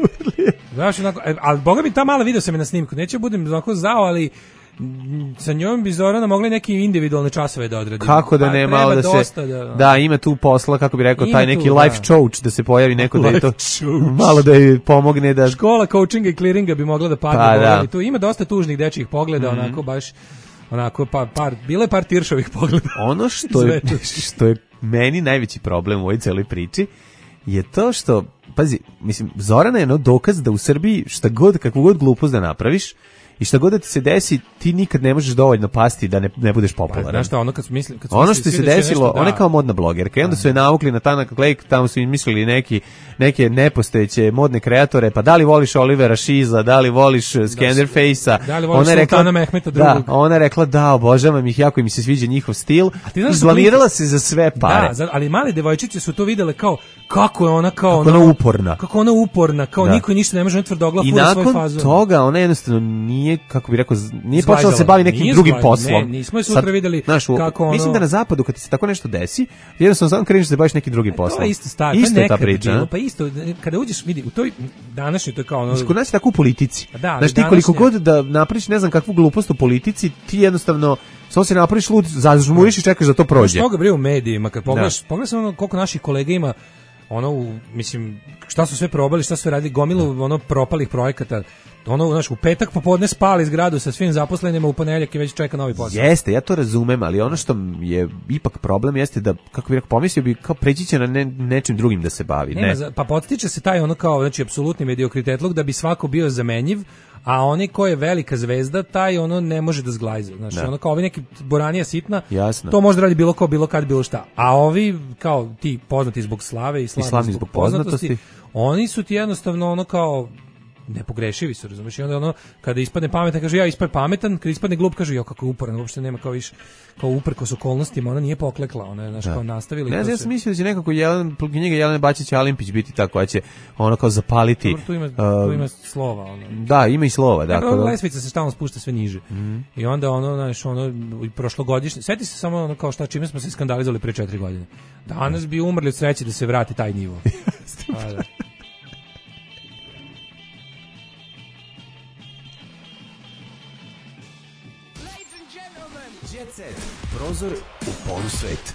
Znaš, onako, e, ali Boga mi ta mala video sam je na snimku. Neće budem onako zao, ali mm, sa njom bi Zorana mogli neki individualne časove da odradi. Kako da Pa ne, treba malo da se dosta da, ima tu posla, kako bi rekao, Ima taj tu, neki da. life coach da se pojavi neko da je to Life coach. malo da joj pomogne da Škola coachinga i clearinga bi mogla da padne. Pa, Boga da. mi. Tu ima dosta tužnih dečjih pogleda, Mhm. onako baš onako pa par bilo je par tiršovih pogleda. ono što je, Sve to. što je meni najveći problem u ovoj celoj priči je to što, pazi, mislim, Zorana je ono dokaz da u Srbiji šta god, kakvu god glupost da napraviš i šta god da ti se desi, ti nikad ne možeš dovoljno pasti da ne, ne budeš Pa, popularan. znaš šta, ono kad su mislili, kad su Ono mislili što svi se da će desilo, nešto, ona je da. kao modna blogerka i onda su je navukli na Tanak Lake, tamo su im mislili neki, neke nepostojeće modne kreatore, pa da li voliš Olivera Šiza, da li voliš uh, Skenderface-a. Da li voliš Ona je Sultana Mehmeta Da, drugog? ona je rekla da, obožavam ih, jako mi se sviđa njihov stil. ti znaš da su Izblanirala klinci- se za sve pare. Da, za- ali male devojčice su to videle kao kako je ona kao Kako ona uporna. Kako ona uporna, kao Da. niko ništa ne može, ona tvrdoglav I fura svoj nakon fazon. toga ona jednostavno nije, kako bi rekao, z- nije Zglajzala. počela da se bavi nekim Nije drugim zglajzala, poslom. ne, nismo je sutra videli znaš, u- kako ono- Mislim da na zapadu kad ti se tako nešto desi, jednostavno samo kreneš da se baviš nekim drugim poslom. To je isto stvar, Isto to je je ta nekad priča. bilo, a? pa isto, kada uđeš, vidi, u toj današnjoj, to je kao ono... Mislim, kod nas je tako u politici. Pa da, ali Znaš, ti koliko današnja- god da napraviš ne znam kakvu glupost u politici, ti jednostavno samo se napraviš lud, zažmuriš i čekaš da to prođe. Što ga bre u medijima, kad pogledaš, pogledaš ono koliko naših kolega ima, ono, u, mislim, šta su sve probali, šta su sve radili, gomilu ono propalih projekata, ono, znaš, u petak popodne spali zgradu sa svim zaposlenima, u ponedjeljak je već čeka novi posao. Jeste, ja to razumem, ali ono što je ipak problem jeste da, kako bih rekao, pomislio bi kao preći će na ne, nečim drugim da se bavi. Nema, Ne. za- pa podstiče se taj ono kao, znači, apsolutni mediokritetluk da bi svako bio zamenjiv, a oni ko je velika zvezda, taj ono ne može da zglajza. Znači, Da. ono kao ovi neki boranija sitna, Jasno. to može da radi bilo ko, bilo kad, bilo šta. A ovi, kao ti poznati zbog slave i slavni, slavni zbog, zbog poznatosti, poznatosti. oni su ti jednostavno ono kao nepogrešivi su, razumiješ, i onda ono, kada ispadne pametan, kaže ja ispadne pametan, kada ispadne glup, kaže jo kako je uporan, uopšte nema kao više, kao uprkos okolnostima, ona nije poklekla, ona je, znaš, kao nastavila. i Ne to znam, ja se- sam mislio da će nekako Jelen, knjiga Jelene Bačić Alimpić biti tako, koja će ono kao zapaliti. Dobro, tu ima, uh, tu ima slova, ono. Da, ima i slova. Da, Dakle, da. lesvica se stalno spušta sve niže. I onda ono, znaš, ono, i prošlogodišnje, sjeti se samo ono kao šta, čime smo se skandalizovali pre četiri godine. Danas bi umrli od sreće da se vrati taj nivo. A, da. Prozor u polusvet.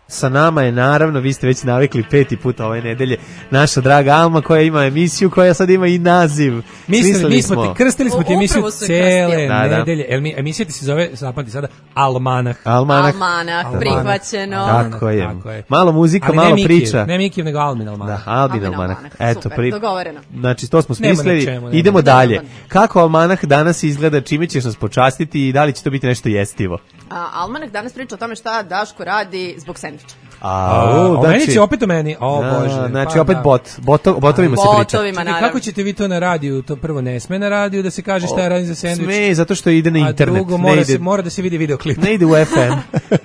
Sa nama je naravno, vi ste već navikli peti put ove nedelje, naša draga Alma koja ima emisiju koja sad ima i naziv. Mislili, Smislili mi smo ti krstili smo ti Upravo emisiju su je cele krstili. Da, da. nedelje. El mi emisija ti se zove, zapamti sada, Almanah. Almanak. Almanak, Almanak. prihvaćeno. Tako je. Tako je. Malo muzika, Ali malo ne Mikijev, priča. Ne Mikijev, nego Almin Almanah. Da, Albin Albin Almanak. Almanak. Eto, Super, pri... dogovoreno. Znači, to smo Nema na smislili. čemu, nema. Idemo dalje. Nema. Kako Almanak danas izgleda, čime ćeš nas počastiti i da li će to biti nešto jestivo? A, Almanak danas priča o tome šta Daško radi zbog sendviča. A, o, meni će opet o meni. O, da, Bože. Znači, pa, opet da. bot. Boto, botovima se priča. Botovima, naravno. Kako ćete vi to na radiju? To prvo ne sme na radiju da se kaže šta je radim za sendvič. Sme, zato što ide na internet. A drugo, ne mora, ide, se, mora da se vidi videoklip. Ne ide u F M.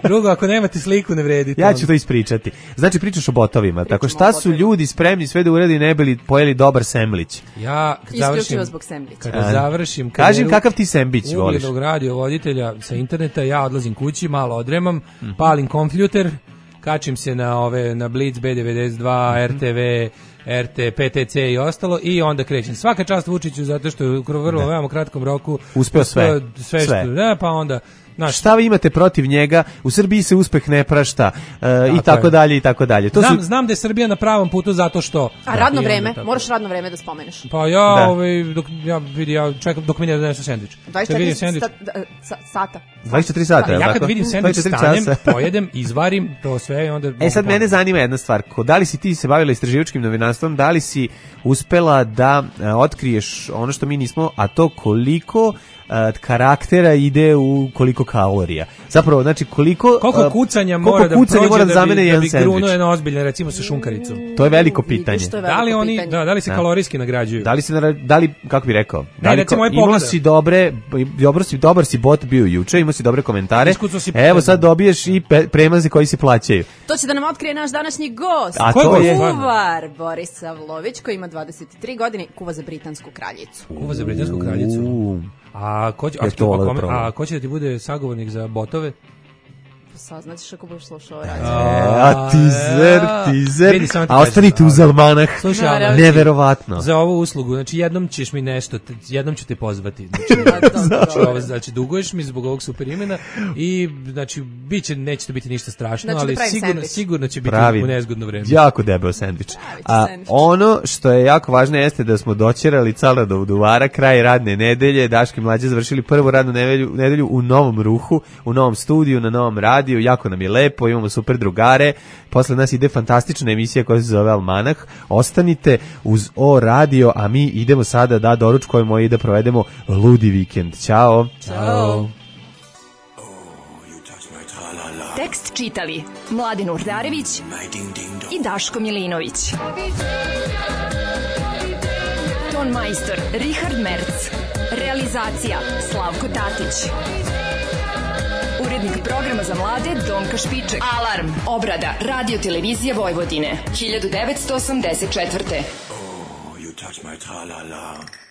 Drugo, ako nemate sliku, ne vredi. Ja ću to ispričati. Znači, pričaš o botovima. Tako, šta su ljudi spremni sve da uradi ne bili pojeli dobar semlić? Ja, kad završim, zbog semlića. Kada završim kažem kakav ti sembić voliš? Ugljednog radiovoditelja sa interneta, ja odlazim kući, malo odremam, mm-hmm. palim kompjuter, kačim se na ove na Blitz, B devedeset dva, mm-hmm. R T V, R T, P T C i ostalo i onda krećem. Svaka čast Vučiću zato što je u vrlo veoma kratkom roku uspeo sve. Sve, sve. Što, da, pa onda Naš, šta vi imate protiv njega? U Srbiji se uspeh ne prašta uh, i tako dalje i tako dalje. To znam, su... znam da je Srbija na pravom putu zato što. A radno vreme, moraš radno vreme da spomeneš. Pa ja, da. ovaj dok ja vidi ja čekam dok mi ne donesu sendvič. dvadeset četiri sendvič. Sata. dvadeset četiri sata. Ja kad vidim sendvič stanem, pojedem, izvarim to sve i onda. E sad mene zanima jedna stvar. Da li si ti se bavila istraživačkim novinarstvom, da li si uspela da uh, otkriješ ono što mi nismo, a to koliko Uh, karaktera ide u koliko kalorija. Zapravo, znači koliko koliko kucanja mora koliko da kucanja prođe mora da zamene da jedan bi sendvič. Grunuo jedno ozbiljno, recimo sa šunkaricom. To je veliko pitanje. Je da li oni pitanje. da, da li se da. kalorijski nagrađuju? Da li se da li kako bi rekao? Da li ne, recimo, imao si dobre, dobro si dobar si bot bio juče, imao si dobre komentare. Si Evo sad dobiješ i pe, premaze koji se plaćaju. To će da nam otkrije naš današnji gost. A to je kuvar Boris Savlović koji ima dvadeset tri godine, kuva za britansku kraljicu. Kuva za britansku kraljicu. U. A ko će, a, a, a ko će da ti bude sagovornik za botove? Saznaćeš ako budeš slušao radio. A tizer, tizer. A ostanite uz almanah. Slušaj, neverovatno. Za ovu uslugu, znači jednom ćeš mi nešto, jednom ću te pozvati. Znači, znači, ovo, znači duguješ mi zbog ovog super imena i znači biće, neće to biti ništa strašno, znači, ali sigurno, sigurno će biti pravi, u nezgodno vreme. Jako debel sendvič. A ono što je jako važno jeste da smo doćerali cala do Duvara, kraj radne nedelje, Daški mlađe završili prvu radnu nedelju, nedelju u novom ruhu, u novom studiju, na novom radiju. Jako nam je lepo, imamo super drugare. Posle nas ide fantastična emisija koja se zove Almanah. Ostanite uz O radio, a mi idemo sada da doručkujemo i da provedemo ludi vikend. Ćao. Ćao. Tekst čitali Mladin Urdarević i Daško Milinović. Ton majstor Richard Merc. Realizacija Slavko Tatić. Urednik programa za mlade Donka Špiček. Alarm. Obrada Radio Televizije Vojvodine. hiljadu devetsto osamdeset četvrte. Oh, you touch my tra-la-la.